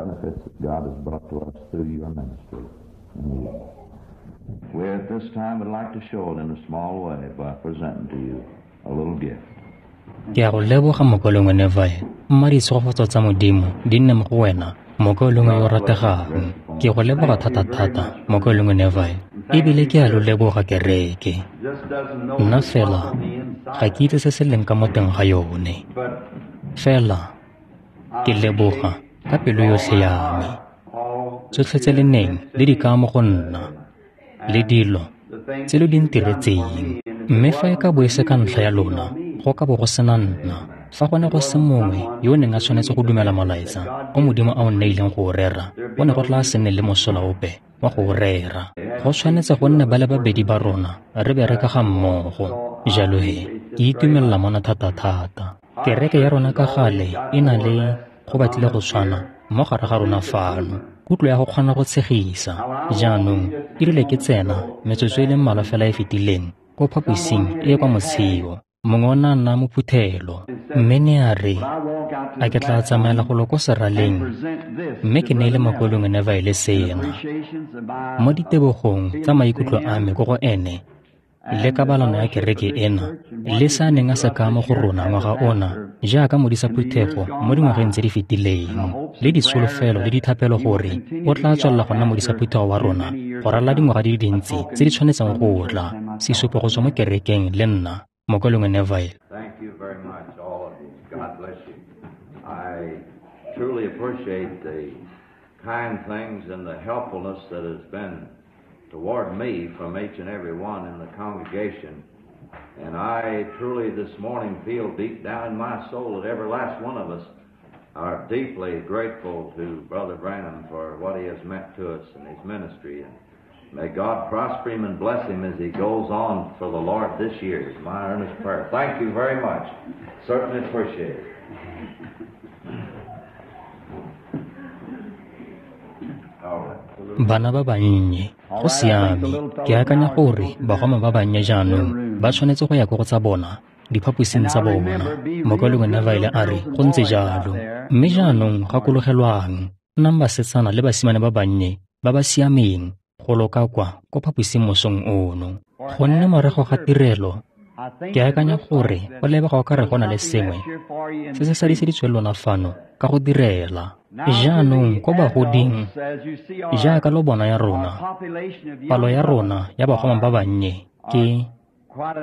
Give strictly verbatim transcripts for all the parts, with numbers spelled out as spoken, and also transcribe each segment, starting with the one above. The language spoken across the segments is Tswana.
benefits that God has brought to us through your ministry. And we at this time would like to show it in a small way by presenting to you a little gift. Ke a go leboga mokaulengwe Neville, mma ditshegofatso tsa Modimo di nne mo go wena, mokaulengwe yo o rategang. Ke go leboga thata-thata, mokaulengwe Neville, ebile ke a lo leboga kereke. Nna fela ga ke itse se se leng ka mo teng ga yone. Fela ke leboga ka pelo yotlhe ya me. Tsotlhe tse le neng le di kaya mo go nna, le dilo tse lo di ntiretseng. Mme fa e ka bo e se ka ntlha ya lona, go ka bo go sena nna. Fa go ne go se mongwe yo o neng a tshwanetse go dumela molaetsa o Modimo a o nneileng go o rera, go ne go tla se nne le mosola ope wa go o rera. Go tshwanetse go nne ba le babedi ba rona re bereka ga mmogo. Jalo he, ke itumelela mona thata-thata. Kereke ya rona ka gale e na le go batlile go tshwana mo gare ga rona fano, kutlo ya go kgona go tshegisa. Jaanong e rile ke tsena metsotso e le mmalwa fela e fetileng ko phaposing e e kwa motsheo, mongwe o ne a nna mophuthelo, mme ne a re a ke tla tsamaela golo ko seraleng mme ke neile mokaulengwe Neville sena mo ditebogong tsa maikutlo a me ko go ene le kabalano ya kereke ena le se a neng a se kaya mo go rona ngwaga ona jaaka modisa phuthego mo dingwageng tse di fetileng, le ditsholofelo le dithapelo gore o tla tswelela go nna modisa phuthego wa rona go ralala dingwaga di le dintsi tse di tshwanetseng go tla. Sesupo go tswa mo kerekeng le nna, mokaulengwe Neville. Thank you very much, all of you. God bless you. I truly appreciate the kind things and the helpfulness that has been toward me from each and every one in the congregation. And I truly this morning feel deep down in my soul that every last one of us are deeply grateful to Brother Branham for what he has meant to us in his ministry. And may God prosper him and bless him as he goes on for the Lord this year is my earnest prayer. Thank you very much. Certainly appreciate it. All right. Bana ba bannye, go siame. Ke akanya gore bagoma ba bannye jaanong ba tshwanetse go ya ko go tsa bona diphaposing tsa bona. Mokaulengwe Neville a re go ntse jalo. Mme jaanong gakologelwang, nnang basetsana le basimane ba bannye ba ba siameng go loka kwa ko phaposing mosong ono. Gonne morago ga tirelo, ke akanya gore go lebega o ka re go na le sengwe se se sadiseditsweng lona fano ka go direla. Jaanong ko bagoding, jaaka lo bona ya rona, palo ya rona ya bagoma ba bannye ke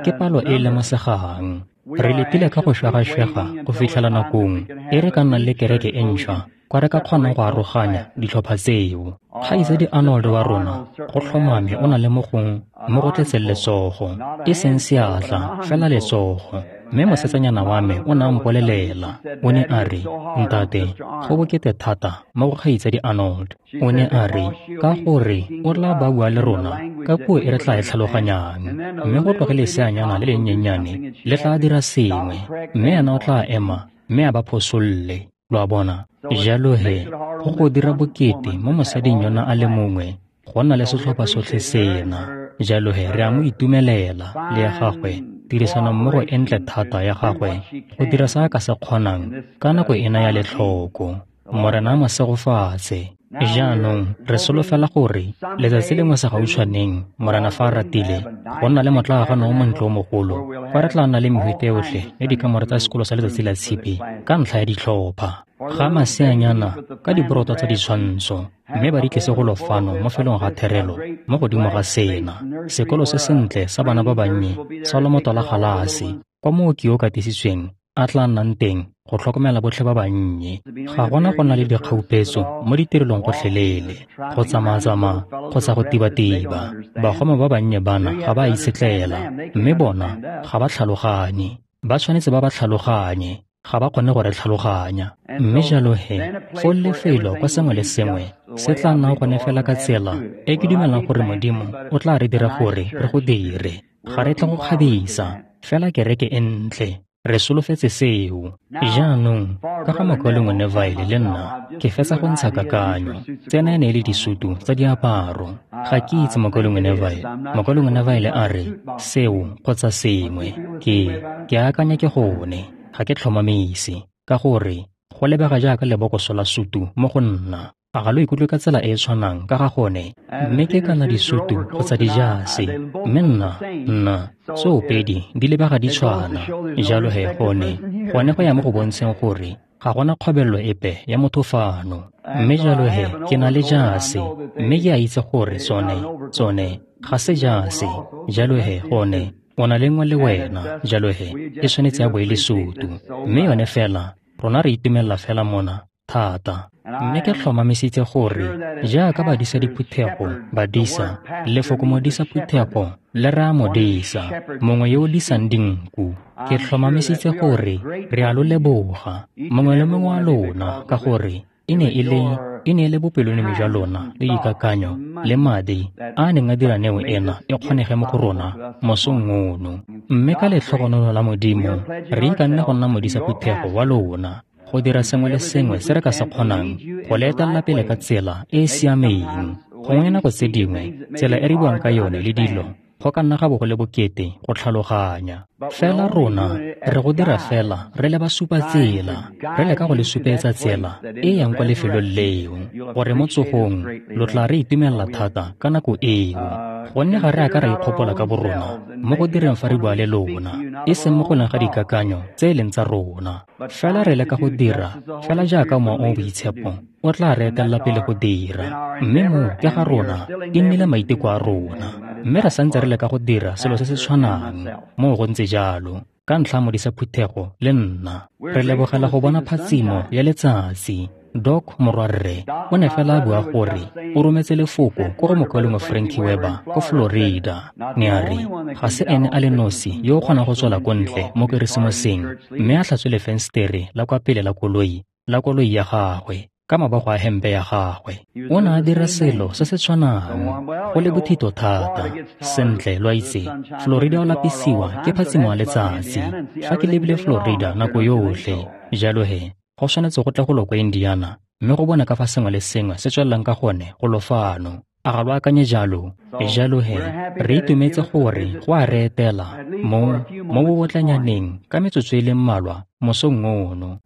ke palo e e lemosegang. Re letile ka go šwegašwega go fitlhela nakong e re ka nnang le kereke e ntšhwa kwa re ka kgonang go aroganya ditlhopha tseo. Kgaitsadi Arnold wa rona go tlhomame o na le mo gong mo go tletseng letsogo, e seng seatla, fela letsogo. Mme mosetsanyana wa me o ne a mpolelela, o ne a re, ntate, go bokete thata mo go kgaitsadi Arnold. O ne a re, ka gore o tla ba bua le rona ka puo e re tla e tlhaloganyang, mme go tloge leseanyana le lennyennyane le tla dira sengwe, mme ena o tla ema mme a ba phosolle. Lo a bona? Jalo he, go go dira bokete mo mosading yona a le mongwe go nna le setlhopha sotlhe sena. Jalo he, re a mo itumelela le ya gagwe tirisanommogo e ntle thata ya gagwe go dira se a ka se kgonang ka nako ena ya letlhoko. Morena a mo segofatse. Jaanong re solofela gore letsatsi lengwe segautshwaneng, Morena fa a ratile, go nna le motlaagano o montle o mogolo kwa re tla nna le mehute yotlhe ya dikamore tsa sekolo sa letsatsi la tshipi ka ntlha ya ditlhopha ga maseanyana ka diboroto tsa ditshwantsho, mme ba di tlise go lo fano mo felong ga therelo mo godimo ga sena sekolo se sentle sa bana ba bannye sa lomoto la galase kwa mooki yo o katisitsweng a tla nnang teng go tlhokomela botlhe ba bannye. Ga gona go na le dikgaupetso mo ditirelong gotlhelele, go tsamaya-tsamaya kgotsa go tiba-tiba. Bagoma ba bannye bana ga ba itshetlela, mme bona ga ba tlhaloganye. Ba tshwanetse ba ba tlhaloganye, ga ba kgone go re tlhaloganya. Mme jalo he, foo lefelo kwa sengwe le sengwe se tla nnang gone fela ka tsela e ke dumelang gore Modimo o tla re dira gore re go dire. Ga re tle go kgabisa, fela kereke e ntle. Re solofetse seo. Jaanong ka ga mokaulengwe Neville le nna, ke fetsa go ntsha kakanyo. Tsena e ne e le disutu tsa diaparo. Ga ke itse mokaulengwe Neville. Mokaulengwe Neville a re seo kgotsa sengwe. Ke ke akanya ke gone, ga ke tlhomamise, ka gore Go lebega jaaka lebokoso la sutu mo go nna. A ga lo ikutlwe ka tsela e e tshwanang ka ga gone? Mme ke kana disutu kgotsa dijase. Mme nna, nna, tsoopedi di lebega di tshwana. Jalo he gone, gone go ya mo go bontsheng gore ga gona kgobelelo epe ya motho fano. Mme jalo he ke na le jase, mme ke a itse gore tsone, tsone ga se jase. Jalo he gone, o na le nngwe le wena, jalo he e tshwanetse ya bo e le sutu. Mme yone fela, rona re itumelela fela mona thata. Mme ke tlhomamisitse gore jaaka badisa diphuthego, badisa, lefoko modisa phuthego le raya modisa, mongwe yo o disang dinku. Ke tlhomamisitse gore re a lo leboga, mongwe le mongwe wa lona, ka gore e ne e le e ne e le bopelonomi jwa lona le dikakanyo le madi a a neng a dira neo ena e kgonege mo go rona mosong ono. Mme ka letlhogonolo la Modimo re ikanne go nna modisa phuthego wa lona, go dira sengwe le sengwe se re ka se kgonang go le etelela pele ka tsela e e siameng. Gongwe nako tse dingwe tsela e re buang ka yone le dilo go ka nna ga bo go le bokete go tlhaloganya. Fela rona re go dira fela re le ba supa tsela, re leka go le supetsa tsela e yang kwa lefelong leo, gore mo tsogong lo tla re itumelela thata ka nako eo. Gonne ga re a ka ra ikgopola ka borona mo go direng fa re bua le lona, e seng mo go leng ga dikakanyo tse e leng tsa rona. Fela re leka go dira fela jaaka Mowa o o Boitshepo o tla re etelela pele go dira. Mme mo ke ga rona e nnile maiteko a rona, mme re santse re leka go dira selo se se tshwanang. Moo go ntse jalo ka ntlha modisa phuthego le nna. Re lebogela go bona phatsimo ya letsatsi. Doc morwarre o ne fela a bua gore o rometse lefoko ko go mokaulengwe Frankie Weber ko Florida. Ne a re ga se ene a le nosi yo o kgonang go tswela ko ntle mo Keresemoseng mme a tlhatswe lefensetere la kwa pele la koloi la koloi ya gagwe ka mabogo a hempe ya gagwe. O ne a dira selo se se tshwanang, go le bothito thata. Sentle, lo a itse, Florida o lapisiwa ke phatsimo ya letsatsi. Fa ke lebile Florida nako yotlhe, jalo he go tshwanetse go tla go lo kwa Indiana mme go bona ka fa sengwe le sengwe se tswelelang ka gone go lo fano. A ga lo akanye jalo? Jalo he re itumetse gore go a re etela mo mo bobotlanyaneng ka metsotso e le mmalwa mosong ono.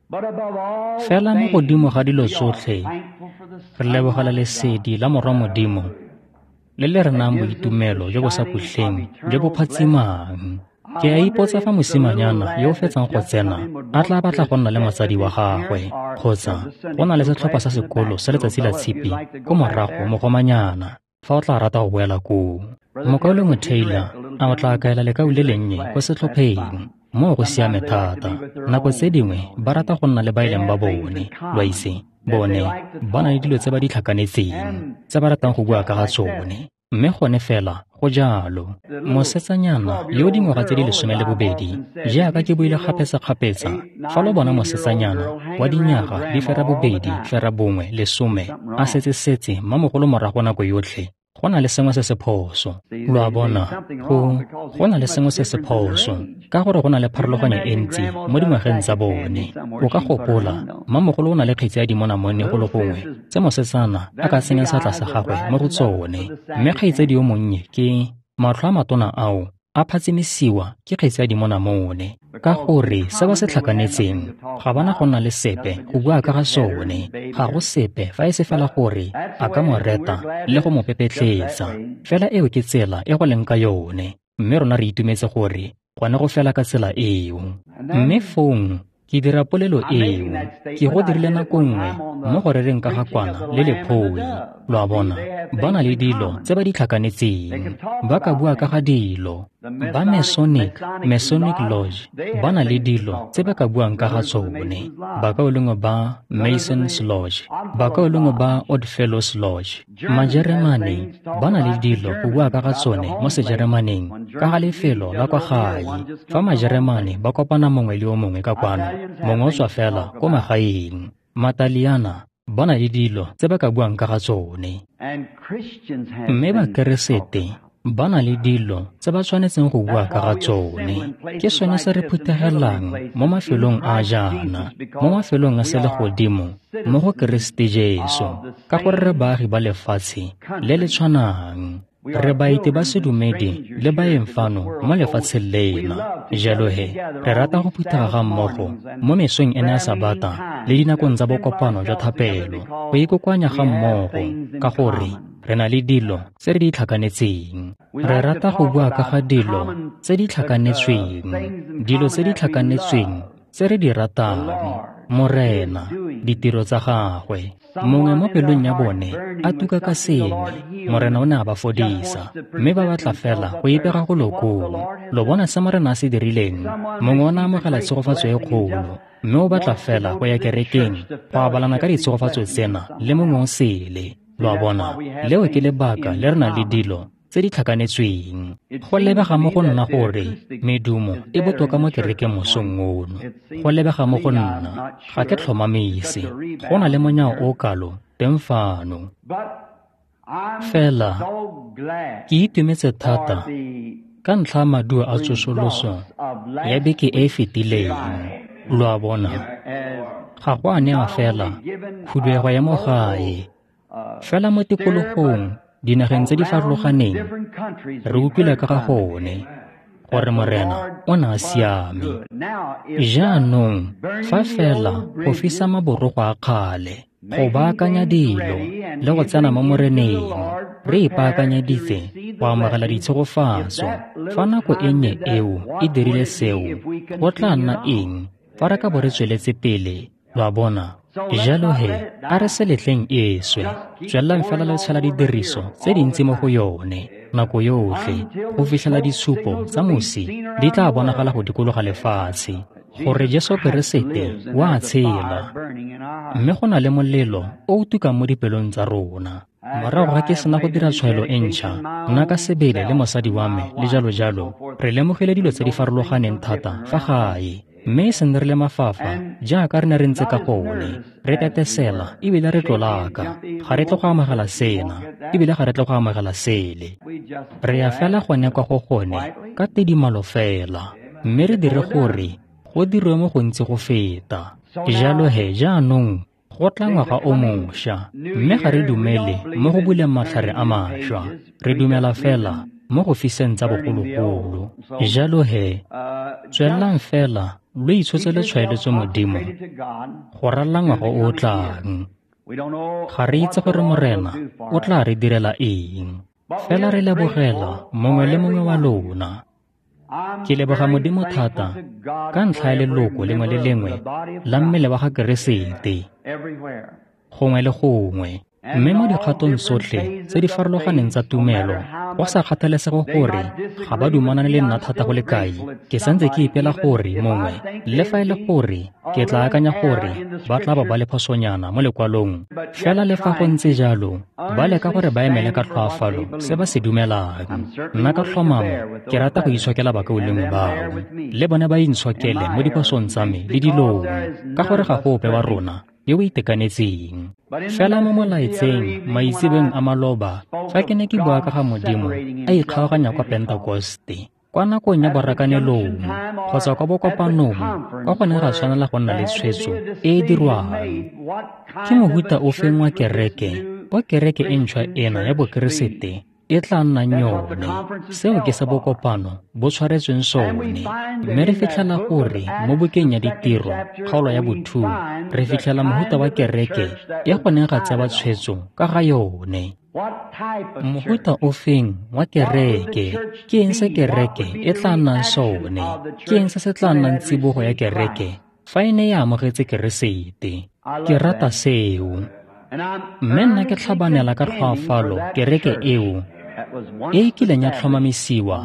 Fela mo godimo ga dilo tsotlhe, re lebogela lesedi la Morwa Modimo le le re nayang boitumelo jo bo sa khutleng jo bo phatsimang. Ke a ipotsa fa mosimanyana yo o fetsang go tsena a tla batla go nna le motsadi wa gagwe, kgotsa go na le setlhopha sa sekolo sa letsatsi la tshipi ko morago mogomanyana fa o tla rata go boela koo. Mokaulengwe Taylor a o tla kaela lekau le lennye ko setlhopheng. Moo go siame thata. Nako tse dingwe ba rata go nna le ba e leng ba bone, lo a itse, bone ba na le dilo tse ba di tlhakanetseng tse ba ratang go bua ka ga tsone. Mme gone fela go jalo. Mosetsanyana yo dingwaga tse di lesome le bobedi, jaaka ke buile kgapetsa-kgapetsa, fa lo bona mosetsanyana wa dinyaga di fera bobedi fera bongwe lesome a setse-setse mmamogolo morago nako yotlhe, go na le sengwe se se phoso. Lo a bona, go go na le sengwe se se phoso ka gore go na le pharologanyo e ntsi mo dingwageng tsa bone. O ka gopola mmamogolo o na le kgetsi ya dimonamone go le gongwe tse mosetsana a ka tsenyang seatla sa gagwe mo go tsone, mme kgaitsadi yo monnye ke matlho a matona ao a phatsimisiwa ke kgetsi ya dimonamone, ka gore se ba se tlhakanetseng ga bana go nna le sepe go bua ka ga sone. Ga go sepe fa e se fela gore a ka mo reta le go mo pepetletsa. Fela eo ke tsela e go leng ka yone, mme rona re itumetse gore gone go fela ka tsela eo. Mme fong ke dira polelo eo, ke go dirile nako nngwe mo go rereng ka ga kwana le lephoi. Lo a bona, ba na le dilo tse ba di tlhakanetseng, ba ka bua ka ga dilo. Ba Masonic, Masonic Lodge, ba na le dilo tse ba ka buang ka ga tsone. Bakaulengwe ba Masons Lodge, bakaulengwe ba Odd Fellows Lodge, Majeremane ba na le dilo go bua ka ga tsone mo Sejeremaneng ka ga lefelo la kwa gae. Fa Majeremane ba kopana mongwe le yo mongwe ka kwano, mongwe o tswa fela ko magaeng. Mataliana ba na le dilo tse ba ka buang ka ga tsone. Mme Bakeresete ba na le dilo tse ba tshwanetseng go bua ka ga tsone. Ke sone se re phuthegelang mo mafelong a jaana, mo mafelong a selegodimo mo go Keresete Jesu, ka gore re baagi ba lefatshe le le tshwanang. Re baeti ba sedumedi le baeng fano mo lefatsheng lena. Jalo he, re rata go phuthega ga mmogo mo mesong ena ya Sabata le dinakong tsa bokopano jwa thapelo, go ikokoanya ga mmogo ka gore re na le dilo tse re di tlhakanetseng. Re rata go bua ka ga dilo tse di tlhakanetsweng, dilo tse di tlhakanetsweng tse re di ratang, Morena, ditiro tsa gagwe. Mongwe mo pelong ya bone a tuka ka sengwe, Morena o ne a ba fodisa, mme ba batla fela go ipega go lokong. Lo bona se Morena a se dirileng? Mongwe o ne a amogela tshegofatso e kgolo, mme o batla fela go ya kerekeng go abalana ka ditshegofatso tsena le mongwe o sele. Lo a bona, leo ke lebaka le re nang le dilo tse di tlhakanetsweng. Go lebega mo go nna gore medumo e botoka mo kerekeng mosong ono. Go lebega mo go nna, ga ke tlhomamise. Go na le monyao o kalo teng fano. Fela ke itumetse thata ka ntlha ya maduo a tsosoloso ya beke e e fetileng. Lo a bona, ga go a newa fela khuduego ya mo gae, fela mo tikologong, dinageng tse di farologaneng, re utlwile ka ga gone gore Morena o ne a siame. Jaanong fa fela go fisa maborogo a kgale, go baakanya dilo le go tsena mo Moreneng, re ipaakanyeditse go amogela ditshegofatso. Fa nako e nnye eo e dirile seo, go tla nna eng fa re ka bo re tsweletse pele? Lo a bona? Jalo he, a re se letleng e swe. Tswelelang fela le tshela didiriso tse dintsi mo go yone nako yotlhe go fitlhela ditshupo tsa mosi di tla bonagala go dikologa lefatshe, gore Jesu Keresete o a tshela, mme go na le molelo o o tukang mo dipelong tsa rona. Morago ga ke sena go dira tshwaelo e ntšha, nna ka sebele le mosadi wa me le jalo jalo, re lemogile dilo tse di farologaneng thata fa gae, mme e seng re le mafafa jaaka re ne re ntse ka gone, re tetesela ebile re tlolaka. Ga re tle go amogela sena, ebile ga re tle go amogela sele. Re ya fela gone kwa go gone ka tidimalo fela, mme re dire gore go dirwe mo gontsi go feta. Jalo he, jaanong go tla ngwaga o mošwa, mme ga re dumele mo go buleng matlhare a mašwa, re dumela fela mo go fiseng tsa bogologolo. Jalo he, tswelelang fela lo itshotse le tshwaeletso Modimo go ralala ngwaga o o tlang. Ga re itse gore Morena o tla re direla eng, fela re lebogela mongwe le mongwe wa lona. Ke leboga Modimo thata ka ntlha ya leloko lengwe le lengwe la mmele wa ga Keresete gongwe le gongwe, mme mo dikgatong tsotlhe tse di farologaneng tsa tumelo, go sa kgathalesege gore ga ba dumalane le nna thata go le kae, ke santse ke ipela gore mongwe, le fa e le gore ke tla akanya gore ba tla ba ba le phosonyana mo lekwalong, fela le fa go ntse jalo, ba leka gore ba emele ka tlhoafalo se ba se dumelang. Nna ka tlhomamo ke rata go itshokela bakaulengwe bao, le bone ba intshokele mo diphosong tsa me le dilong, ka gore ga go ope wa rona yo o itekanetseng. Fela mo molaetseng maitsebeng a maloba, fa ke ne ke bua ka ga Modimo a ikgaoganya kwa Pentekoste, kwa nakong ya borakanelong kgotsa kwa bokopanong, kwa go neng ga tshwanela go nna le tshwetso e e dirwang. Ke mohuta ofeng wa kereke kwa kereke e ntšhwa ena ya Bokeresete e tla nnang yone? Seo ke se bokopano bo tshwaretsweng sone. Mme re fitlhela gore mo bukeng ya Ditiro, kgaolo ya bothuo, re fitlhela mohuta wa kereke e go neng ga tsewa tshwetso ka ga yone. Mohuta ofeng wa kereke? Ke eng se kereke e tla nnang sone? Ke eng se se tla nnang tsibogo ya kereke fa e ne e amogetse Keresete? Ke rata seo. Mme nna ke tlhabanela ka tlhoafalo kereke eo e e kileng ya tlhomamisiwa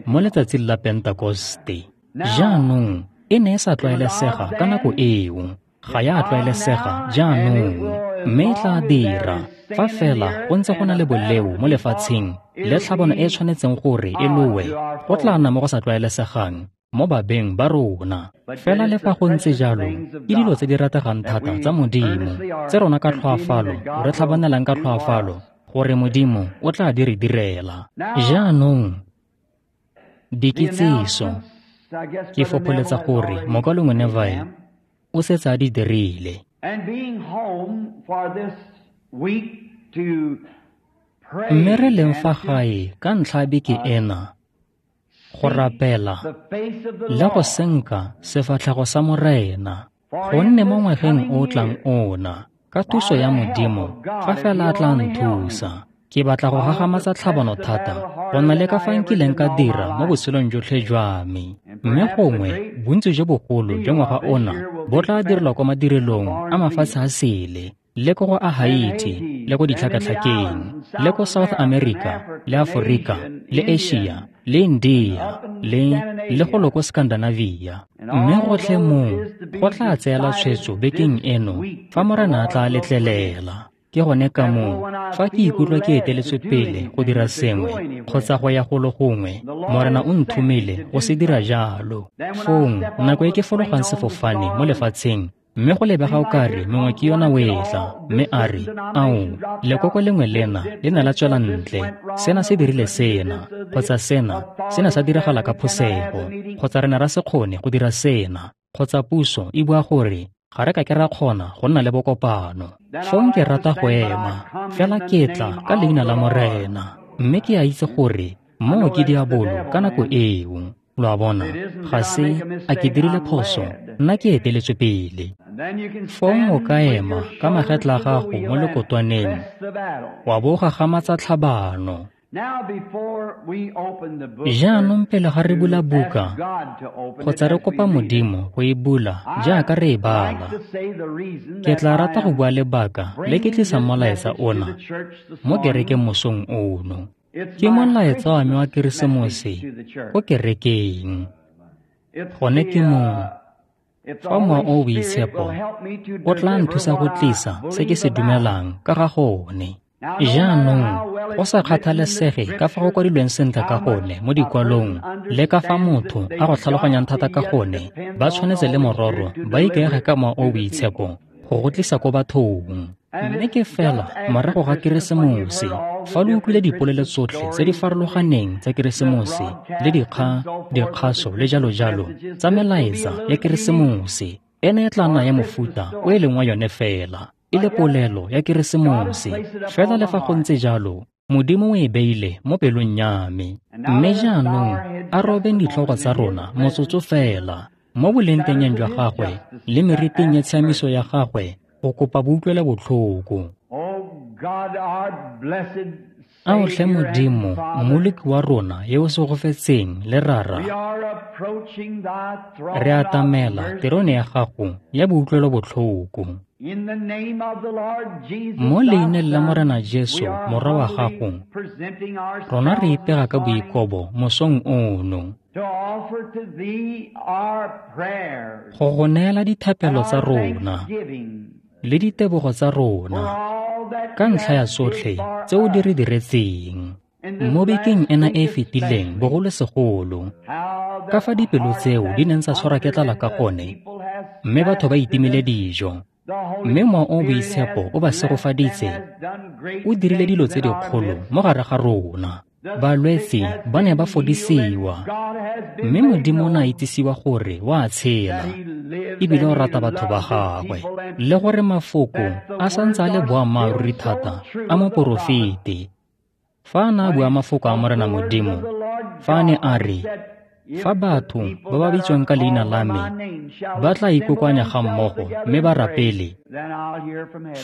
mo letsatsing la Pentekoste. Jaanong e ne e sa tlwaelesega ka nako eo, ga ya tlwaelesega jaanong, mme e tla dira fa fela go ntse go na le boleo mo lefatsheng le tlhabano e tshwanetseng gore e lowe, go tla nna mo go sa tlwaelesegang mo babeng ba rona. Fela le fa go ntse jalo, ke dilo tse di rategang thata tsa Modimo tse rona ka tlhoafalo re tlhabanelang ka tlhoafalo gore Modimo o tla di re direla. Jaanong dikitsiso, ke fopholetsa gore mokaulengwe Neville o setse a di dirile. Mme re leng fa gae ka ntlha ya beke ena, go rapela le go senka sefatlhego sa Morena, gonne mo ngwageng o o tlang ona, ka thuso ya Modimo, fa fela a tla nthusa, ke batla go gagamatsa tlhabano thata go na le ka fa nkileng ka dira mo botshelong jotlhe jwa me. Mme gongwe bontsi jo bogolo jwa ngwaga ona bo tla direlwa kwa madirelong a mafatshe a sele, le ko go a Haiti, le ko ditlhakatlhakeng, le ko South America, le Aforika, le Asia, le India, le le golo ko Scandinavia. Mme gotlhe moo go tla tseela tshwetso bekeng eno fa Morena a tla letlelela. Ke gone ka moo fa ke ikutlwa ke eteletswe pele go dira sengwe kgotsa go ya golo gongwe, Morena o nthomile go se dira jalo. Fong nako e ke fologang sefofane mo lefatsheng, mme go lebega o kare mongwe ke yona o etla, mme a re, ao, lekoko lengwe lena le ne la tswela ntle, sena se dirile sena, kgotsa sena, sena sa diragala ka phosego, kgotsa re ne ra se kgone go dira sena, kgotsa puso e bua gore ga re ka ke ra kgona go nna le bokopano. Fong ke rata go ema, fela ke tla ka leina la Morena, mme ke a itse gore moo ke diabolo ka nako eo. Lo a bona, ga se a ke dirile phoso, nna ke eteletswe pele. Fong o ka ema ka magetla a gago mo lekotwaneng, wa bo gagamatsa tlhabano. Jaanong pele ga re bula buka, kgotsa re kopa Modimo go e bula jaaka re e bala, ke tla rata go bua lebaka le ke tlisang molaetsa ona mo kerekeng mosong ono. Ke molaetsa wa me wa Keresemose ko kerekeng. Gone ke moo fa Mowa o o Boitshepo o tla nthusa go tlisa se ke se dumelang ka ga gone. Jaanong, go sa kgathalesege ka fa go kwadilweng sentle ka gone mo dikwalong le ka fa motho a go tlhaloganyang thata ka gone, ba tshwanetse le mororo ba ikaege ka Mowa o o Boitshepo go go tlisa ko bathong. Mme ke fela morago ga Keresemose, fa lo utlwile dipolelo tsotlhe tse di farologaneng tsa Keresemose le dikgang, dikgaso le jalo jalo tsa melaetsa ya Keresemose, ena e tla nna ya mofuta o e leng wa yone fela, e le polelo ya Keresemose. Fela le fa go ntse jalo, Modimo o e beile mo pelong ya me. Mme jaanong a robeng ditlhogo tsa rona motsotso fela mo bolengtengeng jwa gagwe le meriting ya tshiamiso ya gagwe go kopa boutlwela botlhoko. Ao tlhe Modimo, Mmoloki wa rona yo o segofetseng le Rara, re atamela terone ya gago ya boutlwelo botlhoko. Mo leineng la Morena Jesu, Morwa wa gago, rona re ipega ka boikobo mosong ono go go neela dithapelo tsa rona le ditebogo tsa rona ka ntlha ya tsotlhe tse o di re diretseng mo bekeng ena e e fetileng bogolosegolo, ka fa dipelo tseo di neng tsa tshwarwa ke tlala ka gone, mme batho ba itimile dijo, mme Mowa o o Boitshepo o ba segofaditse, o dirile dilo tse dikgolo mo gare ga rona. Balwetse ba ne ba fodisiwa, mme Modimo o ne a itsisiwa gore o a tshela ebile o rata batho ba gagwe, le gore mafoko a santse a le boammaaruri thata a moporofeti. Fa a ne a bua mafoko a Morena Modimo, fa a ne a re, fa batho ba ba bitswang ka leina la me ba tla ikokoanya ga mmogo mme ba rapele,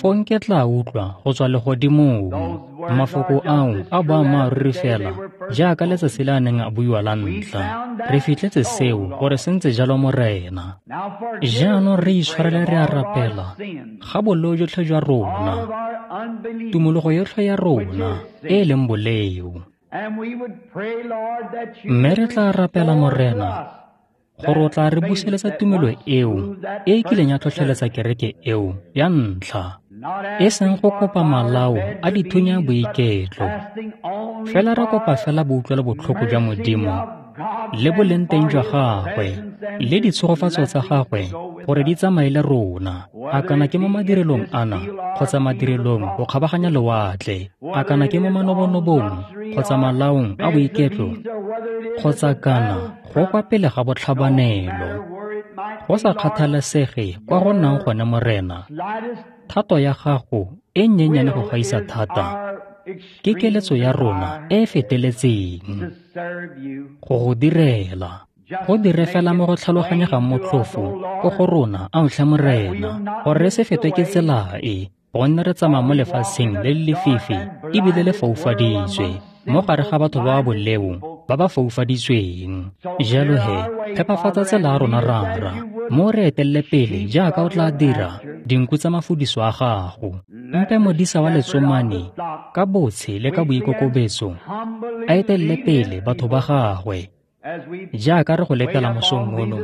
fong ke tla utlwa go tswa legodimong. Mafoko ao a boammaaruri fela jaaka letsatsi le a neng a buiwa la ntlha. Re fitlhetse seo gore se ntse jalo, Morena. Jaanong re itshwarele, re a rapela ga boleo jotlhe jwa rona, tumologo yotlhe ya rona e e leng boleo. Mme re tla rapela, Morena, gore o tla re buseletsa tumelo eo e e kileng ya tlhotlheletsa kereke eo ya ntlha, e seng go kopa malao a dithunya boiketlo, fela re kopa fela boutlwelo botlhoko jwa Modimo le boleng teng jwa gagwe le ditshegofatso tsa gagwe gore di tsamaye le rona, a kana ke mo madirelong ana kgotsa madirelong go kgabaganya lewatle, a kana ke mo manobonobong kgotsa malaong a boiketlo, kgotsa kana go kwa pele ga botlhabanelo. Go sa kgathalesege kwa go nnang gone, Morena, thato ya gago e nnyenyane go gaisa thata Ke keletso ya rona e e feteletseng go go direla. Go dire fela mo go tlhaloganyegang motlhofo ko go rona, ao tlhe Morena, gore re se fetwe ke tsela e, gonne re tsamaya mo lefatsheng le le lefifi ebile le foufaditswe, mo gare ga batho ba ba boleo ba ba foufaditsweng. Jalo he, phepafatsa tsela ya rona Rara, mo re etelele pele jaaka o tla dira dinku tsa mafudiso a gago. Mpe modisa wa letsomane ka botshe le ka boikokobetso a etelele pele batho ba gagwe, jaaka re go letela mosong ono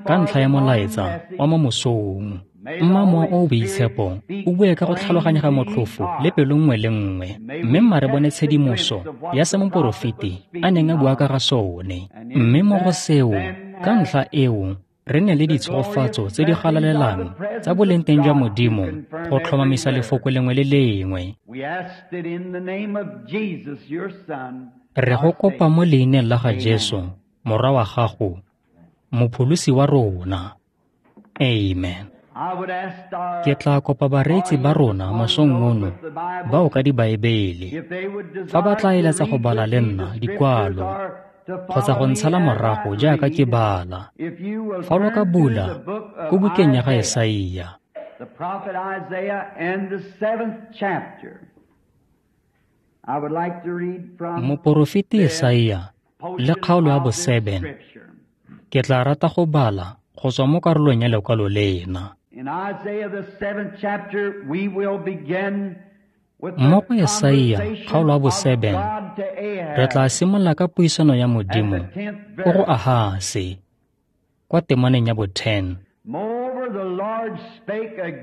ka ntlha ya molaetsa wa mo mosong. Mma Mowa o o Boitshepo o bue ka go tlhaloganyega motlhofo le pelo nngwe le nngwe, mme mma re bone tshedimoso ya se moporofeti a neng a bua ka ga sone. Mme mo go seo, ka ntlha eo, re ne le ditshegofatso tse di galalelang tsa boleng teng jwa Modimo go tlhomamisa lefoko lengwe le lengwe. Re go kopa mo leineng la ga Jesu, Morwa wa gago, Mopholosi wa rona. Amen. Ke tla kopa bareetsi ba rona mosong ono bao ka dibaebele, fa ba tla eletsa go bala le nna dikwalo kgotsa go ntshala morago jaaka ke bala, fa lo ka bula ko bukeng ya ga Esaia. Moporofeti Esaia le kgaolo ya bo-seven, ke tla rata go bala go tswa mo karolong ya lekwalo lena. Mo go Esaia kgaolo ya bo-seven, re tla simolola ka puisano ya Modimo ko go Ahase kwa temaneng ya bo-ten.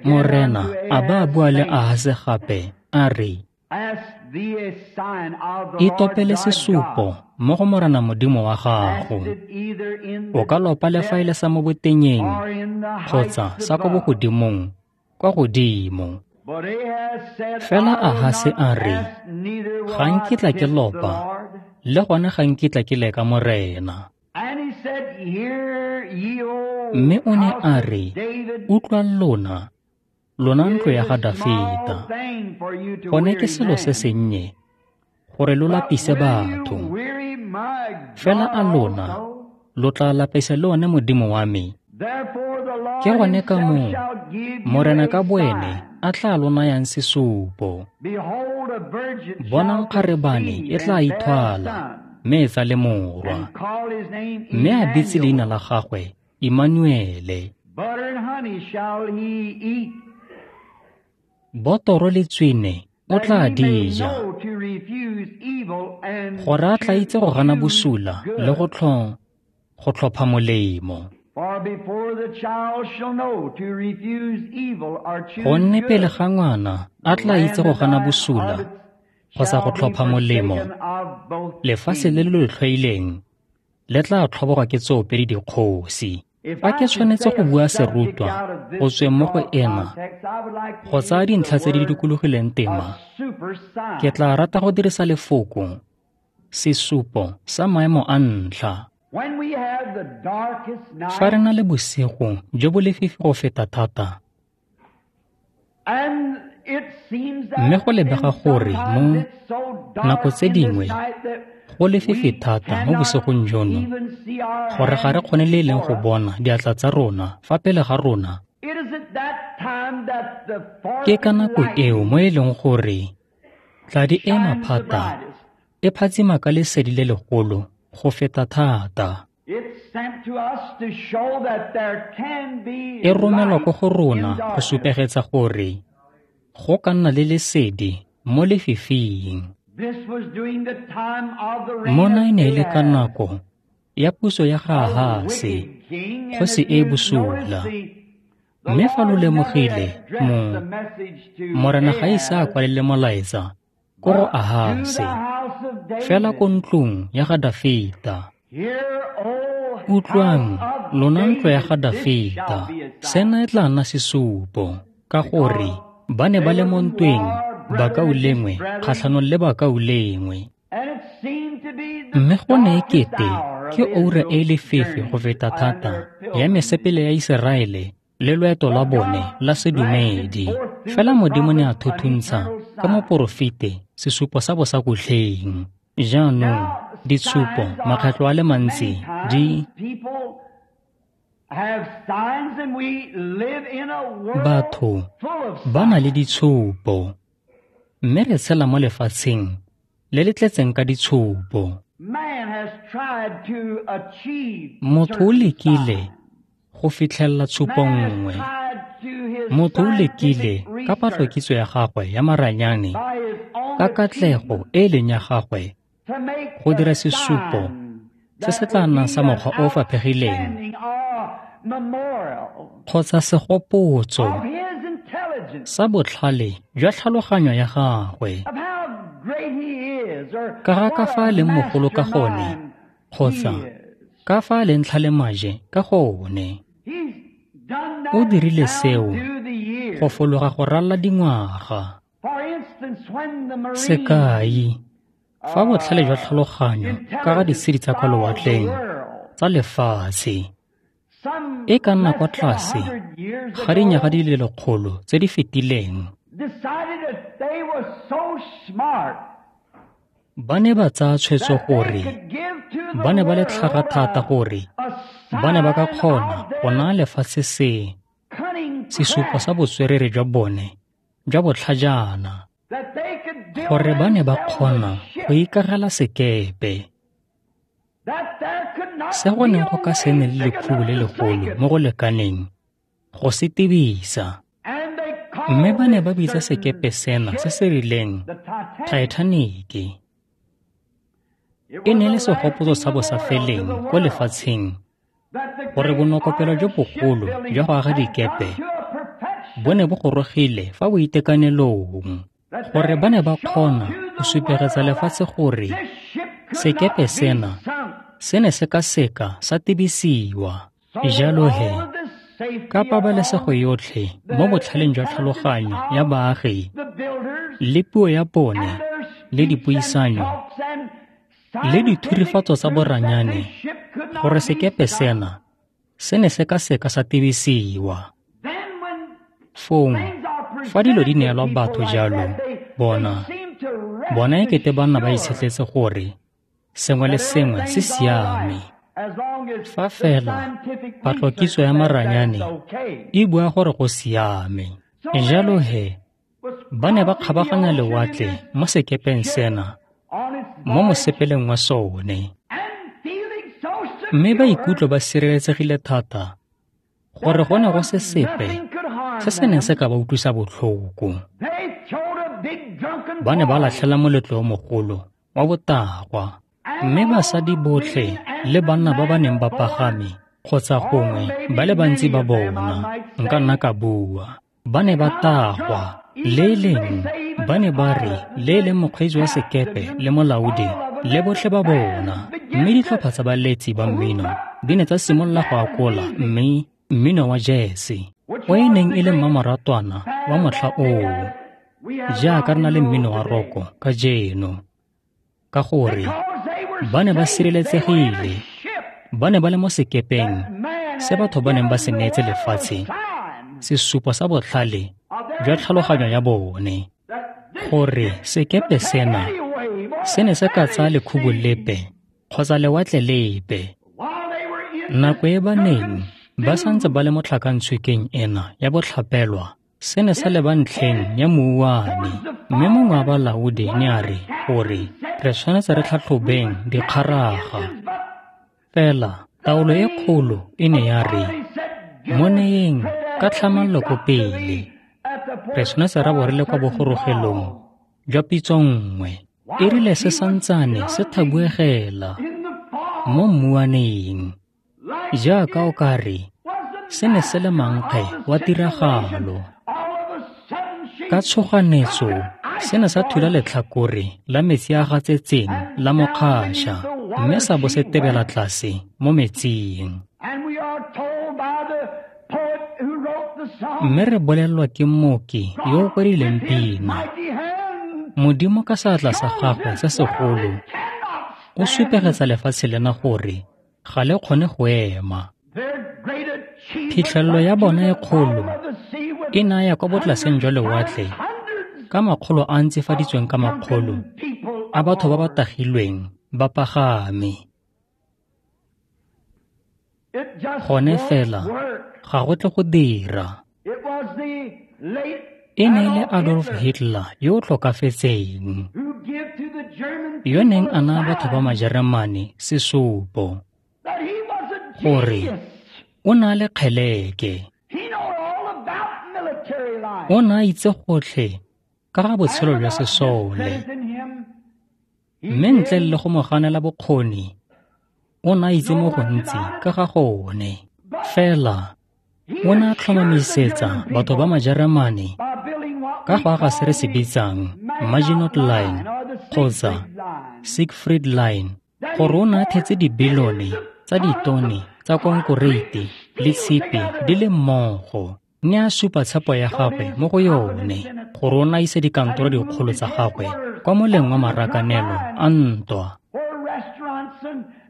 Morena a ba a bua le Ahase gape a re, Itopele sesupo mo go Morena Modimo wa gago. O ka lopa le fa e le sa mo botenyeng kgotsa sa ko bogodimong kwa godimo. Fela Ahase a re, ga nkitla ke lopa, le gone ga nkitla ke leka Morena. Mme o ne a re, utlwang lona, lona ntlo ya ga Dafita, gone ke selo se sennye gore lo lapise batho. Fela a lona lo tla lapisa le one Modimo wa me. Ke gone ka moo Morena ka boene a tla lo nayang sesupo. Bonang kgarebane e tla ithwala mme e tsale morwa, mme a bitse leina la gagwe Immanuele. Botoro le tswine o tla di ja, gore a tla itse go gana bosula le go tlho go tlhopha molemo. Gonne pele ga ngwana a tla itse go gana bosula kgotsa go tlhopha molemo, lefatshe le le tlhoileng le tla tlhobogwa ke tsoopedi dikgosi. Fa ke tshwanetse go bua serutwa go tsweng mo go ena go tsaya dintlha tse di dikologileng tema, ke tla rata go dirisa lefoko sesupo sa maemo a ntlha. Fa re na le bosigo jo bo lefifi go feta thata, mme go lebega gore mo nako tse dingwe go lefifi thata mo bosigong jono gore ga re kgone le e leng go bona diatla tsa rona fa pele ga rona, ke ka nako eo mo e leng gore tladi e maphata e phatsima ka lesedi le legolo go feta thata. E romelwa ko go rona go supegetsa gore go ka nna le lesedi mo lefifing. Mona e ne e le ka nako ya puso ya ga Ahase, kgosi e e bosula. Mme fa lo lemogile, mo Morena ga ise a kwalele molaetsa ko go Ahase, fela ko ntlong ya ga Dafita. Utlwang, lona ntlo ya ga Dafita, sena e tla nna sesupo, ka gore ba ne ba le mo ntweng bakaulengwe kgatlhanong le bakaulengwe. Mme go ne ekete ke oura e lefifi go feta thata ya mesepele ya Iseraele le loeto lwa bone la sedumedi. Fela Modimo ne a thuthuntsha ka moporofete sesupo sa bosakutlheng. Jaanong ditshupo makgetlho a le mantsi di batho ba na le ditshupo, mme re tshela mo lefatsheng le le tletseng ka ditshupo. Motho o lekile go fitlhelela tshupo nngwe. Motho o lekile ka patlokitso ya gagwe ya maranyane, ka katlego e e leng ya gagwe, go dira sesupo se se tla nnang sa mokgwa o o faphegileng kgotsa segopotso sa botlhale jwa tlhaloganyo ya gagwe, ka ga ka fa a leng mogolo ka gone kgotsa ka fa a leng tlhalemaje ka gone. O dirile seo go fologa go ralala dingwaga. Sekai, fa botlhale jwa tlhaloganyo ka ga ditshedi tsa kwa lewatleng tsa lefatshe e ka nna kwa tlase ga dinyaga di le lekgolo tse di fetileng, ba ne ba tsaya tshwetso gore ba ne ba le tlhaga thata gore ba ne ba ka kgona go naya lefatshe se sesupo sa botswerere jwa bone jwa botlhajana, gore ba ne ba kgona go ikagela sekepe se go neng go ka se nne le lekhubu le legolo mo go lekaneng go se tebisa. Mme ba ne ba bitsa sekepe sena se se rileng Titanic. E ne le segopotso sa bosafeleng ko lefatsheng gore bonokopelo jo bogolo jwa go aga dikepe bo ne bo gorogile fa boitekanelong, gore ba ne ba kgona go supegetsa lefatshe gore sekepe sena se ne se ka seka sa tebisiwa. Jalo he, ka pabalesego yotlhe mo botlhaleng jwa tlhaloganyo ya baagi le puo ya bone le dipuisanyo le dithurifatso tsa boranyane, gore sekepe sena se ne se ka seka sa tebisiwa. Fong, fa dilo di neelwa batho jalo, bona bona e kete ba nna ba itshetletse gore sengwe le sengwe se siame, fa fela patlokitso ya maranyane e bua gore go siame. Jalo he, ba ne ba kgabaganya lewatle mo sekepeng sena mo mosepeleng wa sone, mme ba ikutlwa ba sireletsegile thata gore go ne go se sepe se se neng se ka ba utlwisa botlhoko. Ba ne ba latlhela moletlo o mogolo wa botagwa, mme basadi botlhe le banna ba ba neng ba pagame kgotsa gongwe ba le bantsi ba bona, nka nna ka bua, ba ne ba tagwa. Le leng ba ne ba re le leng mokgweetsi wa sekepe le molaodi le botlhe ba bona, mme ditlhopha tsa baletsi ba mmino di ne tsa simolola go akola mme mmino wa jese o e neng e le mmamoratwana wa motlha oo, jaaka re na le mmino wa roko kajeno, ka gore ba ne ba sireletsegile, ba ne ba le mo sekepeng se batho ba neng ba se neetse lefatshe sesupo sa botlhale jwa tlhaloganyo ya bone, gore sekepe sena se ne se ka tsaya lekhubu lepe kgotsa lewatle lepe. Nako e ba neng ba santse ba le mo tlhakantshwikeng ena ya botlhapelwa, se ne sa leba ntlheng ya mouwane, mme mongwe wa balaodi ne a re gore re tshwanetse re tlhatlhobeng dikgaraga. Fela taolo e kgolo e ne ya re mo neyeng ka tlhamallo ko pele, re tshwanetse ra bo re le kwa bogorogelong jwa pitso nngwe. E rile se santsane se thabuegela mo mmuaneng, jaaka o ka re se ne se le mankge wa tiragalo. Ka tshoganetso se ne sa thula letlhakore la metsi a gatsetseng la mokgaša, mme sa bo se tebela tlase mo metsing. Mme re bolelelwa ke mmoki yo o kwadileng pina, Modimo ka seatla sa gagwe se segolo o supegetsa lefatshe lena gore ga le kgone go ema. Phitlhelelo ya bona e kgolo e naya kwa botlaseng jwa lewatle Ka makgolo a ntsifaditsweng ka makgolo a batho ba ba tagilweng ba pagame. Gone fela ga go tle go dira. E ne e le Adolf Hitler yo o tlhokafetseng, yo neng a naya batho ba Majeremane sesupo gore o ne a le kgeleke. O ne a itse gotlhe ka ga botshelo jwa sesole, mme ntle le go mo ganela bokgoni, o ne a itse mo gontsi ka ga gone. Fela o ne a tlhomamisetsa batho ba Majeremane ka go aga se re se bitsang Maginot Line kgotsa Siegfried Line, gore o ne a thetse dibilione tsa ditone tsa konkoreite le tshipi di le mmogo. Ne a supa tshepo ya gagwe mo go yone gore o ne a ise dikantoro dikgolo tsa gagwe kwa moleng wa marakanelo a ntwa,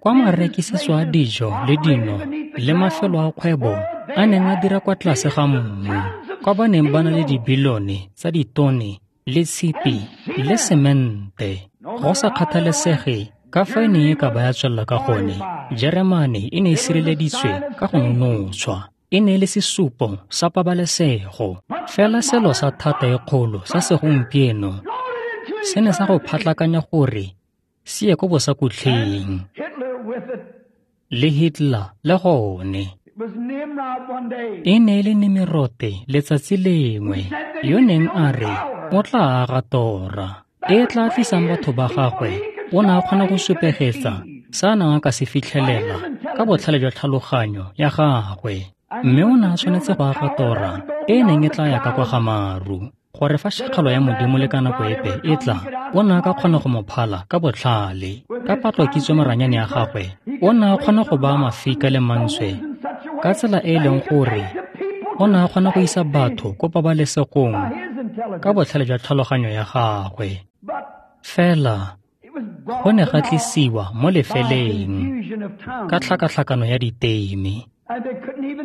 kwa marekisetso a dijo le dino le mafelo a kgwebo a neng a dira kwa tlase ga mmu, kwa ba neng ba na le dibilione tsa ditone le tshipi le semente. Go sa kgathalesege ka fa e neng e ka ba ya tswelela ka gone, Jeremane e ne e sireleditswe ka go nonotshwa. E ne e le sesupo sa pabalesego. Fela selo sa thata e kgolo sa segompieno se ne sa go phatlakanya gore se ye ko bosakutlheng, le Hitler le gone. E ne e le Nimirote letsatsi lengwe yo neng a re o tla aga tora e tla tlisang batho ba gagwe. O ne a kgona go supegetsa se a neng a ka se fitlhelela ka botlhale jwa tlhaloganyo ya gagwe, mme o ne a tshwanetse go aga tora e e neng e tla ya ka kwa ga maru, gore fa šakgalo ya Modimo le ka nako epe e tla, o ne a ka kgona go mo phala ka botlhale. Ka patlokitso maranyane ya gagwe, o ne a kgona go baya mafika le mantswe ka tsela e e leng gore o ne a kgona go isa batho ko pabalesegong ka botlhale jwa tlhaloganyo ya gagwe. Fela go ne ga tlisiwa mo lefeleng ka tlhakatlhakano ya diteime,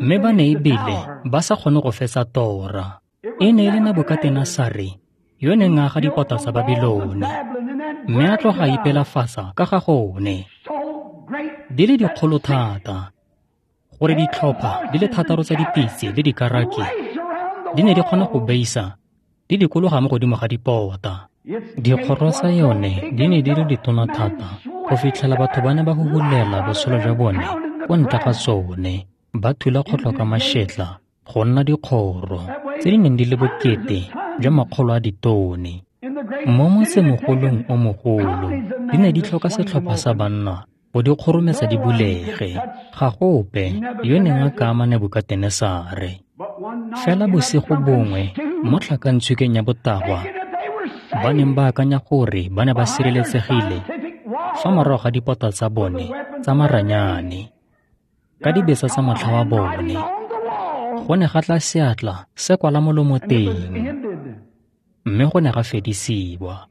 mme ba ne ebile ba sa kgone go fetsa tora. E ne e le Nebukatenesare yo neng a aga dipota tsa Babilone, mme a tloga a ipelafatsa ka ga gone. Di le dikgolo thata gore ditlhopha di le thataro tsa dipitse le dikaraki di ne di kgona go beisa di dikologa mo godimo ga dipota. Dikgoro tsa yone di ne di le ditona thata go fitlhela batho ba ne ba huhulela botshelo jwa bone ko ntle ga tsone, ba thula kgotlho ka mašetla go nna dikgoro tse di neng di le bokete jwa makgolo a ditone. Mo motsemogolong o mogolo di ne di tlhoka setlhopha sa banna go di kgorometsa di bulege. Ga gope yo neng a ka ama Nebukatenesare. Fela bosigo bongwe mo tlhakantshukeng ya botagwa, ba neng ba akanya gore ba ne ba sireletsegile fa morago ga dipota tsa bone tsa maranyane ka dibetsa tsa motlha wa bone, go ne ga tla seatla se kwala molomo teng, mme go ne ga fedisiwa.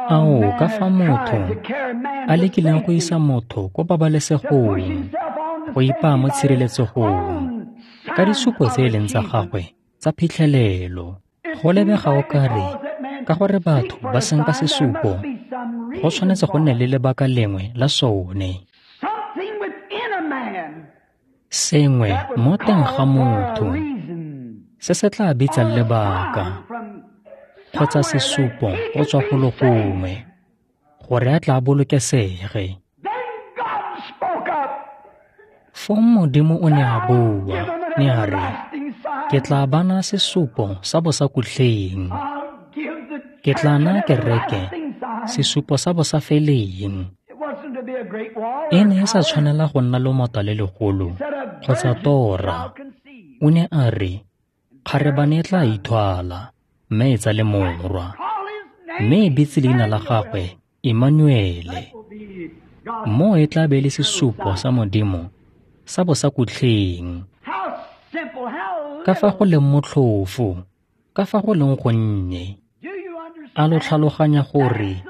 Ao, ka fa motho a lekileng go isa motho ko pabalesegong, go ipaa mo tshireletsegong ka disupo tse e leng tsa gagwe tsa phitlhelelo. Go lebega o kare ka gore batho ba senka sesupo, go tshwanetse go nne le lebaka lengwe la sone. Sengwe mo teng ga motho se se tla bitsang lebaka kgotsa sesupo go tswa go le gongwe gore a tla bolokesege. Fong Modimo o ne a bua, ne a re, ke tla ba naya sesupo sa bosakutlheng. Ke tla naya kereke sesupo sa bosafeleng. E ne e sa tshwanela go nna lomota le legolo kgotsa tora. O ne a re, kgarebane e tla ithwala mme e tsale morwa, mme e bitse leina la gagwe Emmanuele. Mo e tla be le sesupo sa Modimo sa bosakutlheng. Ka fa go leng motlhofo, ka fa go leng gonnye. A lo tlhaloganya gore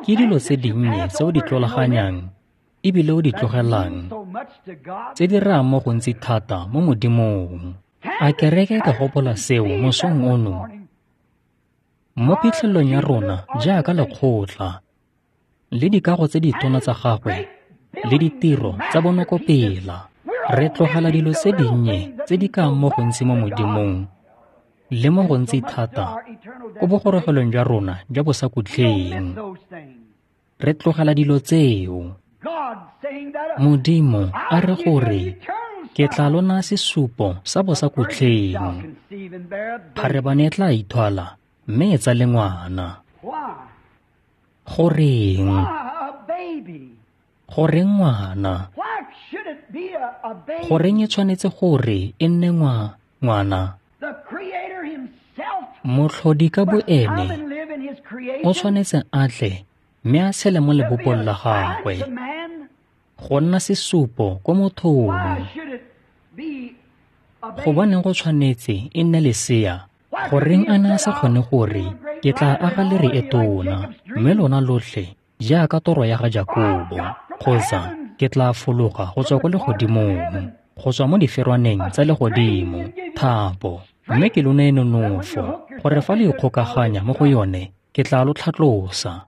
ke dilo tse dinnye tse o di tlolaganyang ebile o di tlogelang tse di rayang mo gontsi thata mo Modimong. A kereke e ka gopola seo mosong ono? Mo phitlhelelong ya rona jaaka lekgotla le dikago tse ditona tsa gagwe le ditiro tsa bonokopela, re tlogela dilo tse dinnye tse di kang mo gontsi mo Modimong le mo gontsi thata ko bogorogelong jwa rona jwa bosakhutleng. Re tlogela dilo tseo. Modimo a re gore ke tla lo naya sesupo sa bosakhutleng. Kgarebane e tla ithwala mme e tsale ngwana. Goreng? Goreng ngwana? Goreng e tshwanetse gore e nne ngwa ngwana? Motlhodi ka boene o tshwanetse a tle mme a tshele mo lebopong la gagwe go nna sesupo ko mothong. Gobaneng go tshwanetse e nne lesea? Goreng a ne a sa kgone gore ke tla aga lere e tona mme lona lotlhe jaaka toro ya ga Jakobo, kgotsa ke tla fologa go tswa ko legodimong, go tswa mo diferwaneng tsa legodimo, thapo, mme ke lo neye nonofo gore fa le ikgokaganya mo go yone ke tla lo tlhatlosa.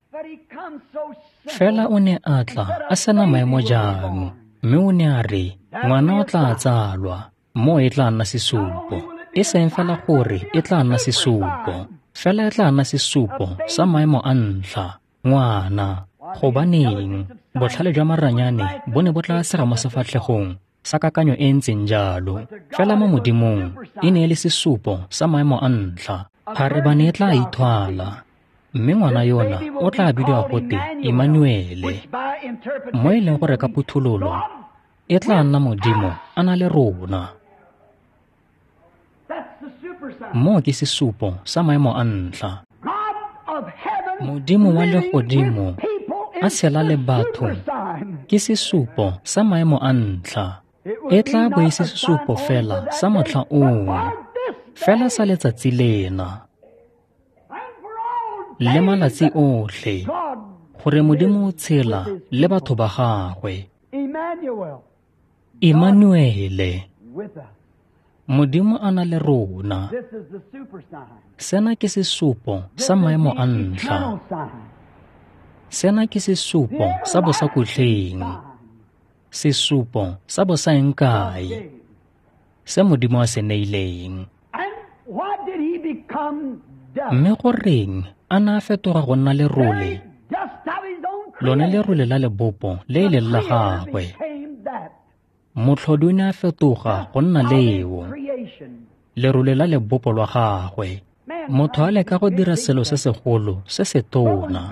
Fela o ne a tla a sena maemo jang, mme o ne a re ngwana o tla tsalwa, mo e tla nna sesupo. E seng fela gore e tla nna sesupo, fela e tla nna sesupo sa maemo a ntlha, ngwana. Gobaneng botlhale jwa maranyane bo ne bo tla sega mo sefatlhegong sa kakanyo e ntseng jalo, fela mo Modimong e ne e le sesupo sa maemo a ntlha. Kgarebane e tla ithwala, mme ngwana yona o tla bidiwa gote Emmanuele, mo e leng gore ka phuthololo e tla nna Modimo a na le rona. Mo ke sesupo sa maemo a ntlha. Modimo wa legodimo a tshela le batho ke sesupo sa maemo a ntlha. E tla bo e se sesupo fela sa motlha oo, fela sa letsatsi lena le malatsi otlhe, gore Modimo o tshela le batho ba gagwe. Emmanuele, Modimo a na le rona. Sena ke sesupo sa maemo a ntlha. Sena ke sesupo sa bosakhutleng, sesupo sa bosaengkae se Modimo a se neileng. Mme goreng a ne a fetoga go nna lerole, lone lerole la lebopo le e leng la gagwe? Motlhodi o ne a fetoga go nna leo, lerole la lebopo lwa gagwe. Motho a leka go dira selo se segolo se se tona,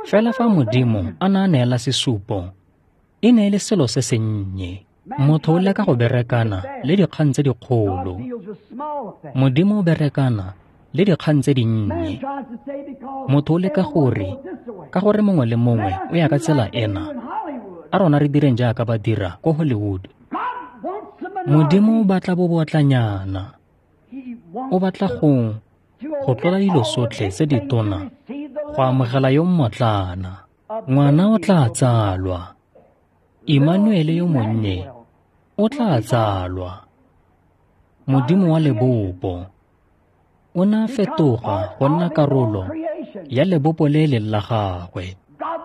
fela fa Modimo a ne a neela sesupo, e ne e le selo se sennye. Motho o leka go berekana le dikgang tse dikgolo, Modimo o berekana le dikgang tse dinnye. Motho o leka gore ka gore mongwe le mongwe o ya ka tsela ena, a rona re direng jaaka ba dira ko Hollywood. Modimo o batla bobotlanyana, o batla go go tlola dilo tsotlhe tse ditona go amogela yo mmotlana. Ngwana o tla tsalwa, Emmanuele yo monnye o tla tsalwa. Modimo wa lebopo o ne a fetoga go nna karolo ya lebopo le leng la gagwe.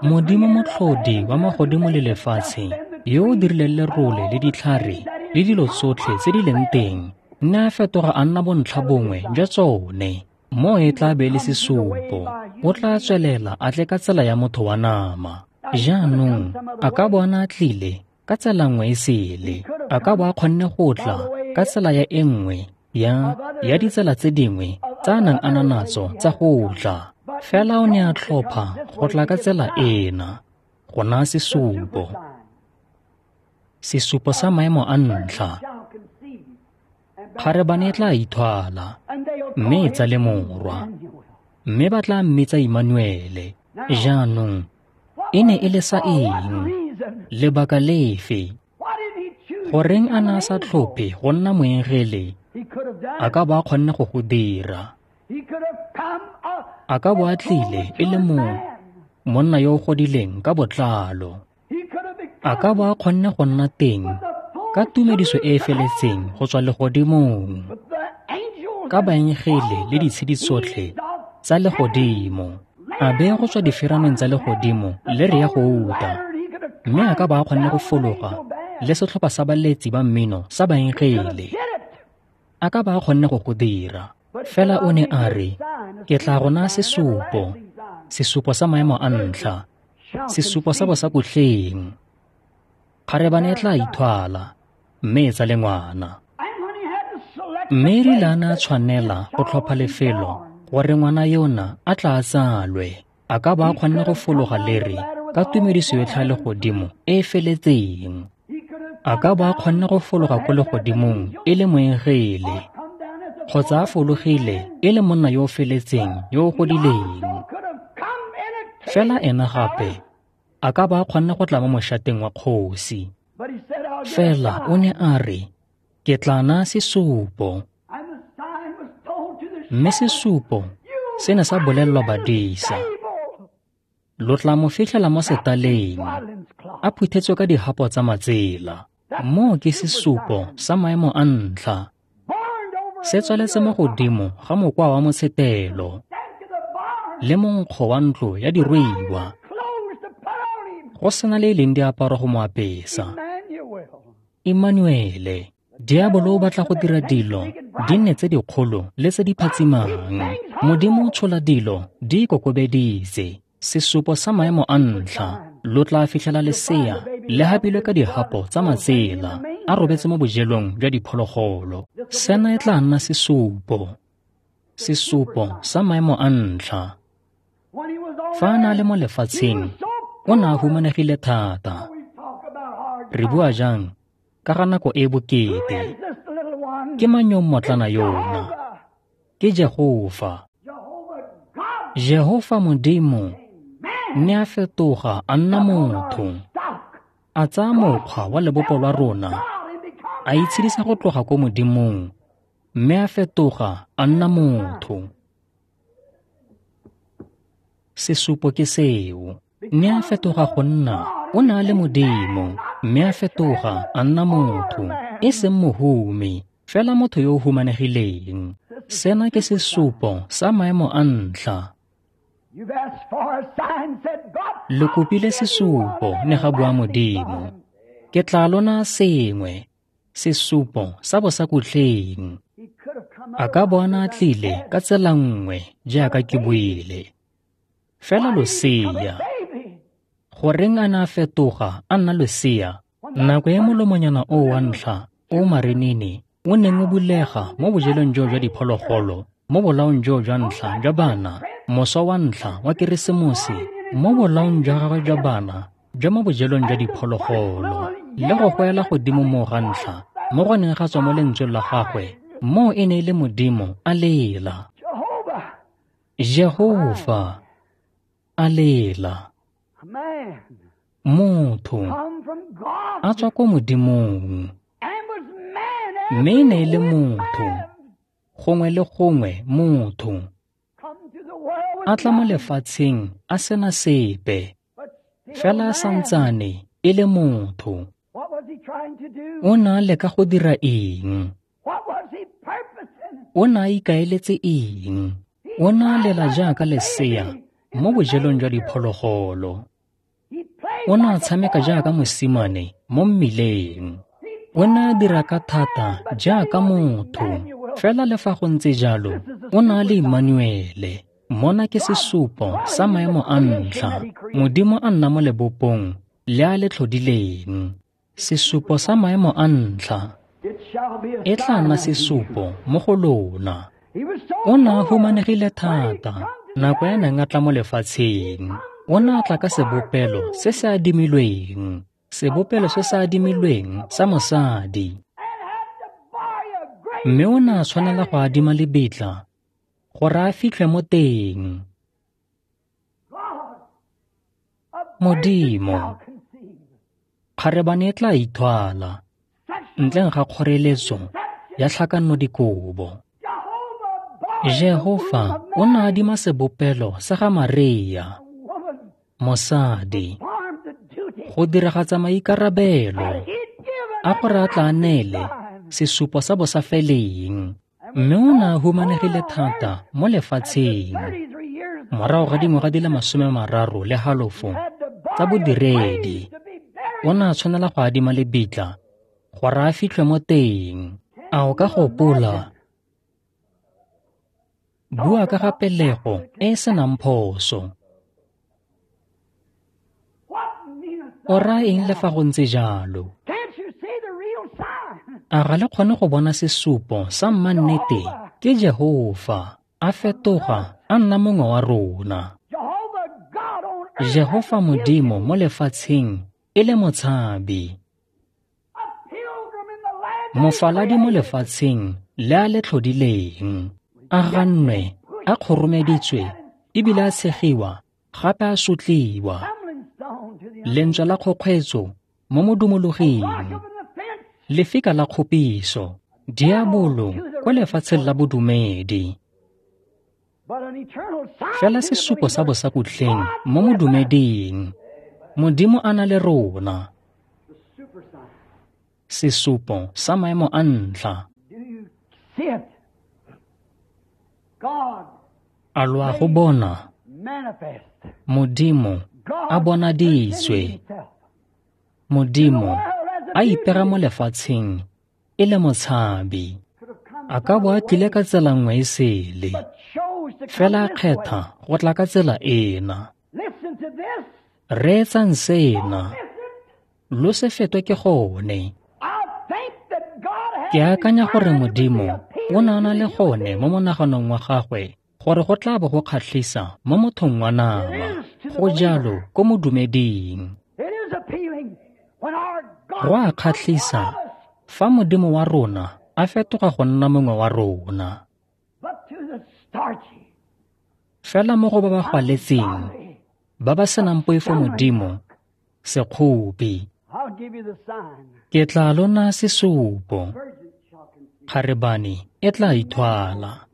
Modimo motlhodi wa magodimo le lefatshe, yo o dirileng lerole le ditlhare le dilo tsotlhe tse di leng teng, ne a fetoga a nna bontlha bongwe jwa tsone. Mo e tla be le sesupo, o tla tswelela a tle ka tsela ya motho wa nama. Jaanong a ka bo a ne a tlile ka tsela nngwe e sele, a ka bo a kgonne go tla ka tsela ya e nngwe ya ya ditsela tse dingwe tsa a nang a na natso tsa go tla. Fela o ne a tlhopha go tla ka tsela ena, go naya sesupo, sesupo sa maemo a ntlha. Kgarebane e tla ithwala mme e tsale morwa, mme ba tla mmitsa Emmanuele. Jaanong e ne e le sa eng? Lebaka lefe? Goreng a ne a sa tlhophe go nna moengele? A ka bo a kgonne go go dira. A ka bo a tlile e le mo monna yo o godileng ka botlalo. A ka bo a kgonne go nna teng ka tumediso e e feletseng go tswa legodimong, ka baengele le ditshedi tsotlhe tsa legodimo, a beye go tswa diferaneng tsa legodimo le re ya gouta, mme a ka ba a kgonne go fologa le setlhopha sa baletsi ba mmino sa baengele. A ka ba a kgonne go go dira. Fela o ne a re, ke tla go naya sesupo, sesupo sa maemo a ntlha, sesupo sa bosakutleng. Kgarebane e tla ithwala, mme e tsale ngwana. Mme e rile a ne a tshwanela go tlhopha lefelo gore ngwana yona a tla tsalwe, a ka ba a kgonne go fologa lere ka tumediso yotlhe ya legodimo e e feletseng. A ka ba a kgonne go fologa ko legodimong e le moengele, kgotsa a fologile e le monna yo o feletseng yo o godileng. Fela ena gape a ka ba a kgonne go tla mo mošateng wa kgosi. Fela o ne a re, ke tla naya sesupo. Mme sesupo se ne sa bolelelwa badisa. Lo tla mo fitlhela mo setaleng, a phuthetswe ka dihapo tsa matsela. Moo ke sesupo sa maemo a ntlha. Se tswaletse mo godimo ga mokwa wa motshetelo le monkgo wa ntlo ya diruiwa, go sena le e leng diaparo go mo apesa. Emmanuele, diabolo o batla go dira dilo di nne tse dikgolo le tse di phatsimang. Modimo o tshola dilo di ikokobeditse. Sesupo sa maemo a ntlha, lo tla fitlhela lesea le hapilwe ka dihapo tsa matsela, a robetse mo bojelong jwa diphologolo. Sena e tla nna sesupo, sesupo sa maemo a ntlha. Fa a na le mo lefatsheng, o ne a humanegile thata. Re bua jang ka ga nako e bokete? Ke mang yo mmotlana yona? Ke Jehofa. Jehofa Modimo ne a fetoga a nna motho, a tsaya mokgwa wa lebopo lwa rona, a itshedisa go tloga ko Modimong, mme a fetoga a nna motho. Sesupo ke seo. Ne a fetoga go nna, o ne a le Modimo, mme a fetoga a nna motho, e seng mohumi, fela motho yo o humanegileng. Sena ke sesupo sa maemo a ntlha. Lo kopile sesupo, ne ga bua Modimo. Ke tla lona sengwe, sesupo sa bosakutleng. A ka bona a tlile ka tsela nngwe jaaka ke buile. Fela losea, goreng a ne a fetoga a nna losea? Nako e molomonyana o wa ntlha o marenene o neng o bulega mo bojelong jo jwa diphologolo, mo bolaong jo jwa ntlha jwa bana, moso wa ntlha wa Keresemose, mo bolaong jwa gagwe jwa bana jwa mo bojelong jwa diphologolo, le go goela godimo mo ga ntlha mo go neng ga tswa mo lentsweng la gagwe, moo e ne e le Modimo a lela. Jehofa a lela. Motho a tswa ko Modimong, mme e ne e le motho, gongwe le gongwe motho, a tla mo lefatsheng a sena sepe, fela a santsane e le motho. O ne a leka go dira eng? O ne a ikaeletse eng? O ne a lela jaaka lesea mo bojelong jwa diphologolo. O ne a tshameka jaaka mosimane mo mmileng. O ne a dira ka thata jaaka motho. Fela le fa go ntse jalo, o ne a le Emmanuele. Mona ke sesupo sa maemo a ntlha. Modimo a nna mo lebopong le a le tlhodileng. Sesupo sa maemo a ntlha e tla nna sesupo mo go lona. O ne a humanegile thata nako ya neng a tla mo lefatsheng. O ne a tla ka sebopelo se se adimilweng, sebopelo se se adimilweng sa mosadi. Mme o ne a tshwanela go adima lebitla gore a fitlhwe mo teng. Modimo, kgarebane e tla ithwala ntleng ga kgoreletso ya tlhakanodikobo. Jehofa o ne a adima sebopelo sa ga Maria, mosadi, go diragatsa maikarabelo a gore a tla neele sesupo sa bosafeleng. Mme o ne a humanegile thata mo lefatsheng Morago ga dingwaga di le masome mararo le halofo tsa bodiredi, o ne a tshwanela go adima lebitla gore a fitlhwe mo teng. A o ka gopola? Bua ka ga pelego e e senang phoso. O raya eng le fa go ntse jalo? A ga le kgone go bona sesupo sa mannete ke Jehofa a fetoga a nna mongwe wa rona. Jehofa Modimo mo lefatsheng e le motshabi. Mofaladi mo lefatsheng le a le tlhodileng. A gannwe, a kgoromeditswe, ebile a tshegiwa, gape a sotliwa. Lentswe la kgokgweetso mo modumologing, lefika la kgopiso, diabolo kwa lefatsheng la bodumedi. Fela sesupo sa bosakutleng mo modumeding, Modimo a na le rona. Sesupo sa maemo a ntlha. A lo a go bona? Modimo a bonaditswe. Modimo a ipega mo lefatsheng e le motshabi. A ka bo a tlile ka tsela nngwe e sele, fela a kgetha go tla ka tsela ena. Reetsang sena, lo se fetwe ke gone. Ke akanya gore Modimo o ne a na le gone mo monaganong wa gagwe gore go tla bo go kgatlhisa mo mothong wa nama. Go jalo ko modumeding. Go a kgatlhisa fa Modimo wa rona a fetoga go nna mongwe wa rona. Fela mo go ba ba gwaletseng, ba ba senang poifo Modimo, sekgopi. Ke tla lona sesupo. Kgarebane e tla ithwala.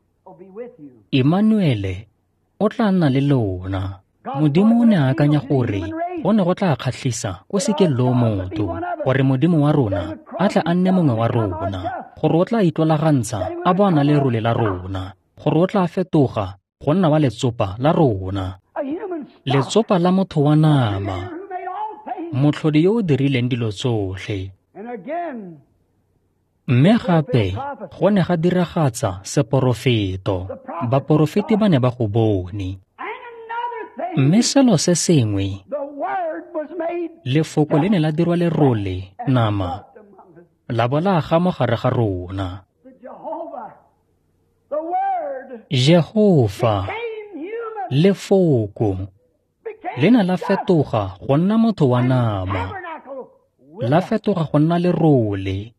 Emmanuele o tla nna le lona. Modimo o ne a akanya gore go ne go tla kgatlhisa ko sekeng loo motho, gore Modimo wa rona a tla a nne mongwe wa rona, gore o tla itlolagantsha a bo a na le lerole la rona, gore o tla fetoga go nna wa letsopa la rona. Letsopa la motho wa nama, motlhodi yo o dirileng dilo tsotlhe. Mme gape go ne ga diragatsa seporofeto. Baporofeti ba ne ba go bone. Mme selo se sengwe, lefoko le ne la dirwa lerole nama, la bo la aga mo gare ga rona. Jehofa, lefoko, le ne la fetoga go nna motho wa nama, la fetoga go nna lerole,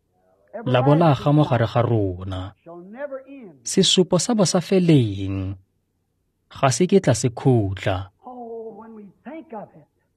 la bo la aga mo gare ga rona. Sesupo sa bosafeleng ga se ketla se khutla.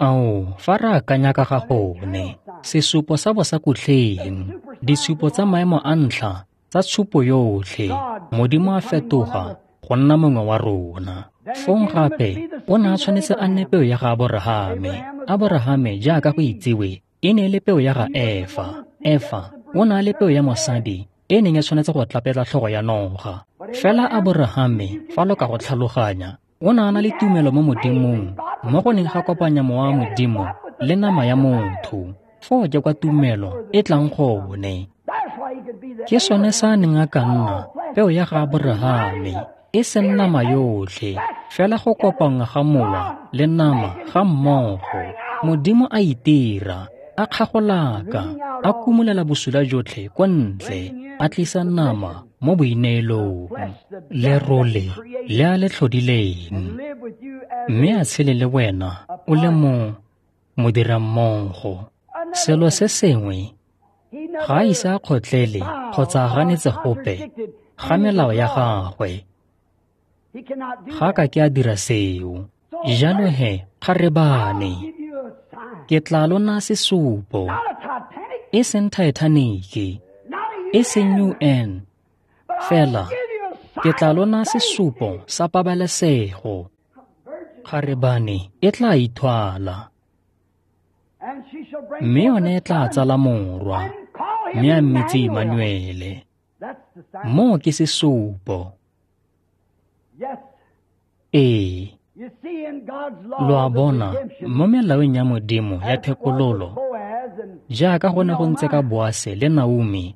Ao, fa re akanya ka ga gone, sesupo sa bosakutleng, ditshupo tsa maemo a ntlha tsa tshupo yotlhe, Modimo a fetoga go nna mongwe wa rona. Fong gape o ne a tshwanetse a nne peo ya ga Aborahame. Aborahame jaaka go itsiwe e ne e le peo ya ga Efa. Efa o ne a le peo ya mosadi e neng e tshwanetse go tlapetla tlhogo ya noga. Fela Aborahame, fa lo ka go tlhaloganya, o ne a na le tumelo mo Modimong, mo go neng ga kopanya mowa wa Modimo le nama ya motho. Foo ke kwa tumelo e tlang gone. Ke sone sa a neng a ka nna peo ya ga Aborahame, e seng nama yotlhe, fela go kopanngwa ga mowa le nama ga mmogo. Modimo a itira, a kgagolaka, a kumulela bosula jotlhe kwa ntle, a tlisa nama mo boineelong, lerole le a le tlhodileng, mme a tshele le wena o le mo modirammogo. Selo se sengwe, ga a ise a kgotlele kgotsa a ganetse gope ga melao ya gagwe. Ga ka ke a dira seo. Jalo he, kgarebane, ke tla lona sesupo, e seng Titanic, e seng U N, fela ke tla lona sesupo sa pabalesego. Kgarebane e tla ithwala, mme yone e tla tsala morwa, mme a mmitse Emmanuele. Moo ke sesupo. Ee. Lo a bona, mo melaong ya Modimo ya thekololo, jaaka go ne go ntse ka Boase le Naomi,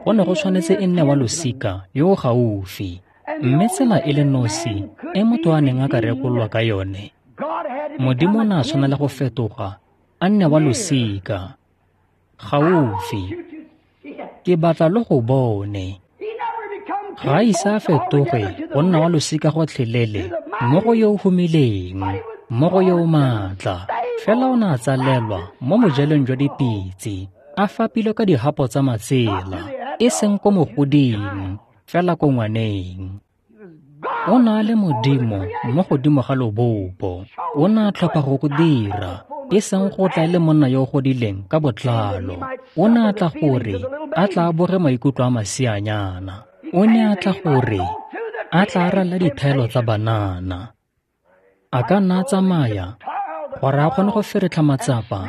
go ne go tshwanetse e nne wa losika yo o gaufi. Mme tsela e le nosi e motho a neng a ka rekololwa ka yone, Modimo o ne a tshwanela go fetoga a nne wa losika gaufi. Ke batla lo go bone. Ga a ise a fetoge go nna wa losika gotlhelele mo go yo o humileng, mo go yo o maatla. Fela o ne a tsalelwa mo bojelong jwa dipitse, a fapilwe ka dihapo tsa matsela, e seng ko mogoding, fela ko ngwaneng. O ne a le Modimo mo godimo ga lobopo. O ne a tlhopha go go dira, e seng go tla e le monna yo o godileng ka botlalo. O ne a tla gore a tla boge maikutlo a masianyana. O ne a tla gore a tla rala dithaelo tsa banana. A ka nna a tsamaya gore a kgone go feretlha matsapa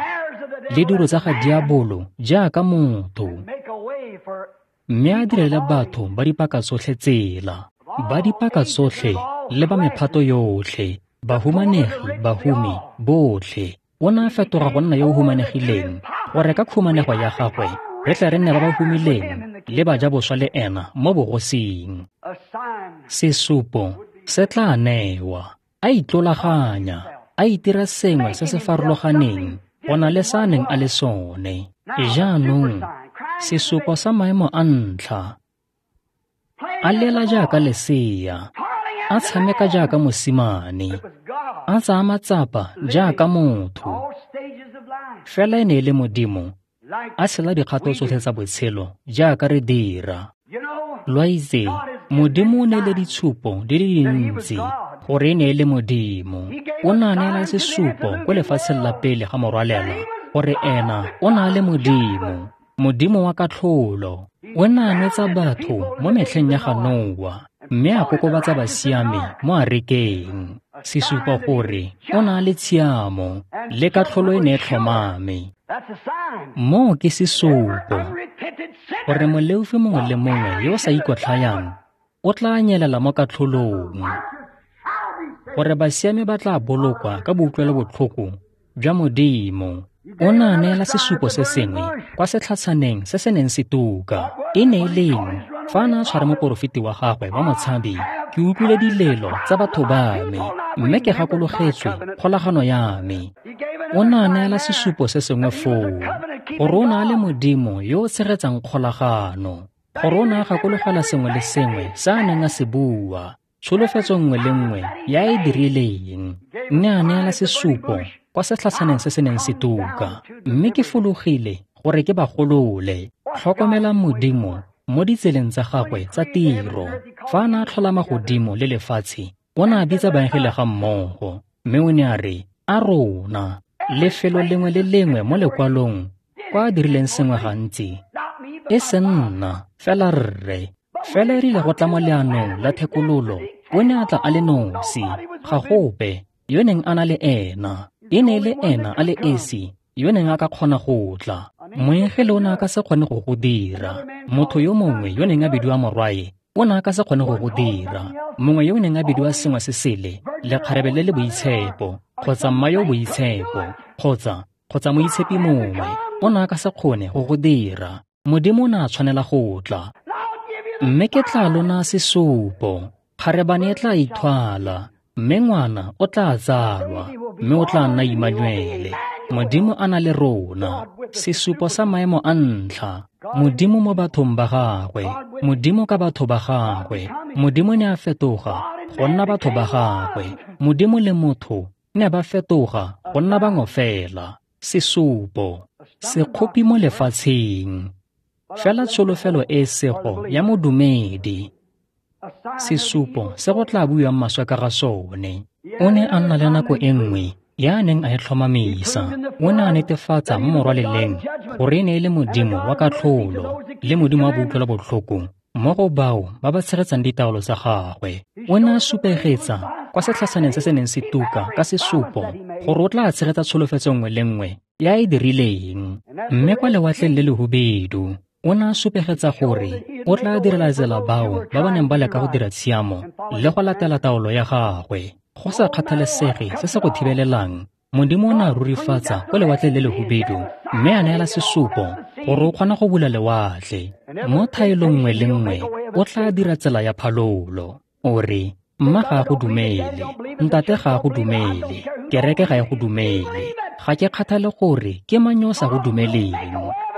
le dilo tsa ga diabolo jaaka motho, mme a direle batho ba dipaka tsotlhe tsela, ba dipaka tsotlhe le ba mephato yotlhe, bahumanegi, bahumi, botlhe. O ne a fetoga go nna yo o humanegileng gore ka khumanego ya gagwe re tle re nne ba ba humileng le bajaboswa le ena mo bogosing. Sesupo se tla newa. A itlolaganya, a itira sengwe se se farologaneng go na le sa neng a le sone. Jaanong, sesupo sa maemo a ntlha, a lela jaaka lesea, a tshameka jaaka mosimane, a tsaya matsapa jaaka motho. Fela e ne e le Modimo a tshela dikgato tsotlhe tsa botshelo jaaka re dira. Lo a itse, Modimo o neile ditshupo di le dintsi gore e ne e le Modimo. O ne a neela sesupo ko lefatsheng la pele ga morwalela gore ena o ne a le Modimo, Modimo wa katlholo. O ne a nwetsa batho mo metlheng ya ga Noa, mme a kokobatsa basiami mo arekeng. Sesupo gore o ne a le tshiamo le katlholo e ne e tlhomame. Moo ke sesupo gore moleofi mongwe le mongwe yo o sa ikotlhayang o tla nyelela mo katlholong, gore basiami ba tla bolokwa ka boutlwelobotlhoko jwa Modimo. O ne a neela sesupo se sengwe kwa setlhatshaneng se se neng se tuka. E ne e leng fa a ne a tshwara moporofeti wa gagwe wa motshabi, ke utlwile dilelo tsa batho ba me, mme ke gakologetswe kgolagano ya me. O ne a neela sesupo se sengwe foo, gore o ne a le Modimo yo o tshegetsang kgolagano, gore o ne a gakologela sengwe le sengwe se a neng a se bua, tsholofetso nngwe le nngwe ya e dirileng. Mme a neela sesupo kwa setlhatshaneng se se neng se tuka, mme ke fologile gore ke ba golole. Tlhokomelang Modimo mo ditseleng tsa gagwe tsa tiro. Fa a ne a tlhola magodimo le lefatshe, o ne a bitsa baengele ga mmogo, mme o ne a re, a rona. Lefelo lengwe le lengwe mo lekwalong kwa a dirileng sengwe gantsi, e se nna, fela rre. Fela e rile go tla mo leanong la thekololo, o ne a tla a le nosi, ga gope yo neng a na le ena. E ne e le ena a le esi yo neng a ka kgona go tla. Moengele o ne a ka se kgone go go dira. Motho yo mongwe yo neng a bidiwa morwae o ne a ka se kgone go go dira. Mongwe yo neng a bidiwa sengwe se sele, lekgarebe le le boitshepo, kgotsa mma yo boitshepo, kgotsa kgotsa moitshepi mongwe, o ne a ka se kgone go go dira. Modimo o ne a tshwanela go tla. Mme ke tla lona sesupo, kgarebane e tla ithwala, mme ngwana o tla tsalwa, mme o tla nna Immanuele, Modimo a na le rona. Sesupo sa maemo a ntlha, Modimo mo bathong ba gagwe, Modimo ka batho ba gagwe. Modimo ne a fetoga go nna batho ba gagwe. Modimo le motho ne ba fetoga go nna bangwe fela. Sesupo, sekgopi mo lefatsheng, fela tsholofelo e sego ya modumedi. Sesupo se go tla buiwang maswe ka ga sone. O ne a nna le nako e nngwe ya neng a e tlhomamisa. O ne a netefatsa mo morwaleleng gore e ne e le Modimo wa katlholo le Modimo wa boutlwelobotlhoko mo go bao ba ba tshegetsang ditaolo tsa gagwe. O ne a supegetsa kwa setlhatshaneng se se neng se tuka ka sesupo gore o tla tshegetsa tsholofetso nngwe le nngwe ya e dirileng. Mme kwa lewatleng le lehubedu, o ne a supegetsa gore o tla direla tsela bao ba ba neng ba leka go dira tshiamo le go latela taolo ya gagwe. Go sa kgathalesege se se go thibelelang, Modimo o ne a rurifatsa ko lewatleng le lehubedu mme a neela sesupo gore o kgona go bula lewatle. Mo thaelong nngwe le nngwe o tla dira tsela ya phalolo. O re, mma ga a go dumele, ntate ga a go dumele, kereke ga e go dumele. Ga ke kgathale gore ke mang yo o sa go dumeleng.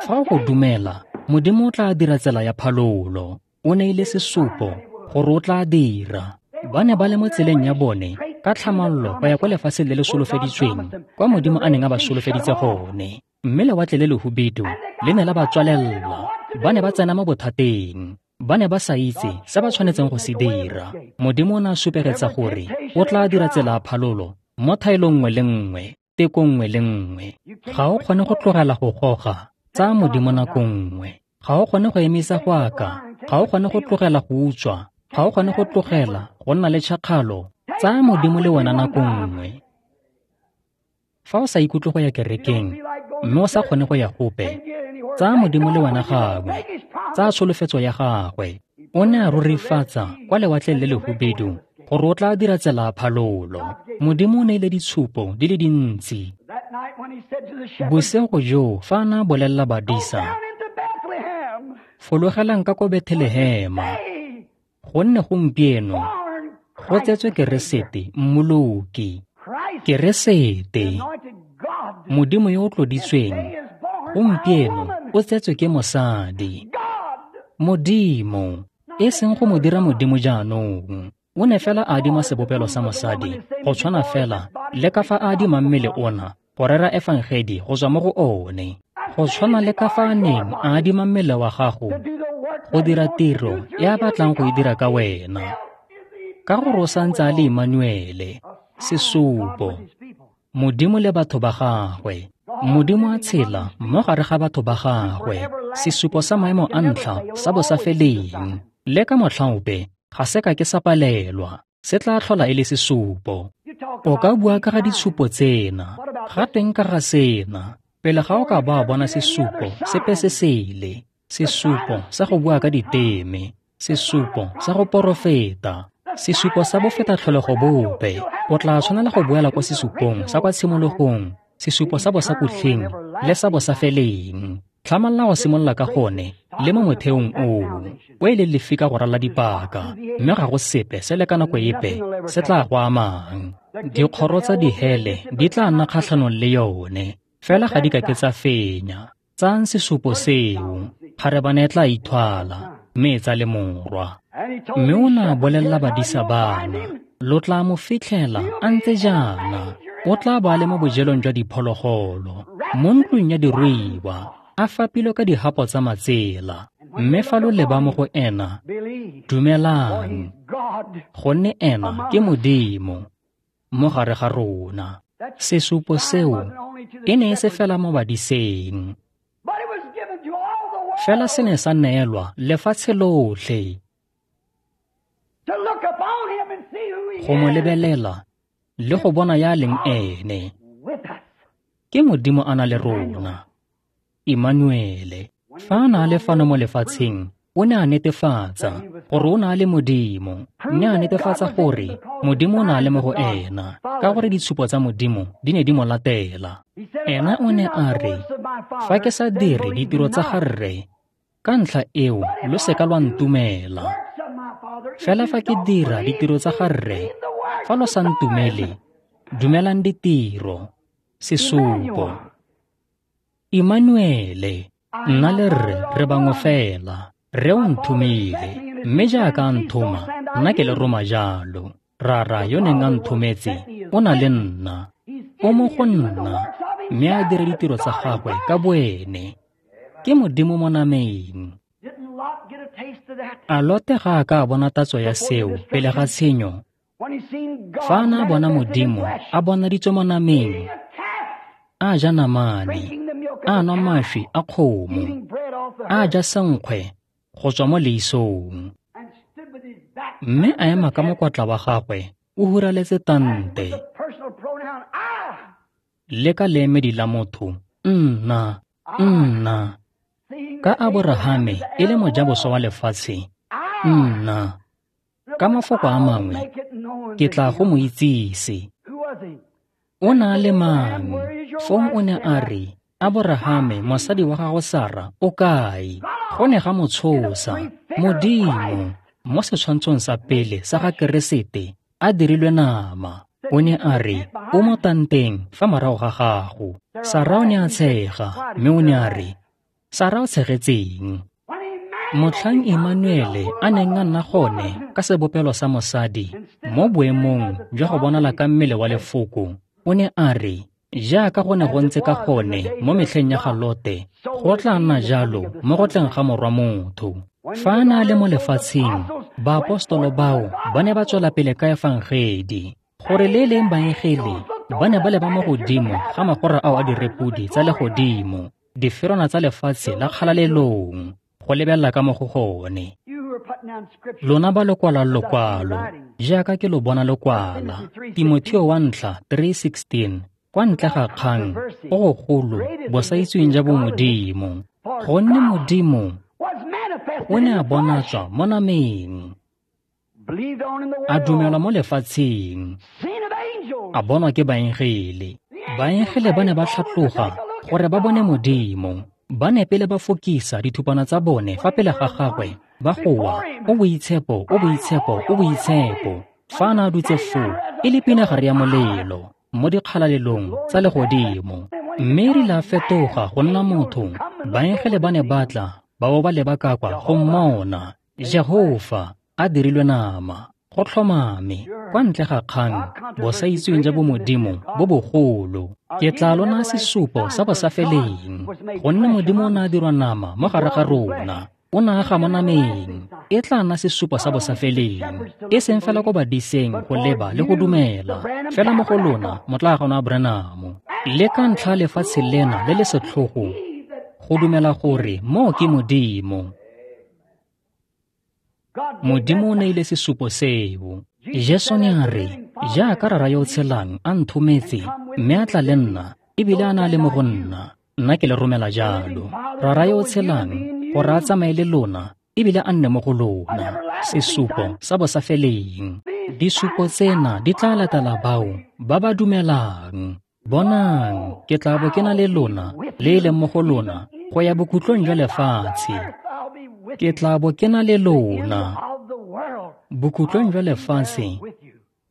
Fa o go dumela, Modimo o tla dira tsela ya phalolo. O neile sesupo gore o tla dira. Ba ne ba le mo tseleng ya bone ka tlhamallo go ya kwa lefatsheng le le solofeditsweng kwa Modimo a neng a ba solofeditse gone. Mme lewatle le lehubedu le ne la ba tswalella. Ba ne ba tsena mo bothateng. Ba ne ba sa itse se ba tshwanetseng go se dira. Modimo o ne a supegetsa gore o tla dira tsela ya phalolo mo thaelong nngwe le nngwe, teko nngwe le nngwe. Ga o kgone go tlogela go goga, tsaya Modimo nako nngwe. Ga o kgone go emisa go aka, ga o kgone go tlogela go utswa, ga o kgone go tlogela go nna le tšhakgalo, tsaya Modimo le wena nako nngwe. Fa o sa ikutlwe go ya kerekeng mme o sa kgone go ya gope, tsaya Modimo le wena gangwe. Tsaya tsholofetso ya gagwe. O ne a rurifatsa kwa lewatleng le lehubedu gore o tla dira tsela ya phalolo. Modimo o neile ditshupo di le dintsi. Bosigo joo fa a ne a bolelela badisa, fologelang ka ko Bethlehema, gonne gompieno go tsetswe Keresete Mmoloki. Keresete, Modimo yo o tloditsweng, gompieno o tsetswe ke mosadi. Modimo, e seng go mo dira Modimo jaanong. O ne fela a adima sebopelo sa mosadi, go tshwana fela le ka fa a adimang mmele ona go rera efangedi go tswa mo go one. Go tshwana le ka fa a neng a adima mmele wa gago go dira tiro e a batlang go e dira ka wena. Ka gore o santse a le Emmanuele, sesupo, Modimo le batho ba gagwe. Modimo a tshela mo gare ga batho ba gagwe, sesupo sa maemo a ntlha sa bosafeleng. Le ka motlha ope ga se ka ke sa palelwa, se tla tlhola e le sesupo. O ka bua ka ga ditshupo tsena, ga teng ka ga sena, pele ga o ka ba bona sesupo sepe se sele, sesupo sa go bua ka diteme, sesupo sa go porofeta, sesupo sa bofeta tlholego bope. O tla tshwanela go boela kwa sesupong sa kwa tshimologong, sesupo sa bosakutlheng le sa bosafeleng. Tlhamalla go simolola ka gone le mo motheong oo, o e leng lefika go ralla dipaka, mme ga go sepe se le ka nako epe se tla go amang. Dikgoro tsa dihele di tla nna kgatlhanong le yone, fela ga di ka ke tsa fenya. Tsayang sesupo seo, kgarebane e tla ithwala, mme e tsa le morwa. Mme o ne a bolelela badisa bana, lo tla mo fitlhela a ntse jaana, o tla ba le mo bojelong jwa diphologolo, mo ntlong ya diruiwa, a fapilwe ka dihapo tsa matsela. Mme fa lo leba mo go ena, dumelang, gonne ena ke Modimo mo gare ga rona. Sesupo seo e ne e se fela mo badiseng, fela se ne sa neelwa lefatshe lotlhe go mo lebelela le go bona ya leng ene. Ke Modimo a na le rona, Emmanuele. Fa a na le fano mo lefatsheng, o ne a netefatsa gore o na le Modimo, mme a netefatsa gore Modimo o na le mo go ena, ka gore ditshupo tsa Modimo di ne di mo latela. Ena o ne a re, fa ke sa dire ditiro tsa ga Rre, ka ntlha eo lo seka lwa ntumela. Fela fa ke dira ditiro tsa ga Rre, fa lo sa ntumele, dumelang ditiro. Sesupo. Emmanuele, nna le Rre re bangwe fela. Rre o nthomile, mme jaaka a nthoma, nna ke le roma jalo. Rara yo neng a nthometse o na le nna, o mo go nna, mme a dira ditiro tsa gagwe ka boene. Ke Modimo mo nameng. A Lote ga a ka a bona tatso ya seo pele ga tshenyo? Fa a ne a bona Modimo a bonaditswe mo nameng, a ja namane, a nwa mašwi a kgomo, a ja senkgwe go tswa mo leisong, mme a ema ka mokwatla wa gagwe o huraletse tante, le ka leemedi la motho, nna, nna. Ka Aborahame e le mojaboswa wa lefatshe, nna. Ka mafoko a mangwe, ke tla go mo itsise. O na le mang? Fong o ne a re, Aborahame, mosadi wa gago Sara, o kae? Go ne ga mo tshosa. Modimo, mo setshwantshong sa pele sa ga Keresete, a dirilwe nama. O ne a re, o mo tanteng fa morago ga gago. Sara o ne a tshega, mme o ne a re, Sara o tshegetseng? Motlhang Emmanuele a neng a nna gone ka sebopelo sa mosadi mo boemong jwa go bonala ka mmele wa lefoko, o ne a re, jaaka go ne go ntse ka gone mo metlheng ya ga Lote, go tla nna jalo mo go tleng ga morwa motho. Fa a ne a le mo lefatsheng, baapostolo bao ba ne ba tswela pele ka efangedi, gore le leng baengele ba ne ba leba mo godimo ga magora ao a direpodi tsa legodimo, diferwana tsa lefatshe la kgalalelong, go lebelela ka mo go gone. Lona ba lo kwalang lokwalo, jaaka ke lo bona lo kwala, Timotheo wa ntlha three sixteen, kwa ntle ga kgang go gogolo bosaitsweng ja bomodimo, gonne Modimo o ne a bonatswa mo nameng, a dumelwa mo lefatsheng, a bonwa ke baengele. Baengele ba ne ba tlhatloga gore ba bone Modimo. Ba ne pele ba fokisa dithupana tsa bone fa pele ga gagwe, ba goa, o boitshepo, o boitshepo, o boitshepo. Fa a ne a dutse foo, e le pinagare ya molelo mo dikgalalelong tsa legodimo. Mme e rile a fetoga go nna motho, baengele ba ne ba tla ba bo ba leba ka kwa go mmona. Jehofa a dirilwe nama, go tlhomame, kwa ntle ga kgang, bosaitsweng ja bomodimo bo bogolo. Ke tla lona sesupo sa bosafeleng, gonne Modimo o ne a dirwa nama mo gare ga rona, o ne a ga mo nameng. E tla nna sesupo sa bosafeleng, e seng fela ko badiseng go leba le go dumela, fela mo go lona motlaagono wa Branham. Le ka ntlha lefatshe lena le le setlhogo, go dumela gore moo ke Modimo. Modimo o neile sesupo seo. Jesu ne a re, jaaka Rara yo o tshelang a nthometse, mme a tla le nna, ebile a na le mo go nna, nna ke le romela jalo. Rara yo o tshelang, gore a tsamaye le lona, ebile a nne mo go lona. Sesupo sa bosafeleng. Disupo tsena di tla latela bao ba ba dumelang. Bonang, ke tla bo ke na le lona, le e leng mo go lona, go ya bokhutlong jwa lefatshe. Ke tla bo ke na le lona. Bokhutlong jwa lefatshe,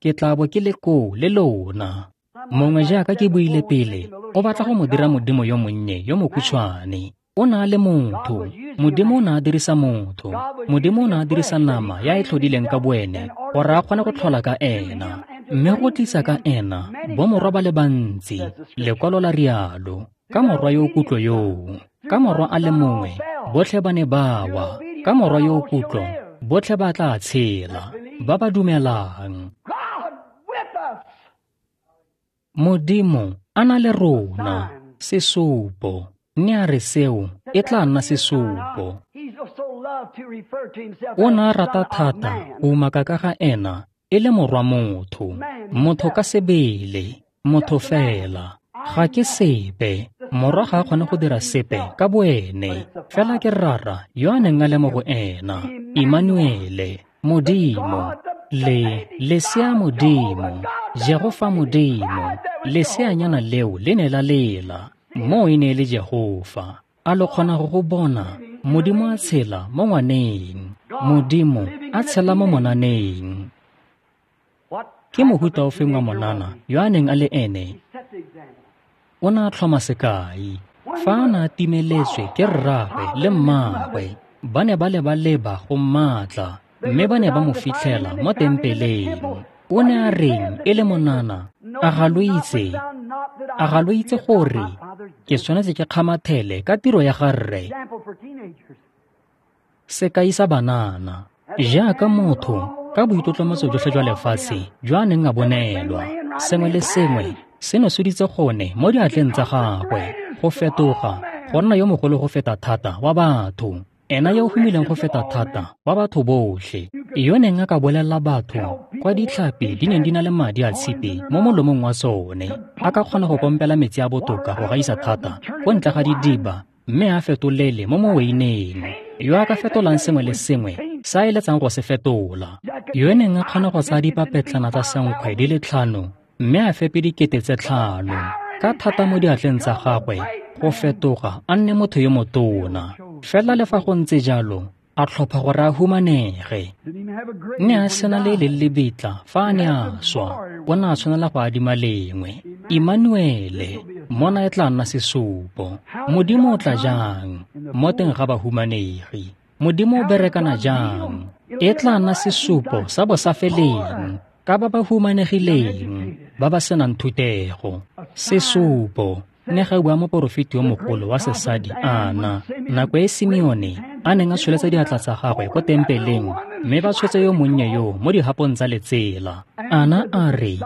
ke tla bo ke le koo le lona. Mongwe jaaka ke buile pele, o batla go mo dira modimo yo monnye yo mokhutshwane. O na le motho. Modimo o ne a dirisa motho. Modimo o ne a dirisa nama ya e tlhodileng ka boene gore a kgone go tlhola ka ena, mme go tlisa ka ena bomorwa ba le bantsi. Lekwalo la rialo, ka morwa yo o kutlo yoo, ka morwa a le mongwe, botlhe ba ne ba wa. Ka morwa yo o kutlo, botlhe ba tla tshela, ba ba dumelang. Modimo a na le rona, sesupo. Ne a re seo e tla nna sesupo. O ne a rata thata go umaka ka ga ena e le morwa motho, motho ka sebele, motho fela. Ga ke sepe, morwa ga a kgone go dira sepe ka boene, fela ke Rara yo a neng a le mo go ena, Emmanuele, Modimo, le lesea Modimo, Jehofa Modimo. Leseanyana leo le ne la lela, moo e ne e le Jehofa. A lo kgona go go bona? Modimo a tshela mo ngwaneng, Modimo a tshela mo monaneng. Ke mohuta ofeng wa monana yo a neng a le ene? O ne a tlhoma sekai. Fa a ne a timeletswe ke rraagwe le mmaagwe, ba ne ba leba-leba go mmatla, mme ba ne ba mo fitlhela mo tempeleng. O ne a reng e le monana? A ga lo itse? A ga lo itse gore ke tshwanetse ke kgamathele ka tiro ya ga rre? Sekai sa banana, jaaka motho ka boitlotlomatso jotlhe jwa lefatshe jo a neng a bonelwa, sengwe le sengwe se ne soditse gone mo diatleng tsa gagwe, go fetoga go nna yo mogolo go feta thata wa batho, ena yo o humileng go feta thata wa batho botlhe, yo neng a ka bolelela batho kwa ditlhapi di neng di na le madi a tshipi mo molomong wa tsone, a ka kgona go pompela metsi a botoka go gaisa thata ko ntle ga didiba, mme a fetolele mo moweineng, yo a ka fetolang sengwe le sengwe se a eletsang go se fetola. Yo neng a kgona go tsaya dipapetlana tsa senkgwe di le tlhano mme a fepe dikete tse tlhano ka thata mo diatleng tsa gagwe go fetoga a nne motho yo motona. Fela le fa go ntse jalo, a tlhopha gore a humanege. Ne a sena le le lebitla fa a ne a swa, o ne a tshwanela go adima lengwe. Immanuele, mona e tla nna sesupo. Modimo o tla jang mo teng ga bahumanegi? Modimo o berekana jang? E tla nna sesupo sa bosafeleng ka ba ba humanegileng, ba ba senang thutego. Sesupo ne ga bua moporofeti yo mogolo wa sesadi Ana, nako e Simeone a neng a tsholetsa diatla tsa gagwe ko tempeleng mme ba tshotse yo monnye yo mo dihapong tsa letsela. Ana a re,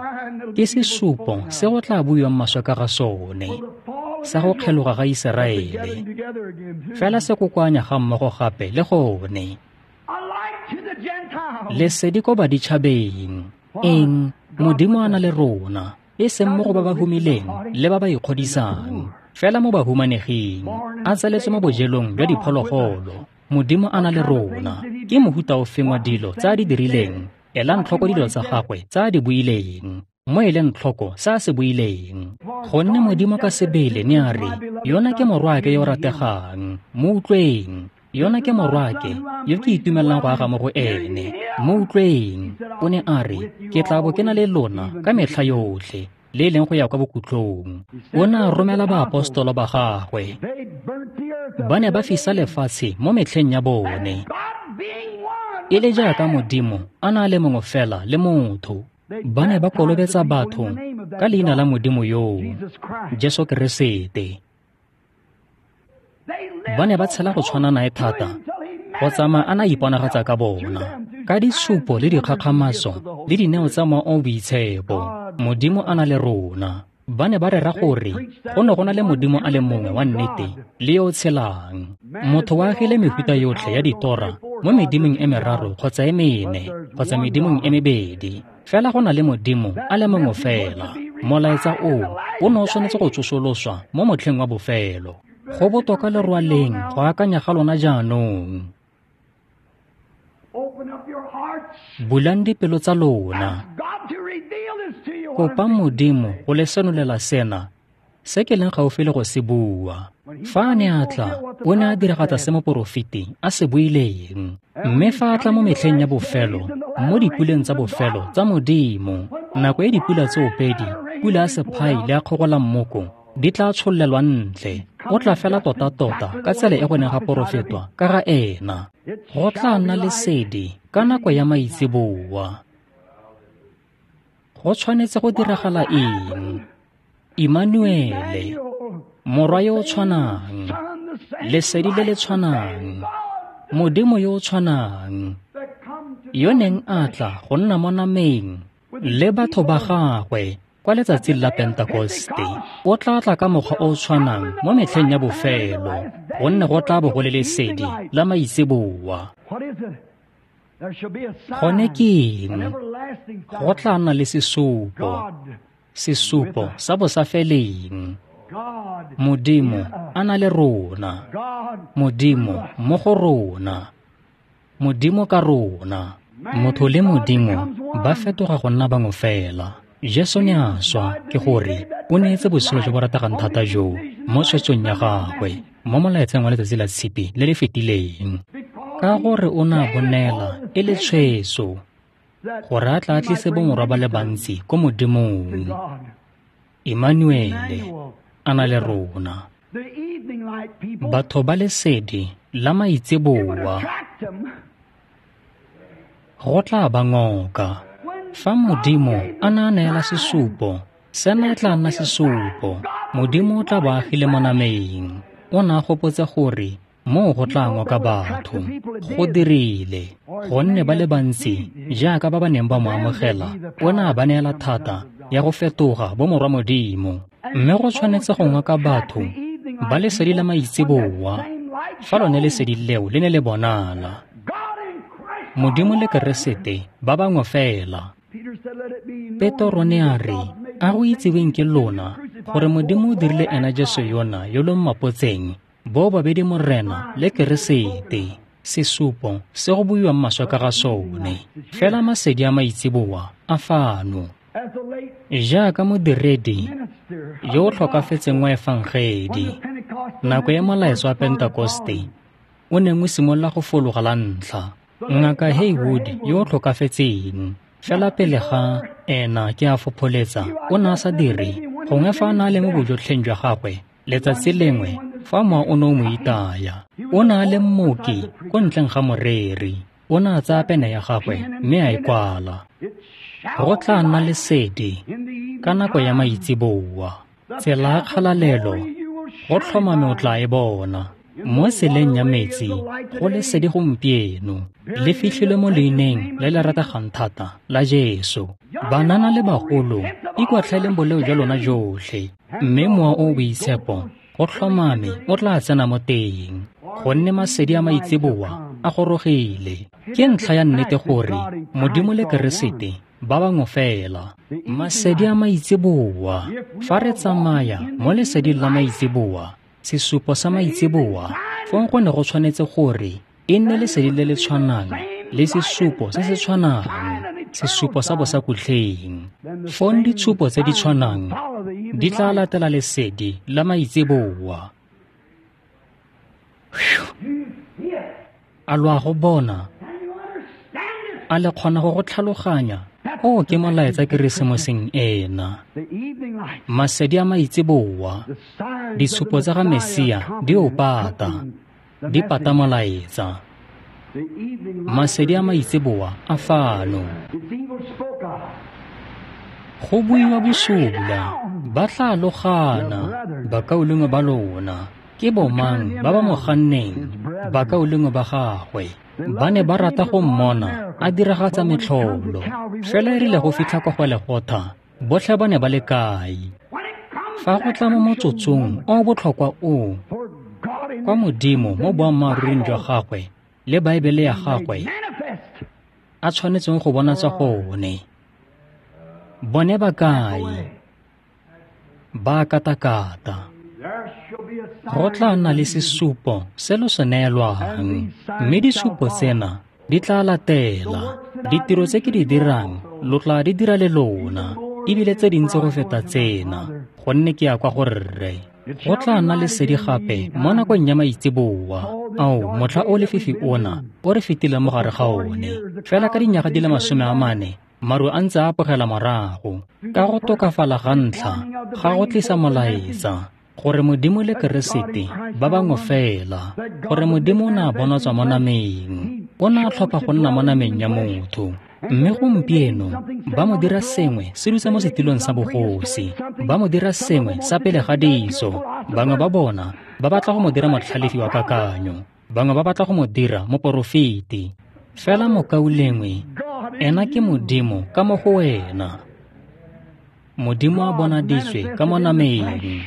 ke sesupo se go tla buiwang maswe ka ga sone, sa go kgeloga ga Iseraele. Fela se kokoanya ga mmogo gape le gone. Lesedi ko baditšhabeng. Eng? Modimo a na le rona, e seng mo go ba ba humileng le ba ba ikgodisang, fela mo bahumaneging, a tsaletswe mo bojelong jwa diphologolo. Modimo a na le rona. Ke mohuta ofeng wa dilo tse a di dirileng? Elang tlhoko dilo tsa gagwe tse a di buileng, mo eleng tlhoko se a se buileng. Gonne Modimo ka sebele ne a re, yona ke morwaake yo o rategang, mo utlweng. Yona ke morwaake yo ke itumelang go aga mo go ene, mo utlweng. O ne a re, ke tla bo ke na le lona ka metlha yotlhe, le e leng go ya kwa bokhutlong. O ne a romela baapostolo ba gagwe. Ba ne ba fisa lefatshe mo metlheng ya bone, e le jaaka Modimo a na le mongwe fela le motho. Ba ne ba kolobetsa batho ka leina la Modimo yoo, Jesu Keresete. Ba ne ba tshela go tshwana nae thata, go tsamaya a na iponagatsa ka bona, ka ditshupo le dikgakgamatso le dineo tsa Mowa o o Boitshepo. Modimo a na le rona. Ba ne ba rera gore go ne go na le Modimo a le mongwe wa nnete le yo o tshelang. Motho o agile mefuta yotlhe ya ditora mo medimong e meraro kgotsa e mene kgotsa medimong e mebedi. Fela go na le Modimo a le mongwe fela. Molaetsa oo o ne o tshwanetse go tsosoloswa mo motlheng wa bofelo. Go botoka le rwaleng go akanya ga lona jaanong. Bulang dipelo tsa lona. Kopa Modimo go le senolela sena se ke leng gaufi le go se bua. Fa a ne a tla, o ne a diragatsa se moporofeti a se buileng. Mme fa a tla mo metlheng ya bofelo, mo dipuleng tsa bofelo tsa Modimo, nako e dipula tsoopedi, pula ya sephai le ya kgogolammoko, di tla tshollelwa ntle. O tla fela tota-tota ka tsela e go neng ga porofetwa ka ga ena. Go tla nna lesedi ka nako ya maitseboa. Go tshwanetse go diragala eng? Immanuele, morwa yo o tshwanang, lesedi le le tshwanang, Modimo yo o tshwanang, yo neng a tla go nna mo nameng le batho ba gagwe kwa letsatsing la Pentekoste, o tla tla ka mokgwa o o tshwanang mo metlheng ya bofelo, gonne go tla bo go le lesedi la maitseboa. Gone ke eng? Go tla nna le sesupo, sesupo sa bosafeleng. Modimo a na le rona, Modimo mo go rona, Modimo ka rona. Motho le Modimo ba fetoga go nna bangwe fela. Jesu ne a swa, ke gore o neetse botshelo jo bo rategang thata joo mo tshwetsong ya gagwe mo molaetseng wa letsatsi la Tshipi le le fetileng, ka gore o ne a bo neela e le tshwetso gore a tla tlise bomorwa ba le bantsi ko Modimong. Immanuele a na le rona. Batho ba lesedi la maitseboa go tla ba ngoka. Fa Modimo a na neela sesupo, sena e tla nna sesupo. Modimo o tla bo agile mo nameng. O ne a gopotse gore moo go tla ngoka batho. Go dirile, gonne ba le bantsi jaaka ba ba neng ba mo amogela, o ne a ba neela thata ya go fetoga bomorwa Modimo. Mme go tshwanetse go ngoka batho ba lesedi la maitseboa fa lone lesedi leo le ne le bonala. Modimo le Keresete ba bangwe fela. Petro ne a re, a go itseweng ke lona gore Modimo o dirile ena Jesu yona yo lo mmapotseng, bo babedi Morena le Keresete. Sesupo se go buiwang maswe ka ga sone. Fela masedi a maitseboa a fano. Jaaka modiredi yo o tlhokafetseng wa efangedi, nako ya molaetsa wa Pentekoste o neng o simolola go fologa la ntlha, Ngaka Haywood yo o tlhokafetseng, fela pele ga ena ke a fopholetsa o ne a sa dire, gongwe fa a ne a le mo bojotlheng jwa gagwe, letsatsi lengwe fa mowa o ne o mo itaya. O ne a le mmoki ko ntleng ga moreri, o ne a tsaya pene ya gagwe mme a e kwala. Go tla nna lesedi ka nako ya maitseboa, tsela ya kgalalelo go tlhomame o tla e bona. Mo tseleng ya metsi go lesedi gompieno, le fitlhilwe mo leineng le le rategang thata la Jesu. Banana le bagolo, ikwatlhaeleng boleo jwa lona jotlhe, mme Mowa o o Boitshepo go tlhomame o tla tsena mo teng, gonne masedi a maitseboa a gorogile. Ke ntlha ya nnete gore Modimo le Keresete ba bangwe fela. Masedi a maitseboa, fa re tsamaya mo leseding la maitseboa, sesupo sa maitseboa, fong go ne go tshwanetse gore e nne lesedi le le tshwanang le sesupo se se tshwanang, sesupo sa bosakutlheng. Fong ditshupo tse di tshwanang di tla latela lesedi la maitseboa. A lo a go bona? A le kgona go go tlhaloganya? O ke molaetsa Keresemoseng ena. Masedi a maitseboa, ditshupo tsa ga Mesia di o pata, di pata molaetsa. Masedi a maitseboa a fano. Go buiwa bosula, ba tla logana, bakaulengwe ba lona. Ke bomang ba ba mo ganneng, bakaulengwe ba gagwe. Ba ne ba rata go mmona a diragatsa metlholo. Fela e rile go fitlha kwa Golegotha, botlhe ba ne ba le kae? Fa go tla mo motsotsong o o botlhokwa oo, kwa Modimo mo boammaaruring jwa gagwe le Baebele ya gagwe a tshwanetseng go bonatsa gone, bone ba kae? Ba katakata. Go tla nna le sesupo se lo se neelwang, mme disupo tsena di tla latela. Ditiro tse ke di dirang lo tla di dira le lona, ebile tse dintsi go feta tsena, gonne ke ya kwa go Rre. Go tla nna lesedi gape mo nakong ya maitseboa. Ao, motlha o lefifi ona o re fetileng mo gare ga one. Fela ka dinyaga di le masome a mane, maru a ntse a apogela morago. Ka go tokafala ga ntlha ga go tlisa molaetsa gore Modimo le Keresete ba bangwe fela, gore Modimo o ne a bonatswa mo nameng, o ne a tlhopha go nna mo nameng ya motho. Mme gompieno ba mo dira sengwe se dutse mo setilong sa bogosi, ba mo dira sengwe sa pele ga ditso. Bangwe ba bona ba batla go mo dira motlhalefi wa kakanyo, bangwe ba batla go mo dira moporofeti. Fela mokaulengwe, ena ke Modimo ka mo go wena. Modimo a bonaditswe ka mo nameng.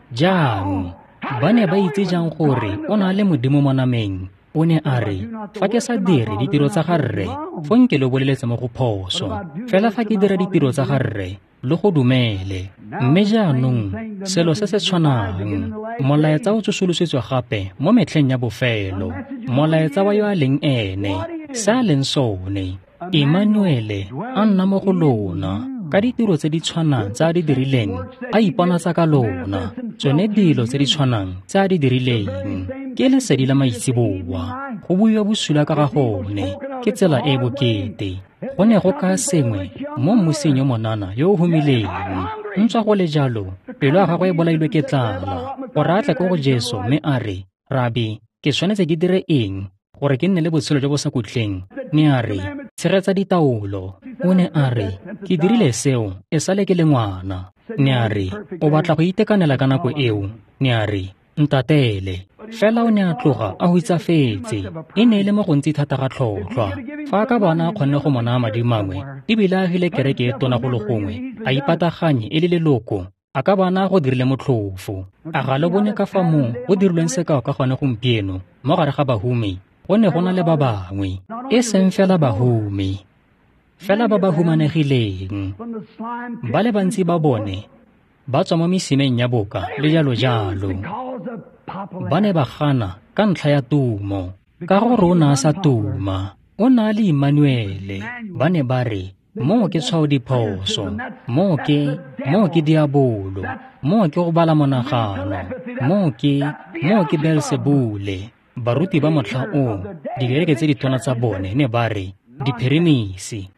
Jang? Ba ne ba itse jang gore o na le Modimo mo nameng? O ne a re, fa ke sa dire ditiro tsa ga Rre, fong ke lo boleletse mo go phoso. Fela fa ke dira ditiro tsa ga Rre, lo go dumele. Mme jaanong, selo se se tshwanang, molaetsa o tsosolosetswe gape mo metlheng ya bofelo, molaetsa wa yo a leng ene, se a leng sone, Emmanuele a nna mo go lona, ka ditiro tse di tshwanang tse a di dirileng, a iponatsa ka lona, tsone dilo tse di tshwanang tse a di dirileng. Ke lesedi la maitseboa, go buiwa bosula ka ga gone, ke tsela e e bokete. Go ne go ka sengwe mo mmusing yo monana yo o humileng. Ntswa go le jalo, pelo ya gagwe e bolailwe ke tlala, gore a tle ko go Jesu mme a re, Rabi, ke tshwanetse ke dire eng gore ke nne le botshelo jo bo sa khutleng? Ne a re, tshegetsa ditaolo. O ne a re, ke dirile seo e sale ke le ngwana. Ne a re, o batla go itekanela ka nako eo? Ne a re, ntatele. Fela o ne a tloga a hutsafetse. E ne e le mo gontsi thata ga tlhotlhwa. Fa a ka bona a kgonne go mo naya madi mangwe, ebile a agile kereke e tona go le gongwe, a ipataganye e le leloko, a ka bona go dirile motlhofo. A ga le bone ka fa moo go dirilweng sekao ka gone gompieno mo gare ga bahumi? Go ne go na le ba bangwe, e seng fela bahumi, fela ba ba humanegileng. Ba le bantsi ba bone ba tswa mo mesimeng ya boka le jalo jalo. Ba ne ba gana ka ntlha ya tumo. Ka gore o ne a sa tuma, o ne a le Immanuele. Ba ne ba re, moo ke tshwao diphoso, moo ke, moo ke diabolo, moo ke go bala monagano, moo ke, moo ke Beelsebule. Baruti ba motlha oo, dikereke tse ditona tsa bone ne ba re, diphirimisi.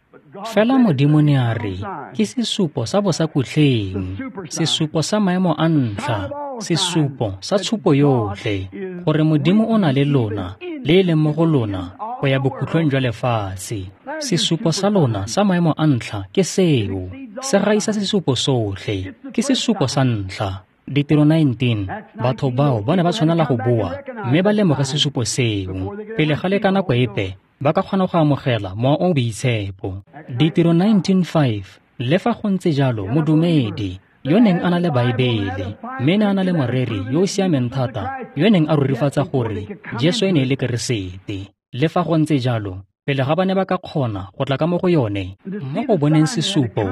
Fela Modimo ne a re, ke sesupo sa bosakutleng, sesupo sa maemo a ntlha, sesupo sa tshupo yotlhe, gore Modimo o na le lona, le e leng mo go lona, go ya bokhutlong jwa lefatshe. Sesupo sa lona sa maemo a ntlha ke seo, se gaisa sesupo sotlhe, ke sesupo sa ntlha. Ditiro nineteen, batho bao ba ne ba tshwanela go boa mme ba lemoge sesupo seo pele ga le ka nako epe ba ka kgona go amogela Mowa o o Boitshepo. Ditiro nineteen five, le fa go ntse jalo modumedi yo neng a na le Baebele mme ne a na le moreri yo o siameng thata yo neng a rurifatsa gore Jesu e ne e le Keresete. Le fa go ntse jalo, pele ga ba ne ba ka kgona go tla ka mo go yone, mo go boneng sesupo,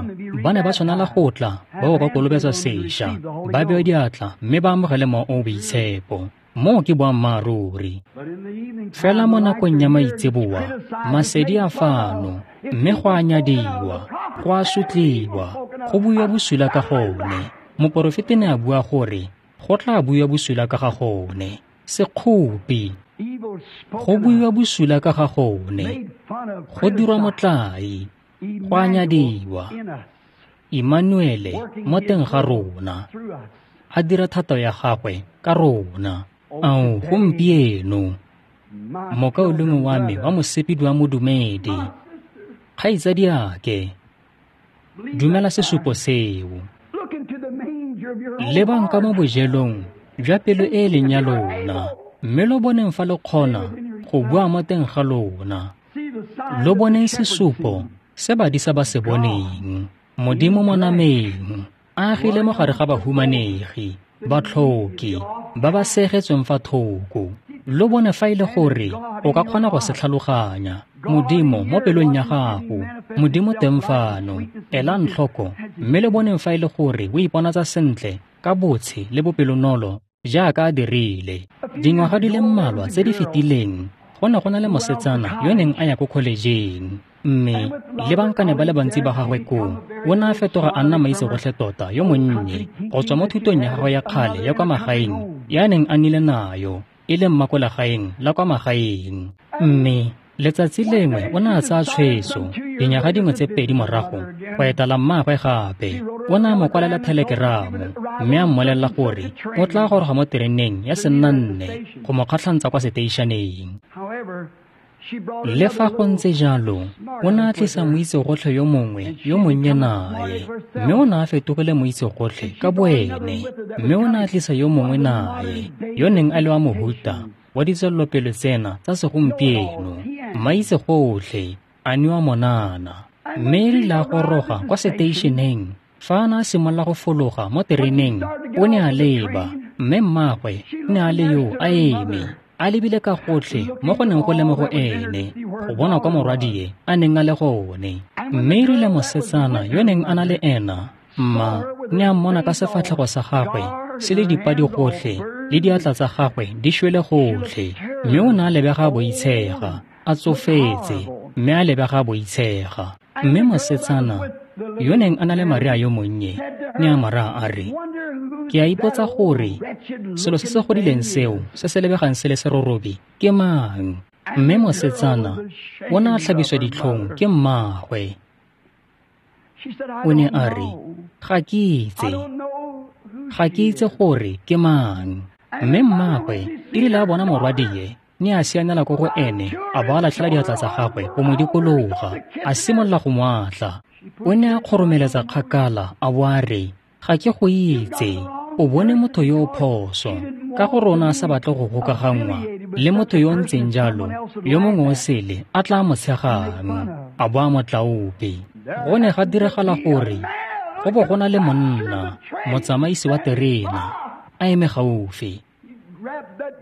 ba ne ba tshwanela go tla ba bo ba kolobetswa sešwa, ba bewe diatla mme ba amogele Mowa o o Boitshepo. Moo ke boammaaruri. Fela mo nakong ya maitseboa, masedi a fano, mme go a nyadiwa, go a sotliwa, go buiwa bosula ka gone. Moporofeti ne a bua gore go tla buiwa bosula ka ga gone. Sekgopi, go buiwa bosula ka ga gone, go dirwa motlae, go a nyadiwa. Immanuele mo teng ga rona, a dira thato ya gagwe ka rona. Ao, gompieno, mokaulengwe wa me wa mosepedi wa modumedi, kgaitsadiake, dumela sesupo seo. Lebang ka mo bojelong jwa pelo e e leng ya lona, mme lo boneng fa lo kgona go bua mo teng ga lona. Lo boneng sesupo se badisa ba se boneng. Modimo mo nameng, a agile mo gare ga bahumanegi, batlhoki, ba ba segetsweng fa thoko. Lo bone fa e le gore o ka kgona go se tlhaloganya. Modimo mo pelong ya gago, Modimo teng fano, elang tlhoko, mme le boneng fa e le gore o iponatsa sentle ka botshe le bopelonolo jaaka a dirile. Dingwaga di le mmalwa tse di fetileng, go ne go na le mosetsana yo neng a ya ko kholejeng, mme le bankane ba le bantsi ba gagwe koo, o ne a fetoga a nna maitsegotlhe tota yo monnye go tswa mo thutong ya gagwe ya kgale ya kwa magaeng ya neng a nnile nayo, e leng mma ko legaeng la kwa magaeng. Mme letsatsi lengwe o ne a tsaya tshwetso, dinyaga dingwe tse pedi morago, go etela mmaagwe gape. O ne a mo kwalela thelekeramo mme a mmolelela gore o tla goroga mo tereneng ya sennanne go mo kgatlhantsa kwa seteišeneng. Le fa go ntse jalo, o ne a tlisa moitsegotlhe yo mongwe yo monnye nae, mme o ne a fetogile moitsegotlhe ka boene, mme o ne a tlisa yo mongwe nae, yo neng a le wa mohuta wa ditswelelopele tsena tsa segompieno, maitsegotlhe a newa monana. Mme e rile a goroga kwa seteišeneng, fa a ne a simolola go fologa mo tereneng, o ne a leba, mme mmaagwe ne a le yo a eme, a lebile ka gotlhe mo go neng go le mo go ene, go bona kwa morwadie a neng a le gone. Mme e rile mosetsana yo neng a na le ena, mma, ne a mmona ka sefatlhego sa gagwe se le dipadi gotlhe le diatla tsa gagwe di šwele gotlhe, mme o ne a lebega a boitshega, a tsofetse, mme a lebega a boitshega. Mme mosetsana yo neng a na le Maria yo monnye ne a mo raya a re, ke a ipotsa gore selo se se godileng seo se se lebegang se le serorobe ke mang? Mme mosetsana o ne a tlhabiswa ditlhong ke mmaagwe. O ne a re, ga ke itse, ga ke itse gore ke mang. Mme mmaagwe e rile a bona morwadie, ne a sianela ko go ene, a bo a latlhela diatla tsa gagwe go mo dikologa, a simolola go mo atla. O ne a kgoromeletsa kgakala a bo a re, ga ke go itse, o bone motho yo o phoso, ka gore o ne a sa batle go gokaganngwa le motho yo o ntseng jalo, yo mongwe o sele a tla mo tshegang, a bo a mo tlaope. Go ne ga diragala gore go bo go na le monna, motsamaisi wa terena, a eme gaufi.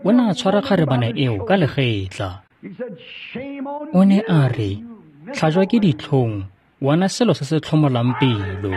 O ne a tshwara kgarebana eo ka legetla. O ne a re, tlhajwa ke ditlhong, wena selo se se tlhomolang pelo.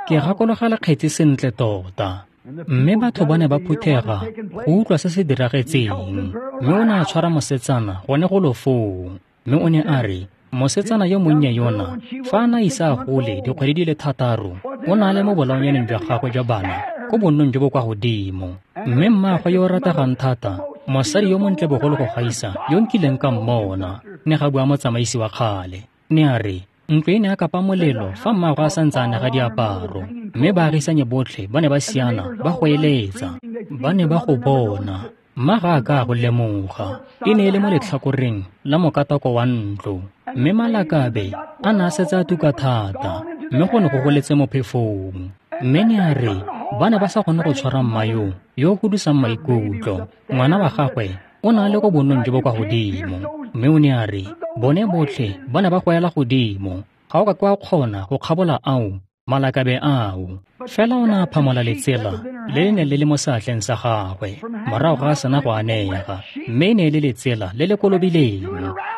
Ke gakologelwa kgetsi sentle tota. Mme batho ba ne ba phuthega go utlwa se se diragetseng. Mme o ne a tshwara mosetsana gone go lo foo. Mme o ne a re, mosetsana yo monnye yona, fa a na ise a gole dikgwedi di le thataro, o ne a le mo bolaonyaneng jwa gagwe jwa bana ko bonnong jo bo kwa godimo. Mme mmaagwe yo o rategang thata, mosadi yo montle bogolo go gaisa yo nkileng ka mmona, ne ga bua motsamaisi wa kgale. Ne a re, ntlo e ne a kapa molelo fa mmaagwe a santse a nega diaparo, mme baagisanye botlhe ba ne ba siana ba goeletsa. Ba ne ba go bona, mma ga a ka a go lemoga. E ne e le mo letlhakoreng la mokatako wa ntlo, mme malakabe a ne a setse a tuka thata, mme go ne go goletse mo phefong. Mme ne a re, ba ne ba sa kgone go tshwara mma yo yo o godisang maikutlo. Ngwana wa gagwe o ne a le ko bonnong jo bo kwa godimo. Mme o ne a re, bone botlhe ba ne ba goela godimo, ga o ka ke wa kgona go kgabola ao malakabe ao. Fela o ne a phamola letsela le le neng le le mo seatleng sa gagwe morago ga a sena go anega, mme e ne e le letsela le le kolobileng.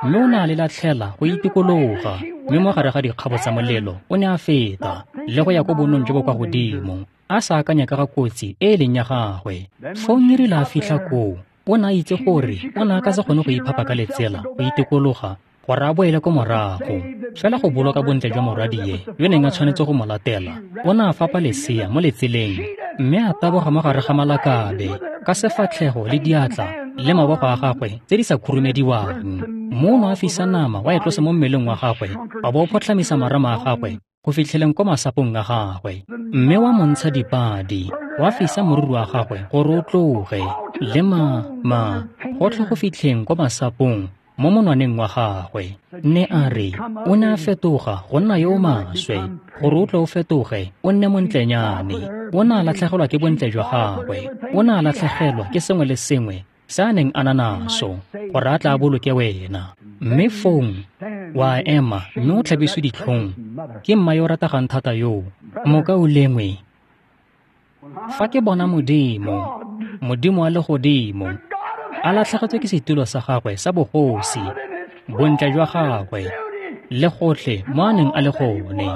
Mme o ne a le latlhela go itikologa, mme mo gare ga dikgabo tsa molelo o ne a feta le go ya ko bonnong jo bo kwa godimo, a sa akanya ka ga kotsi e e leng ya gagwe. Fong e rile a fitlha koo, o ne a itse gore o ne a ka se kgone go iphapa ka letsela go itikologa gore a boele ko morago. Fela go boloka bontle jwa morwadie yo neng a tshwanetse go mo latela, o ne a fapa lesea mo letseleng, mme a taboga mo gare ga malakabe ka sefatlhego le diatla le mabogo a gagwe tse di sa khurumediwang. Mo o ne a fisa nama wa e tlosa mo mmeleng wa gagwe, a bo o photlhamisa marama a gagwe go fitlheleng ko masapong a gagwe, mme wa montsha dipadi, wa fisa moriri wa gagwe gore o tloge le ma ma gotlhe go fitlheng ko masapong mo monwaneng wa gagwe. Ne a re, o ne a fetoga go nna yo o maswe, gore o tle o fetoge o nne montlenyane. O ne a latlhegelwa ke bontle jwa gagwe, o ne a latlhegelwa ke sengwe le sengwe se a neng a na naso, gore a tla boloke wena. Mme fong wa ema mme o tlhabiswe ditlhong ke mma yo o rategang thata yo. Mokaulengwe, fa ke bona Modimo, Modimo wa legodimo, a latlhegetswe ke setulo sa gagwe sa bogosi, bontle jwa gagwe le gotlhe mo a neng a le gone,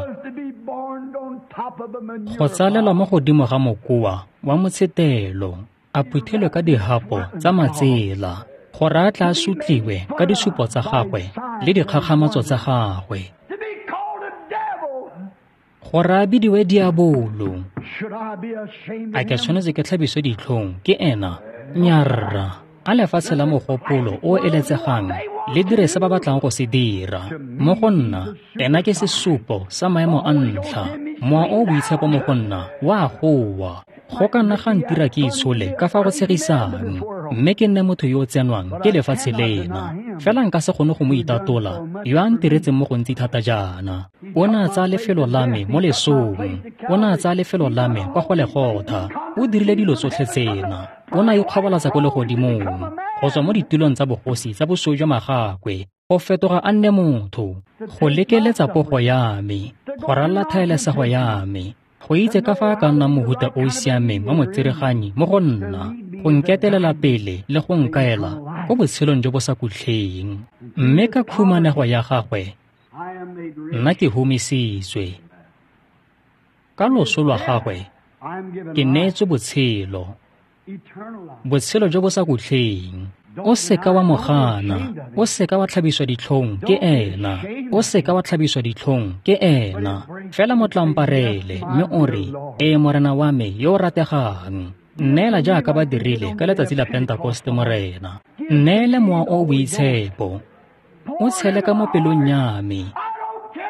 go tsalelwa mo godimo ga mokoa wa motshetelo, a phuthelwe ka dihapo tsa matsela, gore a tla sotliwe ka disupo tsa gagwe le dikgakgamatso tsa gagwe, gore a bidiwe diabolo. A ke tshwanetse ke tlhabiswe ditlhong ke ena? Nyarra. A lefatshe la mogopolo o eletsegang le dire se ba batlang go se dira. Mo go nna, ena ke sesupo sa maemo a ntlha. Mowa o boitshepo mo go nna wa goa. Go ka nna ga ntira ke itshole ka fa go tshegisang, mme ke nne motho yo o tsenwang ke lefatshe lena. Fela nka se kgone go mo itatola yo a ntiretseng mo gontsi thata jaana. O ne a tsaya lefelo la me mo lesong, o ne a tsaya lefelo la me kwa go Legotha. O dirile dilo tsotlhe tsena. O ne a ikgobalatsa ko legodimong go tswa mo ditulong tsa bogosi tsa bosweu jwa magakwe, go fetoga a nne motho, go lekeletsa pogo ya me, go ralla thaelesego ya me, go itse ka fa a ka nnang mohuta o o siameng wa motsereganyi mo go nna, go nketelela pele le go nkaela ko botshelong jo bo sa kutlheng. Mme ka khumanego ya gagwe, nna ke humisitswe. Ka loso lwa gagwe, ke neetswe botshelo, botshelo jo bo sa kutlheng. O seka wa mo gana, o seka wa tlhabiswa ditlhong ke ena, o seka wa tlhabiswa ditlhong ke ena. Fela mo tlamparele mme o re, ee Morena wa me yo o rategang, nneela jaaka ba dirile ka letsatsi la Pentekoste, Morena. Nneele mowa o o boitshepo, o tshele ka mo pelong ya me.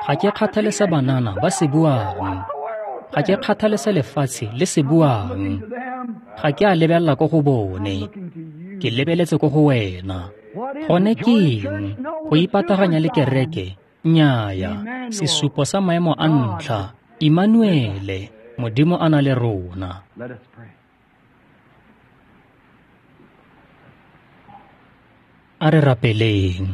Ga ke kgathale se banana ba se buang, ga ke kgathale se lefatshe le se buang, ga ke a lebelela ko go bone, ke lebeletse ko go wena. Gone ke eng? Go ipataganya le kereke? Nnyaya. Sesupo sa maemo a ntlha, Immanuele, Modimo a na le rona. A re rapeleng.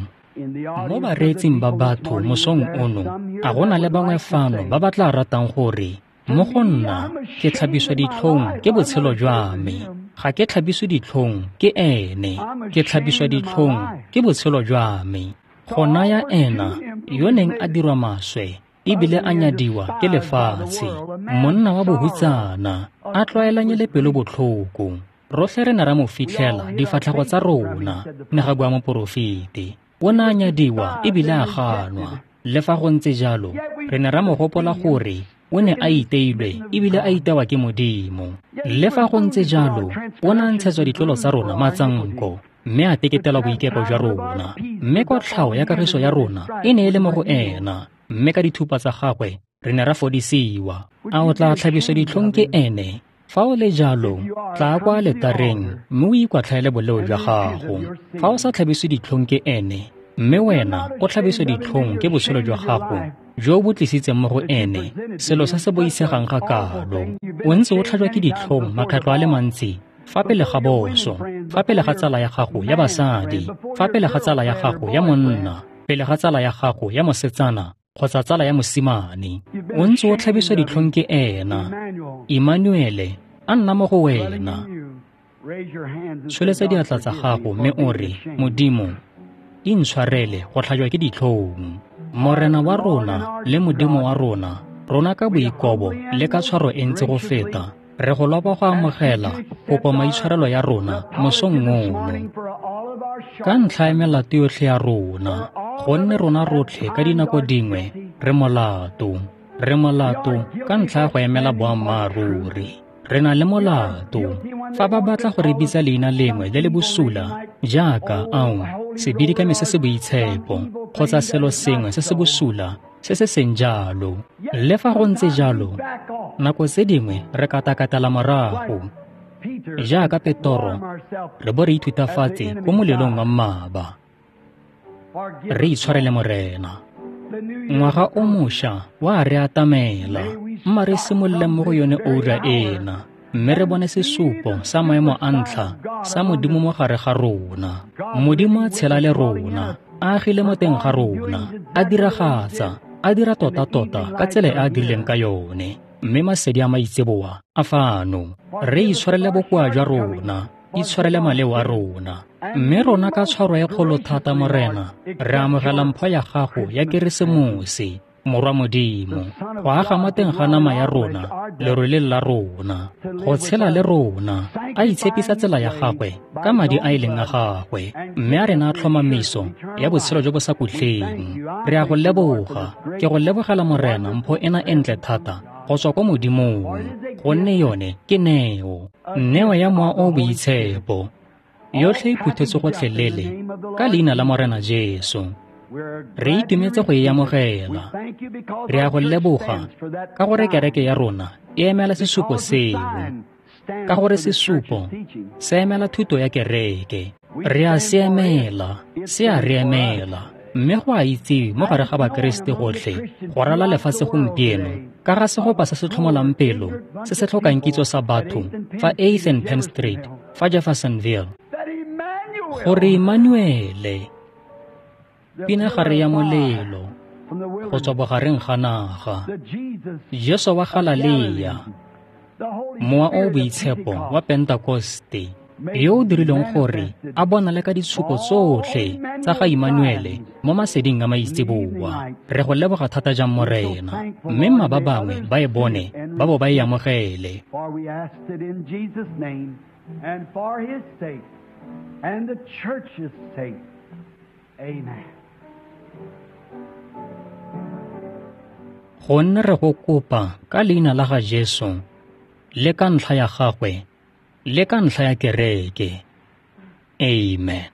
Mo bareetsing ba batho mosong ono, a go na le bangwe fano ba ba tla ratang gore, mo go nna ke tlhabiswa ditlhong ke botshelo jwa me. Ga ke tlhabiswe ditlhong ke ene, ke tlhabiswa ditlhong ke botshelo jwa me. Go naya ena yo neng a dirwa maswe ebile a nyadiwa ke lefatshe, monna wa bohutsana, a tlwaelanye le pelo botlhoko. Rotlhe re ne ra mo fitlhela difatlhego tsa rona, ne ga bua moporofeti. O ne a nyadiwa ebile a ganwa. Le fa go ntse jalo, re ne ra mo gopola gore o ne a iteilwe ebile a itewa ke Modimo. Le fa go ntse jalo, o ne a ntshetswa ditlolo tsa rona matsanko, mme a teketelwa boikepo jwa rona. Mme kotlhao ya kagiso ya rona e ne e le mo go ena, mme ka dithupa tsa gagwe re ne ra fodisiwa. A o tla tlhabiswa ditlhong ke ene? Fa o le jalo, tla kwa aletareng mme o ikwatlhaele boleo jwa gago. Fa o sa tlhabiswe ditlhong ke ene, mme wena o tlhabiswe ditlhong ke botshelo jwa gago jo bo tlisitseng mo go ene selo se se boitshegang ga kalo. O ntse o tlhajwa ke ditlhong makgetlo a le mantsi fa pele ga boso, fa pele ga tsala ya gago ya basadi, fa pele ga tsala ya gago ya monna, pele ga tsala ya gago ya mosetsana kgotsa tsala ya mosimane. O ntse o tlhabiswa ditlhong ke ena. Emmanuele a nna mo go wena. Tsholetsa diatla tsa gago mme o re, Modimo, intshwarele go tlhajwa ke ditlhong. Morena wa rona le Modimo wa rona, rona ka boikobo le ka tshwaro e ntsi go feta, re go lopa go amogela kopo maitshwarelo ya rona mosong ono. Ka ntlha ya melato yotlhe ya rona, gonne rona rotlhe ka dinako dingwe re molato. Re molato ka ntlha ya go emela boammaaruri. Re na le molato. Fa ba batla go re bitsa leina lengwe le le bosula, jaaka ao, sebidikami se se boitshepo, kgotsa selo sengwe se se bosula se se seng jalo. Le fa go ntse jalo, nako tse dingwe re katakatela morago, jaaka Petoro, re bo re ithutafatse ko molelong wa mmaba. Re itshwarele Morena. Ngwaga o mošwa wa re atamela, mma re simolole mo go yone oura ena, mme re bone sesupo sa maemo a ntlha sa Modimo mo gare ga rona. Modimo a tshela le rona, a agile mo teng ga rona, a diragatsa, a dira tota-tota ka tsela e a dirileng ka yone. Mme masedi a maitseboa a fano. Re itshwarele bokoa jwa rona, itshwarele maleo a rona. Mme rona ka tshwaro e kgolo thata, Morena, re amogela mpho ya gago ya Keresemose, Morwa Modimo, go aga mo teng ga nama ya rona, leroleng la rona, go tshela le rona, a itshepisa tsela ya gagwe ka madi a e leng a gagwe, mme a rena tlhomamiso ya botshelo jo bo sa khutleng. Re a go leboga, ke go lebogela Morena mpho ena e ntle thata go tswa ko Modimong, gonne yone ke neo, neo ya Mowa o o Boitshepo. Yotlhe e phuthetswe gotlhelele ka leina la Morena Jesu. Re itumetse go e amogela. Re a go leboga ka gore kereke ya rona e emela sesupo seo, ka gore sesupo se emela thuto ya kereke. Re a se emela, se a re emela. Mme go a itsewe mo gare ga Bakeresete gotlhe go rala lefatshe gompieno ka ga segopa se se tlhomolang pelo se se tlhokang kitso sa batho fa eighth and Penn Street fa Jeffersonville, gore Emmanuele, pinagare ya molelo go tswa bogareng ga naga, Jesu wa Galalea, Mowa o o Boitshepo wa Pentekoste, yo o dirileng gore a bonale ka ditshupo tsotlhe tsa ga Emmanuele mo maseding a maitseboa. Re go leboga thata jang Morena, mme mma ba bangwe ba e bone ba bo ba e amogele. Gonne re go kopa ka leina la ga Jesu le ka ntlha ya gagwe le ka ntlha ya kereke. Amen.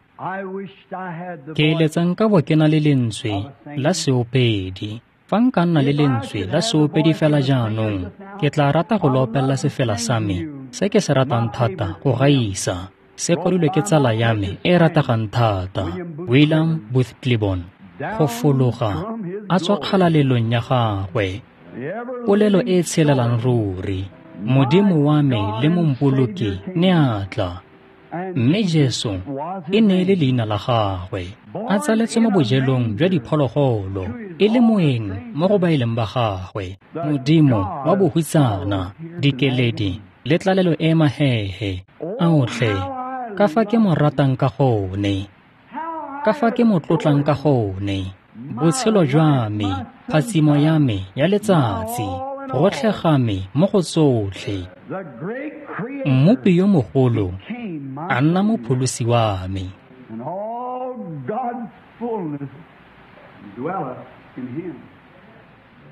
Ke eletsa nka bo ke na le lentswe la seopedi. Fa nka nna le lentswe la seopedi fela jaanong, ke tla rata go lo opella sefela sa me se ke se ratang thata go gaisa. Se kwadilwe ke tsala ya me e rategang thata, William Booth Clibborn, go fologa a tswa kgalalelong ya gagwe, polelo e tshelelang ruri. Modimo wa me le mompoloki ne a tla, mme Jesu e ne e le leina la gagwe, a tsaletswe mo bojelong jwa diphologolo, e le moeng mo go ba e leng ba gagwe, Modimo wa bohutsana, dikeledi le tlalelo e mahehe. Aotlhe, ka fa ke mo ratang ka gone, ka fa ke mo tlotlang ka gone. Botshelo jwa me, phatsimo ya me ya letsatsi, gotlhe ga me mo go tsotlhe. Mmopi yo mogolo a nna mopholosi wa me.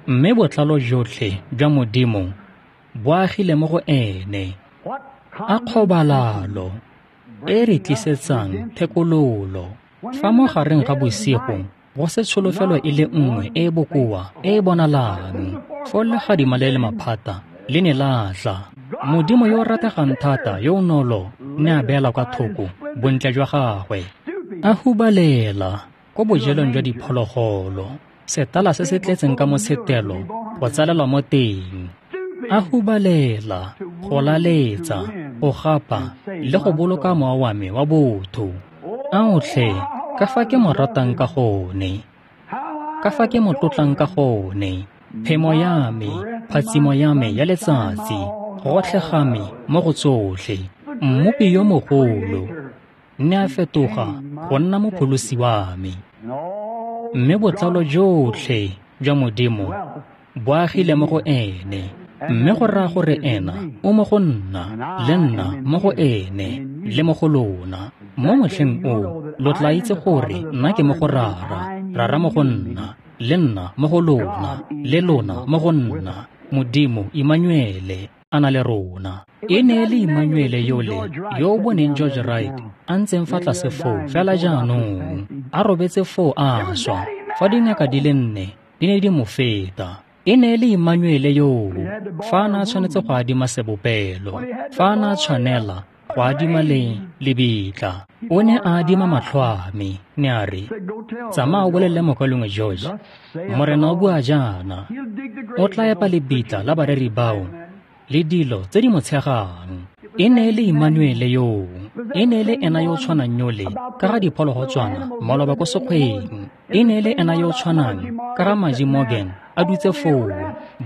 Mme botlalo jotlhe jwa Modimo bo agile mo go ene. A kgobalalo e re tlisetsang thekololo. Fa mo gareng ga bosigo go se tsholofelo e le nngwe e e bokoa e e bonalang, foo legadima le le maphata le ne la tla. Modimo yo o rategang thata yo o nolo ne a beela kwa thoko bontle jwa gagwe, a hubalela ko bojelong jwa diphologolo, setala se se tletseng ka motshetelo go tsalelwa mo teng. A hubalela go laletsa, go gapa le go boloka mowa wa me wa botho. Aotlhe, ka fa ke mo ratang ka gone, ka fa ke mo tlotlang ka gone, phemo ya me, phatsimo ya me ya letsatsi, gotlhe ga me mo go tsotlhe. Mmopi yo mogolo ne a fetoga go nna mopholosi wa me. Mme botlalo jotlhe jwa Modimo bo agile mo go ene. Mme go raya gore ena o mo go nna, le nna mo go ene, le mo go lona. Mo motlheng o, lo tla itse gore nna ke mo go Rara, Rara mo go nna, le nna mo go lona, le lona mo go nna. Modimo Immanuele a na le rona. E ne e le Immanuele yole yo o boneng George Wright a ntseng fa tlase foo fela jaanong, a robetse foo a swa, fa dingaka di le nne di ne di mo feta. E ne e le Immanuele yoo fa a ne a tshwanetse go adima sebopelo, fa a ne a tshwanela go adima le lebitla. O ne a adima matlho a me, ne a re, tsamaya o bolelele mokaulengwe George, Morena o bua jaana, o tla epa lebitla la bareri bao le dilo tse di mo tshegang. E ne e le Immanuele yoo, e ne e le ena yo o tshwanang yole ka ga diphologotswana maloba ko sekgweng. E ne e le ena yo o tshwanang ka ga Maji Morgan a dutse foo,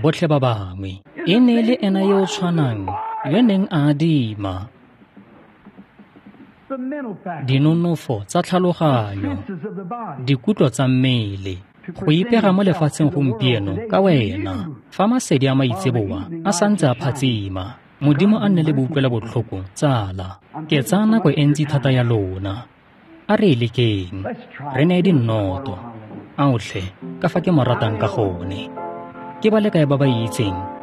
botlhe ba bangwe. E ne e le ena yo o tshwanang yo neng a adima dinonofo tsa tlhaloganyo, dikutlo tsa mmele, go ipega mo lefatsheng gompieno ka wena. Fa masedi a maitseboa a santse a phatsima, Modimo a nne le boutlwela botlhoko, tsala. Ke tsaya nako e ntsi thata ya lona. A re e lekeng, re neye dinnoto. Aotlhe, ka fa ke mo ratang ka gone. Ke ba le kae ba ba itseng?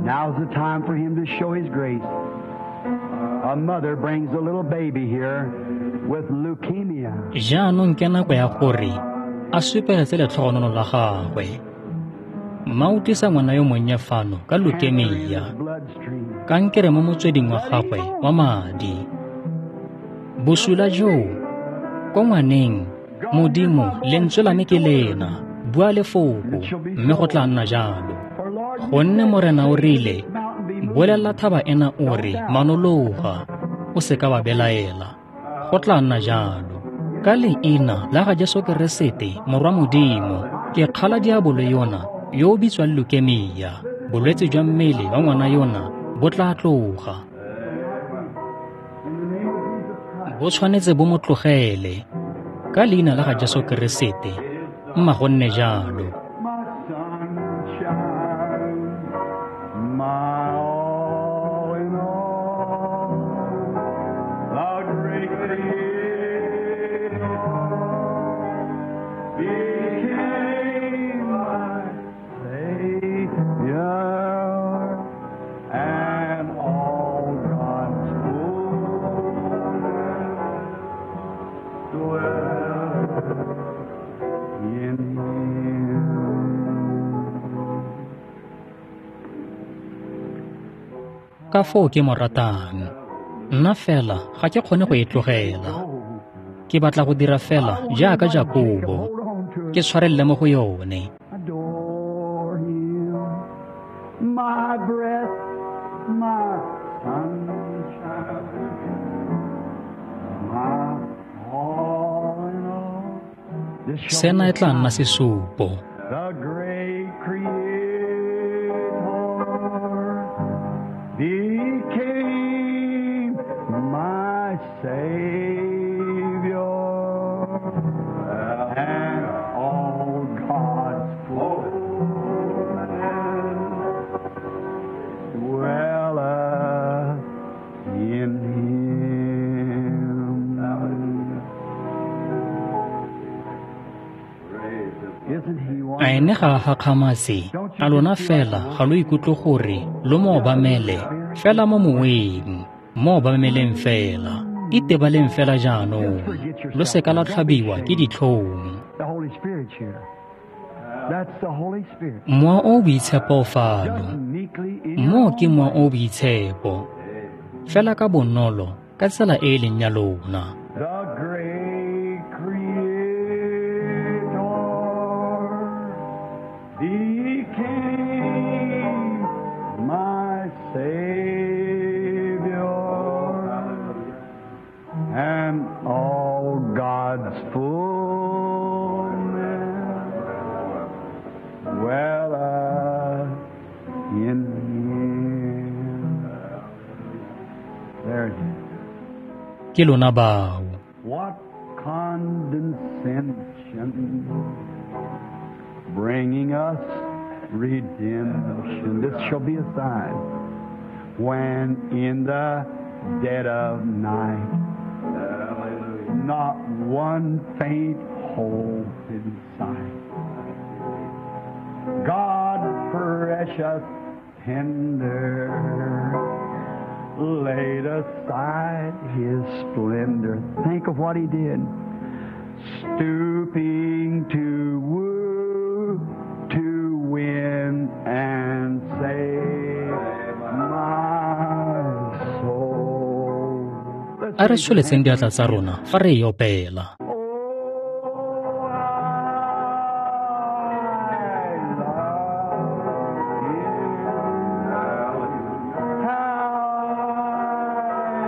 Now's the time for him to show his grace. A mother brings a little baby here with leukemia. Jaanong ke nako ya gore a supegetse letlhogonolo la gagwe. Mma o tlisa ngwana yo monnye fano ka leukemia, kankere mo motsweding wa gagwe wa madi. Bosula joo ko ngwaneng, Modimo, lentswe la me ke lena, bua lefoko, mme go tla nna jalo. Gonne Morena o rile, bolelela thaba ena o re, manologa, o seka wa belaela. Go tla nna jalo. Ka leina la ga Jesu Keresete, Morwa Modimo, ke kgala diabolo yona yo o bitswang leukemia. Bolwetse jwa mmele wa ngwana yona bo tla tloga. Bo tshwanetse bo mo tlogele. Ka leina la ga Jesu Keresete, mma go nne jalo. My sunshine, my all in all, the great Creator became my Savior, and all God's fullness dwells in Him. Ka foo ke mo ratang. Nna fela ga ke kgone go e tlogela. Ke batla go dira fela jaaka Jakobo, ke tshwarelele mo go yone. Adore Him, my breath, my sunshine, my all in all. This shall Sena be e a tla nna sign. sesupo. The great Creator became my Savior, and all God's fullness dwelleth in Him. Isn't He A ene ga a gakgamatse, a lona fela ga lo ikutlwe gore lo mo obamele fela mo moweng, mo obameleng fela, itebaleng fela jaanong, lo seka la tlhabiwa ke ditlhong. The Holy Spirit's here. That's the Holy Spirit. Mowa o o boitshepo o fano. Just meekly in your Moo ke own mowa way. o o boitshepo, fela ka bonolo, ka tsela e e leng ya lona. The great Creator became my Savior, and all God's fullness dwelleth in Him. There it is. Ke lona bao. What condescension, bringing us redemption. This shall be a sign when in the dead of night, not one faint hope in sight. God precious, tender, laid aside His splendor. Think of what He did. Stooping to woo, to win and save my soul. Let's A re raise your tsholetseng hands. diatla tsa rona fa re e opela. Oh, I love Him. How I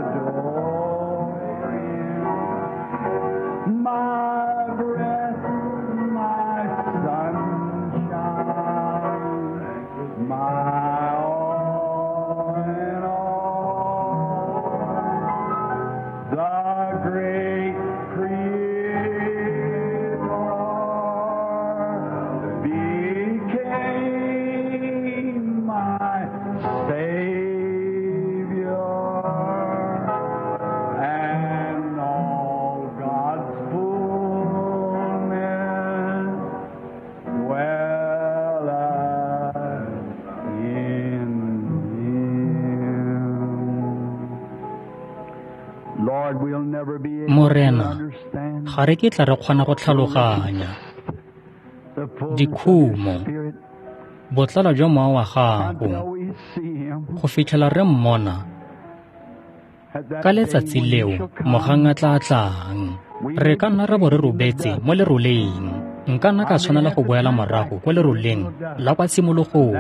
adore Him. My breath, my sunshine, my all in all. The great Creator became my Savior, and all God's fullness dwelleth in Him. Lord, we'll never be able to Morena, understand ga re kitla re kgona go tlhaloganya the fullness of Your dikhumo, Spirit botlalo jwa mowa wa gago, until we see Him go fitlhela re mmona Ka letsatsi leo, mogang a tla tlang. Re ka nna ra bo re robetse mo leroleng. Nka nna ka tshwanela go boela morago ko leroleng la kwa tshimologong.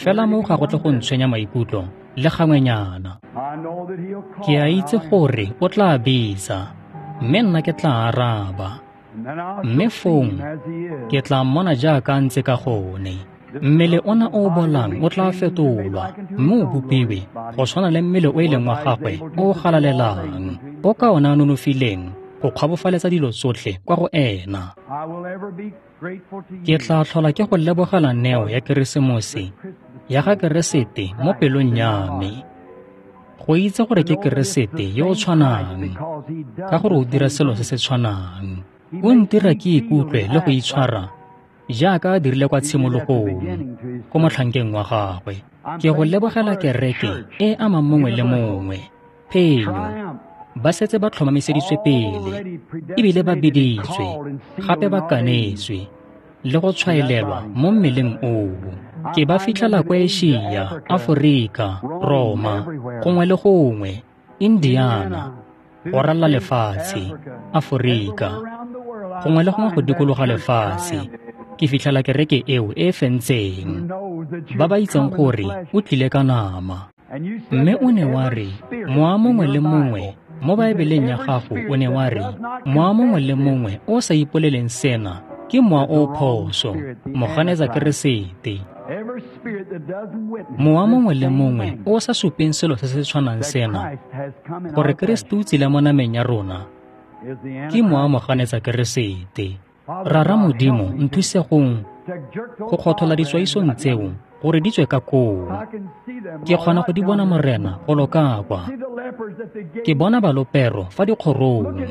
Fela moo ga go tle go ntshwenya maikutlo le gangwenyana. Ke a itse gore o tla bitsa, mme nna ke tla araba. Mme fong ke tla mmona jaaka a ntse ka gone. Mmele ona o o bolang o tla fetolwa mme o bopiwe go tshwana le mmele o e leng wa gagwe o o galalelang, o ka ona a nonofileng go kgwabofaletsa dilo tsotlhe kwa go ena. Ke tla tlhola ke go lebogela neo ya Keresemose ya ga Keresete mo pelong ya me. Go itse gore ke Keresete yo o tshwanang, ka gore o dira selo se se tshwanang. O ntira ke ikutlwe le go itshwara jaaka a dirile kwa tshimologong ko motlhankeng wa gagwe. Ke go lebogela kereke e amang mongwe le mongwe. Phenyo ba setse ba tlhomamiseditswe pele, ebile ba biditswe, gape ba kanetswe le go tshwaelelwa mo mmeleng oo. Ke ba fitlhela kwa Asia, Aforika, Roma, gongwe le gongwe, Indiana, go ralala lefatshe, Aforika, gongwe le gongwe go dikologa lefatshe. Ke fitlhela kereke eo e fentseng, ba ba itseng gore o tlile ka nama. Mme o ne wa re, mowa mongwe le mongwe mo Baebeleng ya gago o ne wa re, mowa mongwe le mongwe o sa ipoleleng sena ke mowa o phoso, moganetsa Keresete. Mowa mongwe le mongwe o sa supeng selo se se tshwanang sena, gore Keresete o tsile mo nameng ya rona, ke mowa moganetsa Keresete. Rara Modimo, nthuse gong go kgothola ditswaisong tseo gore di tswe ka koo. Ke kgona go di bona Morena golo ka kwa. Ke bona balopero fa dikgorong.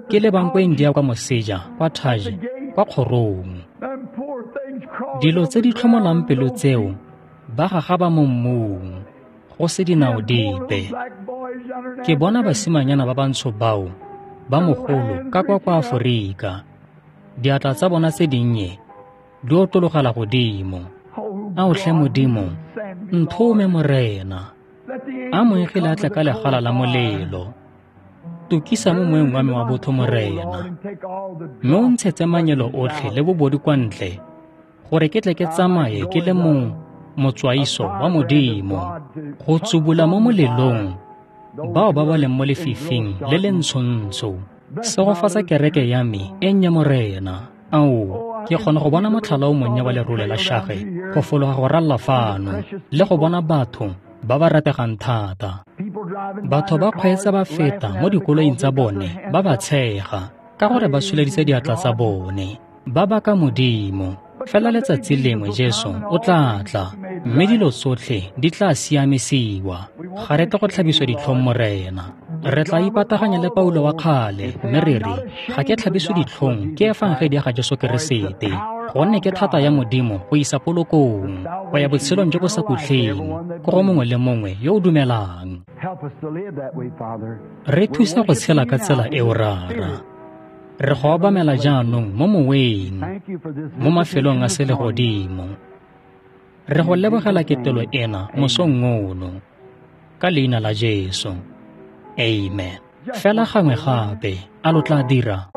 Ke lebang kwa India kwa moseja, kwa Taj, kwa kgorong. Dilo tse di tlhomolang pelo tseo ba gagaba mo mmung, go se dinao dipe. Ke bona basimanyana ba bantsho bao ba mogolo ka kwa kwa Aforika. Diatla tsa bona tse dinnye di otlologela godimo. Ao tlhe Modimo, nthome Morena. A moengele a tle ka legala la molelo. Tukisa mo moeng wa me wa botho Morena, mme o ntshetse manyelo otlhe le bobodi kwa ntle, gore ke tle ke tsamaye ke le mong motswaiso wa Modimo, go tsubula mo molelong bao ba ba leng mo lefifing le le ntshontsho. Segofatsa kereke ya me e nnye Morena. Ao, ke kgona go bona motlhala o monnye wa lerole la shage go fologa go ralla fano le go bona batho ba ba rategang thata. Batho ba kgweetsa ba feta mo dikoloing tsa bone ba ba tshega ka gore ba tsholeditse diatla tsa bone, ba baka Modimo. Fela letsatsi lengwe Jesu o tla tla, mme dilo tsotlhe di tla siamisiwa. Ga re tle go tlhabiswa ditlhong Morena. Re tla ipataganya le Paulo wa kgale, mme re re, ga ke tlhabiswe ditlhong ke efangedi ya ga Jesu Keresete, gonne ke thata ya Modimo go isa polokong, go ya botshelong jo bo sa khutleng, ko go mongwe le mongwe yo o dumelang. Re thuse go tshela ka tsela eo Rara. Re go obamela jaanong mo moweng, mo mafelong a selegodimo. Re go lebogela ketelo ena mosong ono, ka leina la Jesu. Amen. Fela gangwe gape, a lo tla dira?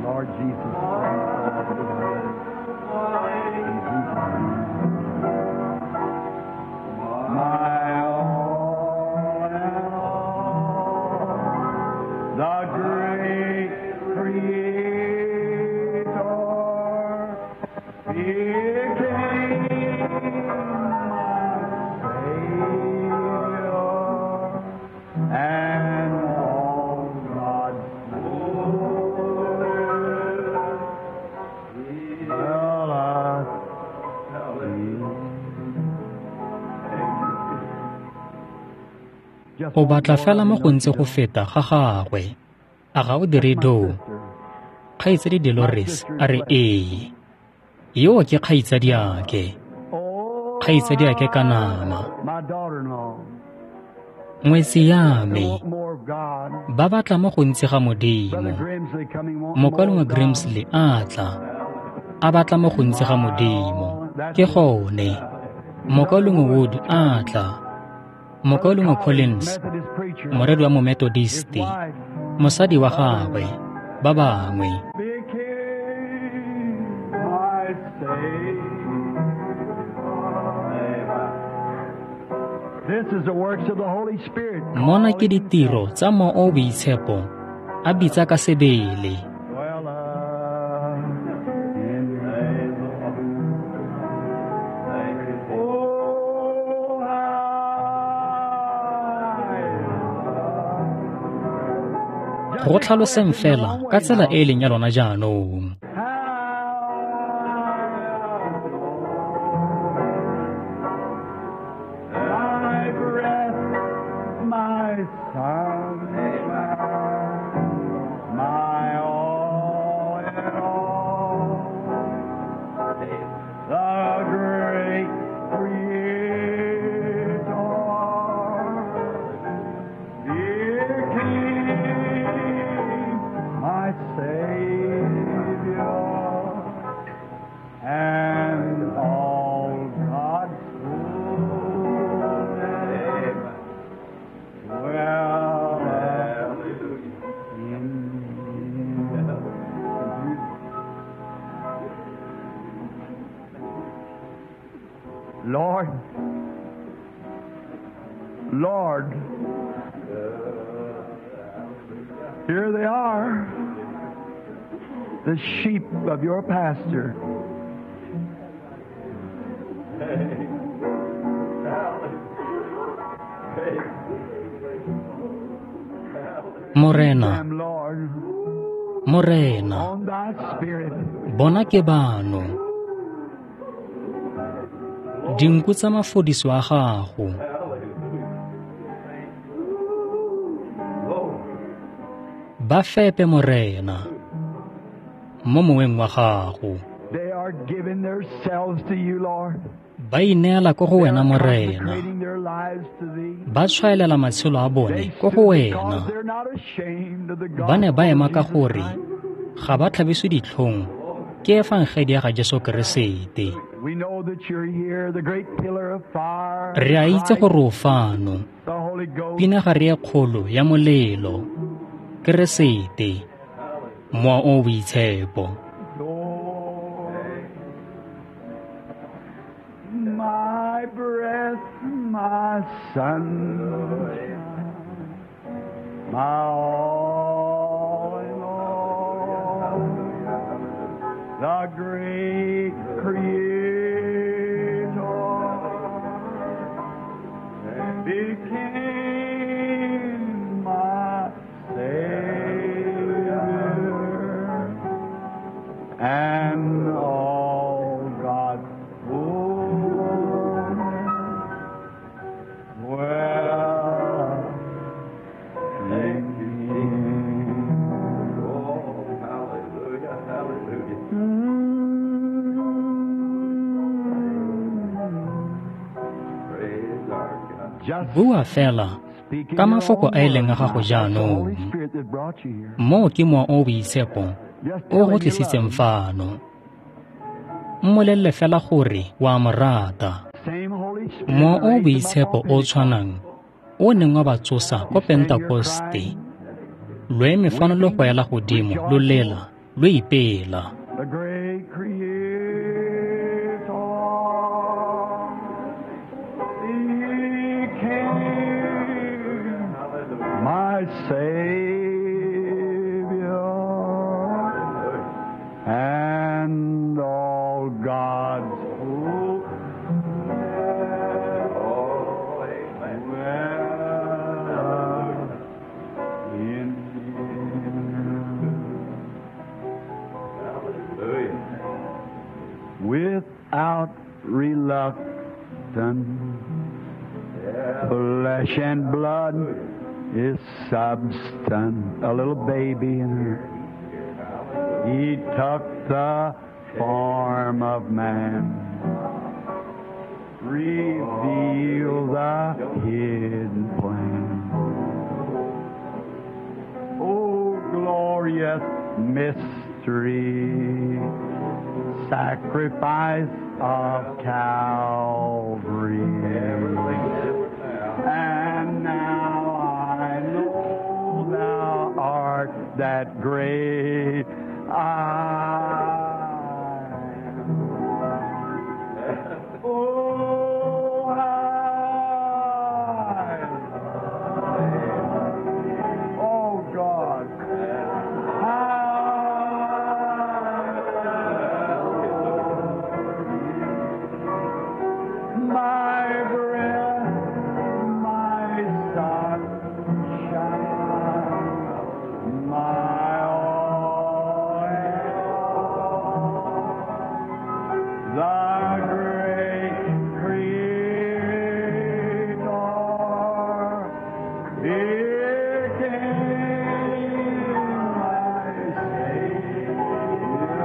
Lord Jesus, my all in all, the great Creator became my Savior, and all God's fullness will us be. O batla fela mo gontsi go feta ga gagwe. A ga o dire doo? Kgaitsadi Dolores a re ee. Yo ke kgaitsadiake. Kgaitsadiake ka nama. Ngwetsi ya me, ba batla mo gontsi ga Modimo. Mokaulengwe Grimsley a tla, a batla mo gontsi ga Modimo. Ke gone. Mokaulengwe Wood a tla. Mokaulengwe Collins, moreri wa Momethodist, mosadi wa gagwe, ba bangwe. Mona ke ditiro tsa Mowa o o Boitshepo a bitsa ka sebele. Go tlhaloseng fela ka tsela e e leng ya lona jaanong. Lord, Lord, here they are, the sheep of your pasture. Morena, Morena, bona ke bano. Dinku tsa mafodiso a gago. Ba fepe Morena mo moweng wa gago. Ba ineela ko go wena Morena. Ba tshwaelela matshelo a bone ko go wena. Ba ne ba ema ka gore ga ba tlhabiswe ditlhong ke efangedi ya ga Jesu Keresete. Re a itse gore o fano, pinagare e kgolo ya molelo, Keresete, Mowa o o Boitshepo. My breath, my sunshine, my all in all, the great Creator became my Savior, and all God's fullness dwell in Him. Oh, hallelujah, hallelujah. Praise our God. Bua fela ka mafoko a e leng a gago jaanong. Moo ke Mowa o o Boitshepo o go tlisitseng fano. Mmolelele fela gore wa mo rata. Mowa o o Boitshepo o tshwanang o neng wa ba tsosa ko Pentekoste, lo eme fano lo go ela godimo, lo lela, lo ipela. The great Creator became my Savior, and all God's fullness dwell in Him. Hallelujah. Without reluctance, flesh and blood is substance. A little baby in her. He took the form of man, revealed the hidden plan. mystery, sacrifice of Calvary. And now I know thou art that great I am. Oh, I, oh God, I, my breath, my sunshine, my all in all, the great Creator, became my Savior,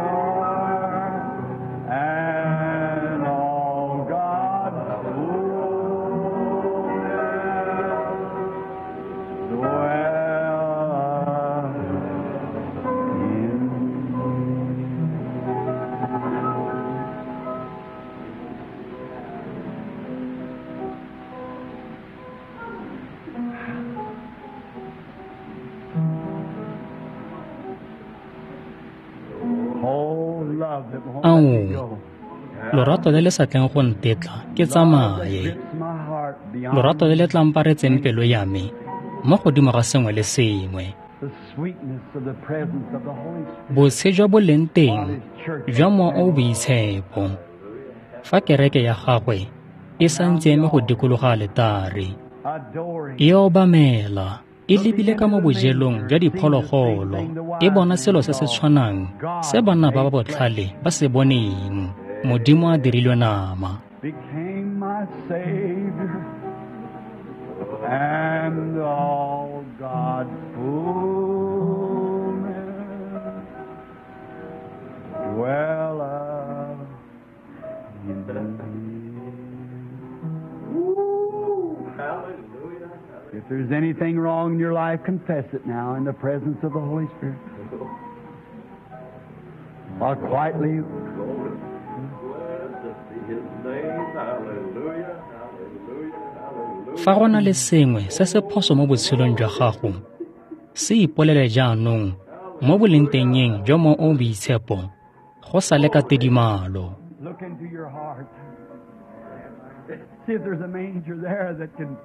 and all God's fullness dwelleth in Oh, love that won't let me Ao, go. lorato le le sa tleng go ntetla ke Love that tsamaye. grips my heart beyond Lorato le le tlamparetseng pelo ya me mo godimo ga sengwe le sengwe. the sweetness of the presence of the Holy Spirit Botshe jwa boleng while teng His church jwa is Mowa o o standing. Boitshepo. Fa kereke ya gagwe e santse eme go dikologa aletare, Adoring, e obamela, e looking lebile ka into mo the bojelong manger, jwa seeing the same diphologolo, thing the e wise bona men selo se se saw. tshwanang se God banna ba ba made flesh botlhale ba se boneng. Modimo a dirilwe nama. became my Savior, and all God's fullness dwelleth in me. Hallelujah. If there's anything wrong in your life, confess it now in the presence of the Holy Spirit. While quietly Glory. Blessed be his name. Hallelujah. Hallelujah. Hallelujah. Fa go na le sengwe se se phoso mo botshelong jwa gago, se ipolele jaanong mo bolengtengeng jwa Mowa o o Boitshepo, go sa le ka tidimalo. look into your heart. See if there's a manger there that can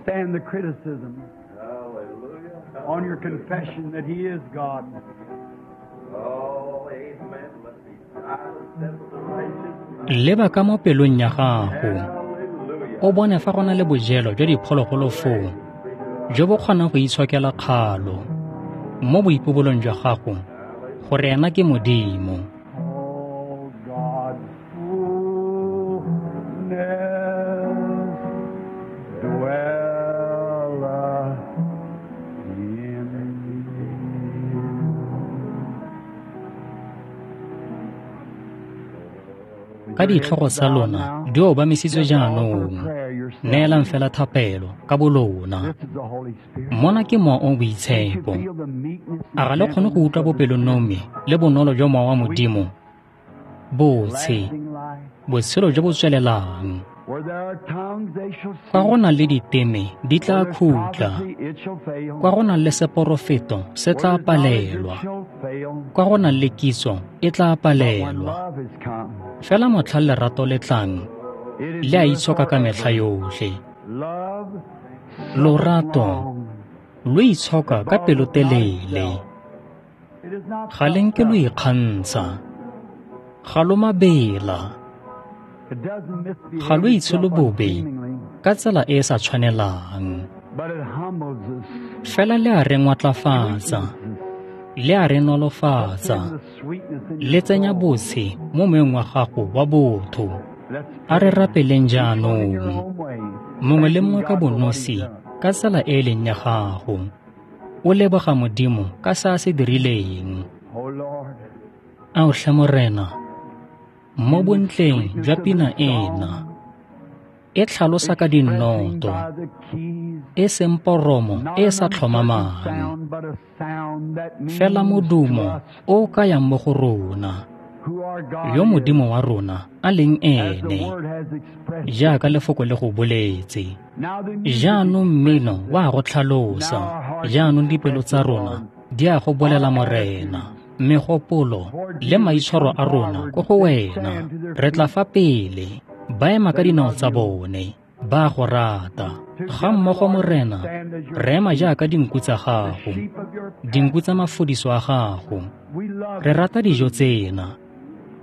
stand the criticism Hallelujah. on your confession that He is God. Oh, amen. Let me silence death of the righteous. Leba ka mo pelong ya gago, Hallelujah. o bone fa go na le bojelo jwa diphologolo foo jo bo kgonang go itshokela kgalo mo boipobolong jwa gago gore ena ke Modimo. Oh, God's fullness dwelleth in me. Ka ditlhogo tsa lona di obamisitswe jaanong, neelang fela thapelo ka bolona. This is the Holy Spirit. Mona ke Mowa o o Can't you Boitshepo. feel the meekness A and ga le kgone go gentleness utlwa of the Spirit? bopelonomi le bonolo jwa Mowa wa Modimo? Botshe, Lasting life. botshelo jo bo tswelelang. Where there are tongues, they shall Kwa go cease. nang le diteme di Where tla there's khutla. prophecy, it shall fail. Kwa go nang le seporofeto se Where tla there's knowledge, it palelwa. shall fail. Kwa go nang le kitso e tla But when palelwa. love has come, Fela motlha lerato le tlang, it le a endureth itshoka ka metlha forever. yotlhe. Love suffereth Lorato long. lo itshoka It ka boasteth not pelotelele. itself. It is not Ga le puffed nke lo up. ikgantsha. Ga lo mabela. It doesn't Ga lo misbehave itself itshole bobe unseemingly, ka tsela e e sa tshwanelang. but it humbles us, Fela le a re ngwatlafatsa, sweetens us, le a re puts in nolofatsa, the sweetness in your le tsenya soul. botshe mo moyeng wa gago wa botho. Let's A re pray. rapeleng Each one in your jaanong, own way, mongwe le thanking mongwe ka God for what He's bonosi done. ka tsela e e leng ya gago. O leboga Modimo ka se a se dirileng. Oh Lord, Ao tlhe Morena, mo in the bontleng sweetness jwa of pina this ena, song, E tlhalosa ka dinoto, e seng poromo e e sa tlhomamang, fela modumo o o kayang mo go rona, yo Modimo wa rona a leng ene, jaaka lefoko le go boletse. Jaanong mmino wa go tlhalosa, jaanong dipelo tsa rona di a go bolela Morena, megopolo le maitshwaro a rona ko go wena. Re tla fa pele, ba ema ka dinao tsa bone, ba go rata. Ga mmogo Morena, re ema jaaka dinku tsa gago, dinku tsa mafodiso a gago. Re rata dijo tsena,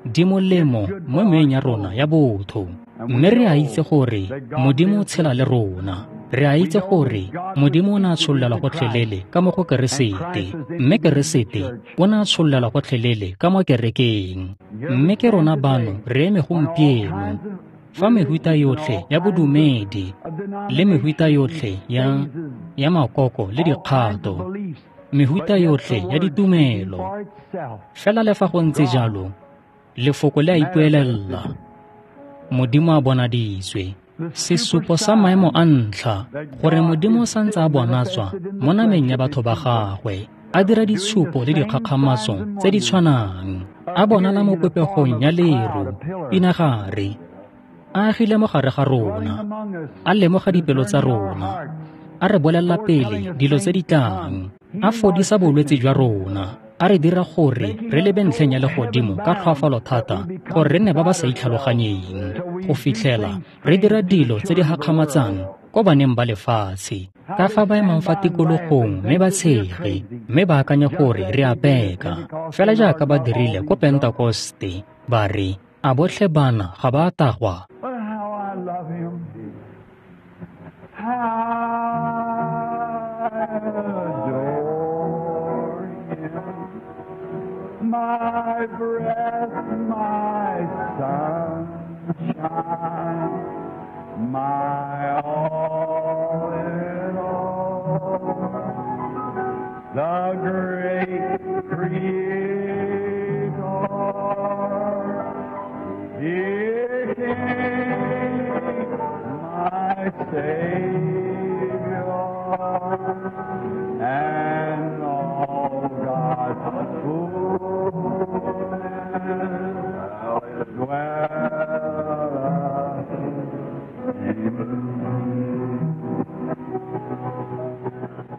di molemo mo meweng ya rona ya botho, mme re a itse gore Modimo o tshela le rona. Re a itse gore Modimo o ne a tsholelwa gotlhelele ka mo go Keresete, mme Keresete o ne a tsholelwa gotlhelele ka mo kerekeng. Mme ke rona bano re eme gompieno, fa mehuta yotlhe ya bodumedi le mehuta yotlhe ya, ya makoko le dikgato, mehuta yotlhe ya ditumelo, fela le fa go ntse jalo, lefoko le a ipuelela. Modimo a bonaditswe, sesupo sa maemo a ntlha gore Modimo o santse a bonatswa mo nameng ya batho ba gagwe, a dira ditshupo le dikgakgamatso tse di tshwanang, a bonala mo popegong ya leru, pinagare, a agile mo gare ga rona, a lemoga dipelo tsa rona, a re bolelela pele dilo tse di tlang, a fodisa bolwetse jwa rona, a re dira gore re lebe ntlheng ya legodimo ka tlhoafalo thata gore re nne ba ba sa itlhaloganyeng, go fitlhela re dira dilo tse di gakgamatsang ko baneng ba lefatshe, ka fa ba emang fa tikologong mme ba tshege, mme ba akanye gore re a peka, fela jaaka ba dirile ko Pentekoste, ba re, a botlhe bana ga ba a tagwa? But how I love him. I adore him. My breath, my sunshine, my all in all, the great Creator, the King, my Savior, and all God's fullness dwelleth in me.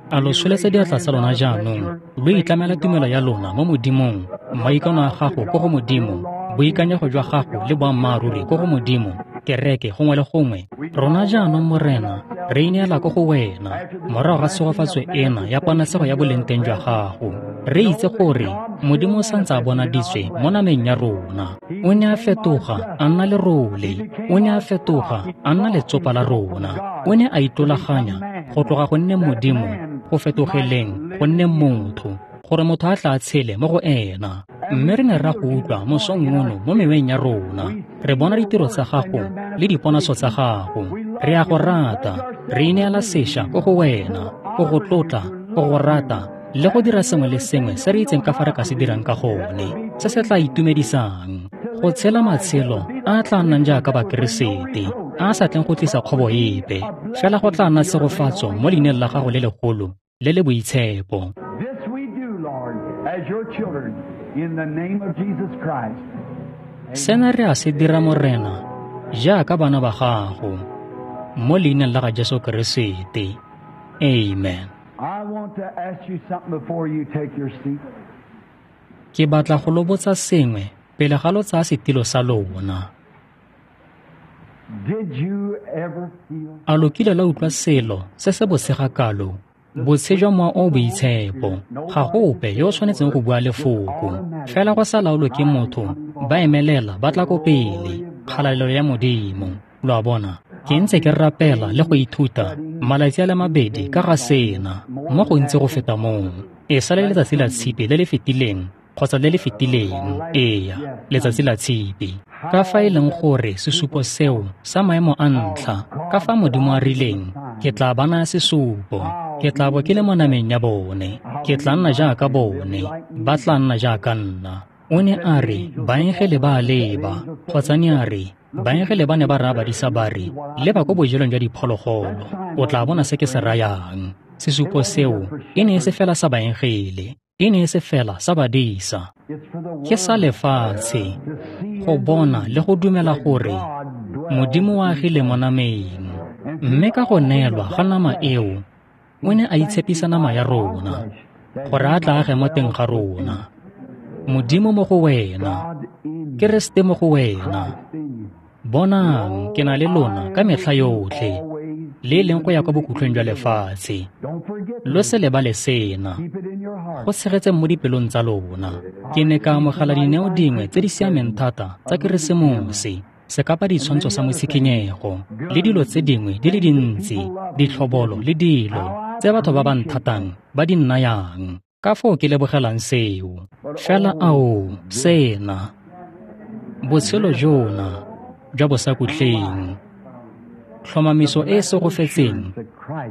A lo tsholetsa diatla tsa lona jaanong, lo itlamela tumelo ya lona mo Modimong, maikano a gago ko go Modimo, boikanyego jwa gago le boammaaruri ko go Modimo, kereke gongwe le gongwe. Rona jaanong Morena, re ineela ko go wena, morago ga tshegofatso ena ya ponatshego ya bolengteng jwa gago. Re itse gore Modimo o santse a bonaditswe mo nameng ya rona. O ne a fetoga a nna lerole, o ne a fetoga a nna letsopa la rona, o ne a itolaganya go tloga go nne Modimo go fetogeleng go nne motho, gore motho a tla a tshele mo go ena. Mme re ne ra go utlwa mosong ono mo meweng ya rona, re bona ditiro tsa gago le diponatsho tsa gago. Re a go rata, re ineela sešwa ko go wena, go go tlotla, go go rata, le go dira sengwe le sengwe se re itseng ka fa re ka se dirang ka gone, se se tla itumedisang, go tshela matshelo a a tla nnang jaaka Bakeresete, a a sa tleng go tlisa kgobo epe, fela go tla nna tshegofatso mo leineng la gago le legolo le le boitshepo. This we do, Lord, as your children, in the name of Jesus Christ. Sena re a se dira Morena, jaaka bana ba gago, mo leineng la ga Jesu Keresete. Amen. I want to ask you something before you take your seat. Ke batla go lo botsa sengwe pele ga lo tsaya setilo sa lona. Did you ever feel A lo kile la utlwa selo se se bosega kalo, botshe jwa mowa o o boitshepo? Ga go ope yo o tshwanetseng go bua lefoko, fela go sa laolwe ke motho, ba emelela ba tla ko pele, kgalalelo ya Modimo. Lo a bona, ke ntse ke rapela le go ithuta malatsi a le mabedi ka ga sena, mo gontsi go feta moo. E sale letsatsi la tshipi le le fetileng kgotsa le le fetileng, eya, letsatsi la tshipi. Ka fa e leng gore sesupo seo sa maemo a ntlha, ka fa Modimo a rileng, ke tla ba naya sesupo, ke tla bo ke le mo nameng ya bone, ke tla nna jaaka bone, ba tla nna jaaka nna. O ne a re, baengele ba a leba, kgotsa ne a re, baengele ba ne ba raya badisa ba re, leba ko bojelong jwa diphologolo, o tla bona se ke se rayang. Sesupo seo e ne e se fela sa baengele, e ne e se fela sa badisa. Ke sa lefatshe, go bona le go dumela gore Modimo o agile mo nameng. Mme ka go neelwa ga nama eo, o ne a itshepisa nama ya rona, gore a tla age mo teng ga rona. Modimo mo go wena, Keresete mo go wena. Bonang, ke na le lona ka metlha yotlhe, le e leng go ya kwa bokhutlong jwa lefatshe. Lo se lebale sena, go tshegetseng mo dipelong tsa lona. Ke ne ka amogela dineo dingwe tse di siameng thata tsa Keresemose, sekapa ditshwantsho sa motshikinyego, le dilo tse dingwe di le dintsi, ditlhobolo le dilo tse batho ba ba nthatang ba di nnayang. Ka foo ke lebogelang seo. Fela ao, sena, botshelo jona jwa bosakhutleng, tlhomamiso e e segofetseng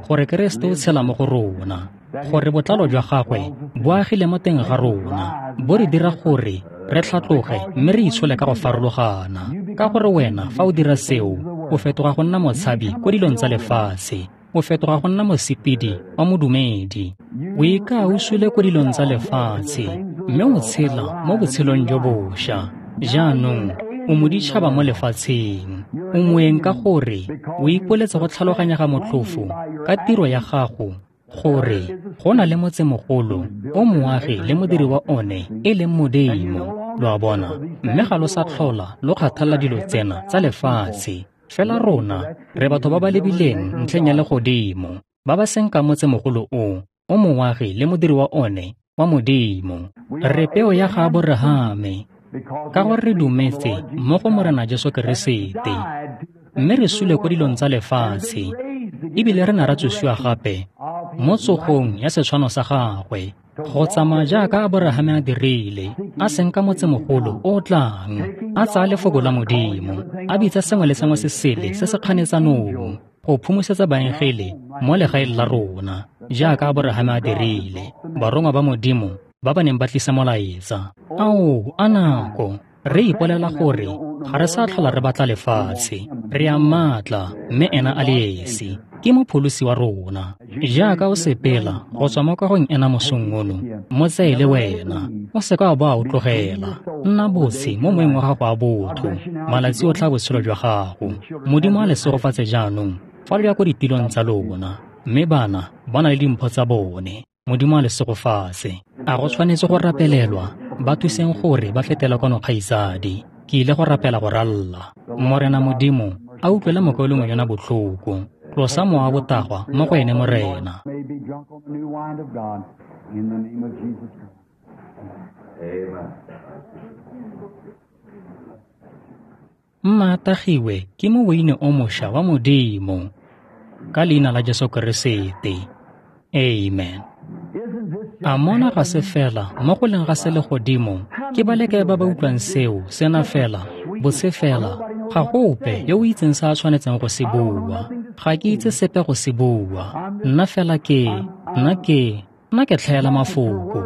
gore Keresete o tshela mo go rona, gore botlalo jwa gagwe bo agile mo teng ga rona, bo re dira gore re tlhatloge mme re itshole ka go farologana. Ka gore wena fa o dira seo, o fetoga go nna motshabi ko dilong tsa lefatshe, o fetoga go nna mosepedi wa modumedi. O ika o sule ko dilong tsa lefatshe, mme o tshela mo botshelong jo bošwa. Jaanong o moditšhaba mo lefatsheng, o moeng ka gore o ipoletse go tlhaloganya ga motlhofo ka tiro ya gago gore go na le motsemogolo o moagi le modiri wa one e leng Modimo. Lo a bona, mme ga lo sa tlhola lo kgathalela dilo tsena tsa lefatshe. Fela rona re batho ba ba lebileng ntlheng ya legodimo, ba ba seng ka motsemogolo o o moagi le modiri wa one wa Modimo. Re peo ya ga Aborahame, ka gore re dumetse mo go Morena Jesu Keresete, mme re sule ko dilong tsa lefatshe, ebile re ne ra tsosiwa gape mo tsogong ya setshwano sa gagwe, go tsamaya jaaka Aborahame a dirile, a senka motsemogolo o o tlang, a tsaya lefoko la Modimo, a bitsa sengwe le sengwe se sele se se kganetsanong, go phumosetsa baengele mo legaeng la rona, jaaka Aborahame a dirile, barongwa ba Modimo ba ba neng ba tlisa molaetsa. Ao, a nako, re ipolela gore ga re sa tlhola re batla lefatshe, re a mmatla, mme ena a le esi ke mopholosi wa rona. Jaaka o sepela go tswa mo kagong ena mosong ono, mo tseye le wena, o seka wa bo a o tlogela. Nna botshe mo moeng wa gago a botho malatsi otlhe a botshelo jwa gago. Modimo a le segofatse jaanong fa lo ya ko ditilong tsa lona, mme bana ba na le dimpho tsa bone. Modimo a le segofatse. A go tshwanetse go rapelelwa, ba thuseng gore ba fetele kwano kgaitsadi. Ke ile go rapela go ralla. Morena Modimo a utlwele mokaulengwe yona botlhoko. Tlosa mowa wa botagwa mo go ene Morena. Mma a tagiwe ke moweine o mošwa wa Modimo, ka leina la Jesu Keresete. Amen. A mona ga se fela mo go leng ga selegodimo, ke ba le kae ba ba utlwang seo sena fela, botse fela, ga go ope yo o itseng se a tshwanetseng go se bua. Ga ke itse sepe go se bua. Nna fela ke, nna ke, nna ke tlhaela mafoko.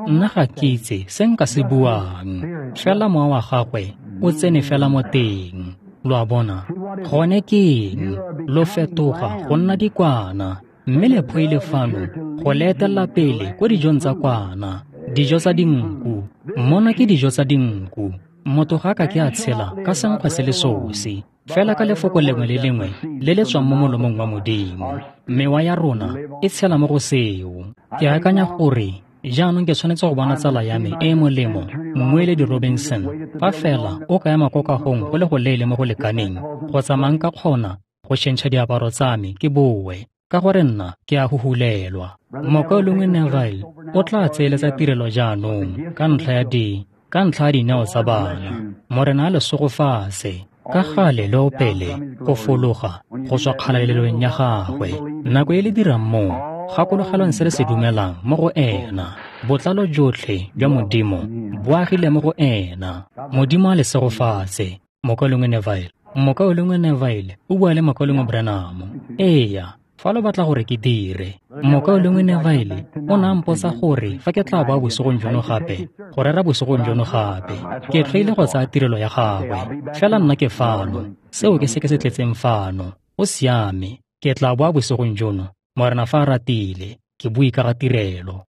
Nna ga ke itse se nka se buang. Fela mowa wa gagwe o tsene fela mo teng. Lo a bona, gone ke eng? Lo fetoga go nna dikwana, mme le fano go le etelela pele ko dijong tsa kwana, dijo tsa dinku. Mona ke dijo tsa dinku. Motho ga a ka ke a tshela ka senkgwe se le sosi, fela ka lefoko lengwe le lengwe le le tswang mo molomong wa Modimo. Mewa ya rona e tshela mo go seo. Ke akanya gore jaanong ke tshwanetse go bona tsala ya me e e molemo, Mmueledi Robinson, fa fela o ka ema ko kagong go le go leele mo go lekaneng, go tsamaya nka kgona go tšhentšha diaparo tsa me ke boe, ka gore nna ke a huhulelwa. Mokaulengwe Neville o tla tseeletsa tirelo jaanong ka ntlha ya di ka ntlha ya dineo tsa bana. Morena a le segofatse ka gale le opele go fologa go tswa kgalalelong ya gagwe. Nako e le dirang moo, gakologelwang se re se dumelang mo go ena. Botlalo jotlhe jwa Modimo bo agile mo go ena. Modimo a le segofatse. Mokaulengwe Neville, Mokaulengwe Neville o bua le Mokaulengwe Branham. Eya, Fa lo batla gore ke dire, Mokaulengwe Neville o ne a mpotsa gore fa ke tla boa bosigong jono gape, go rera bosigong jono gape. Ke tlhoile go tsaya tirelo ya gagwe, fela nna ke fano. Seo ke se ke se tletseng fano. Go siame, ke tla boa bosigong jono, Morena fa a ratile, ke bue ka ga tirelo.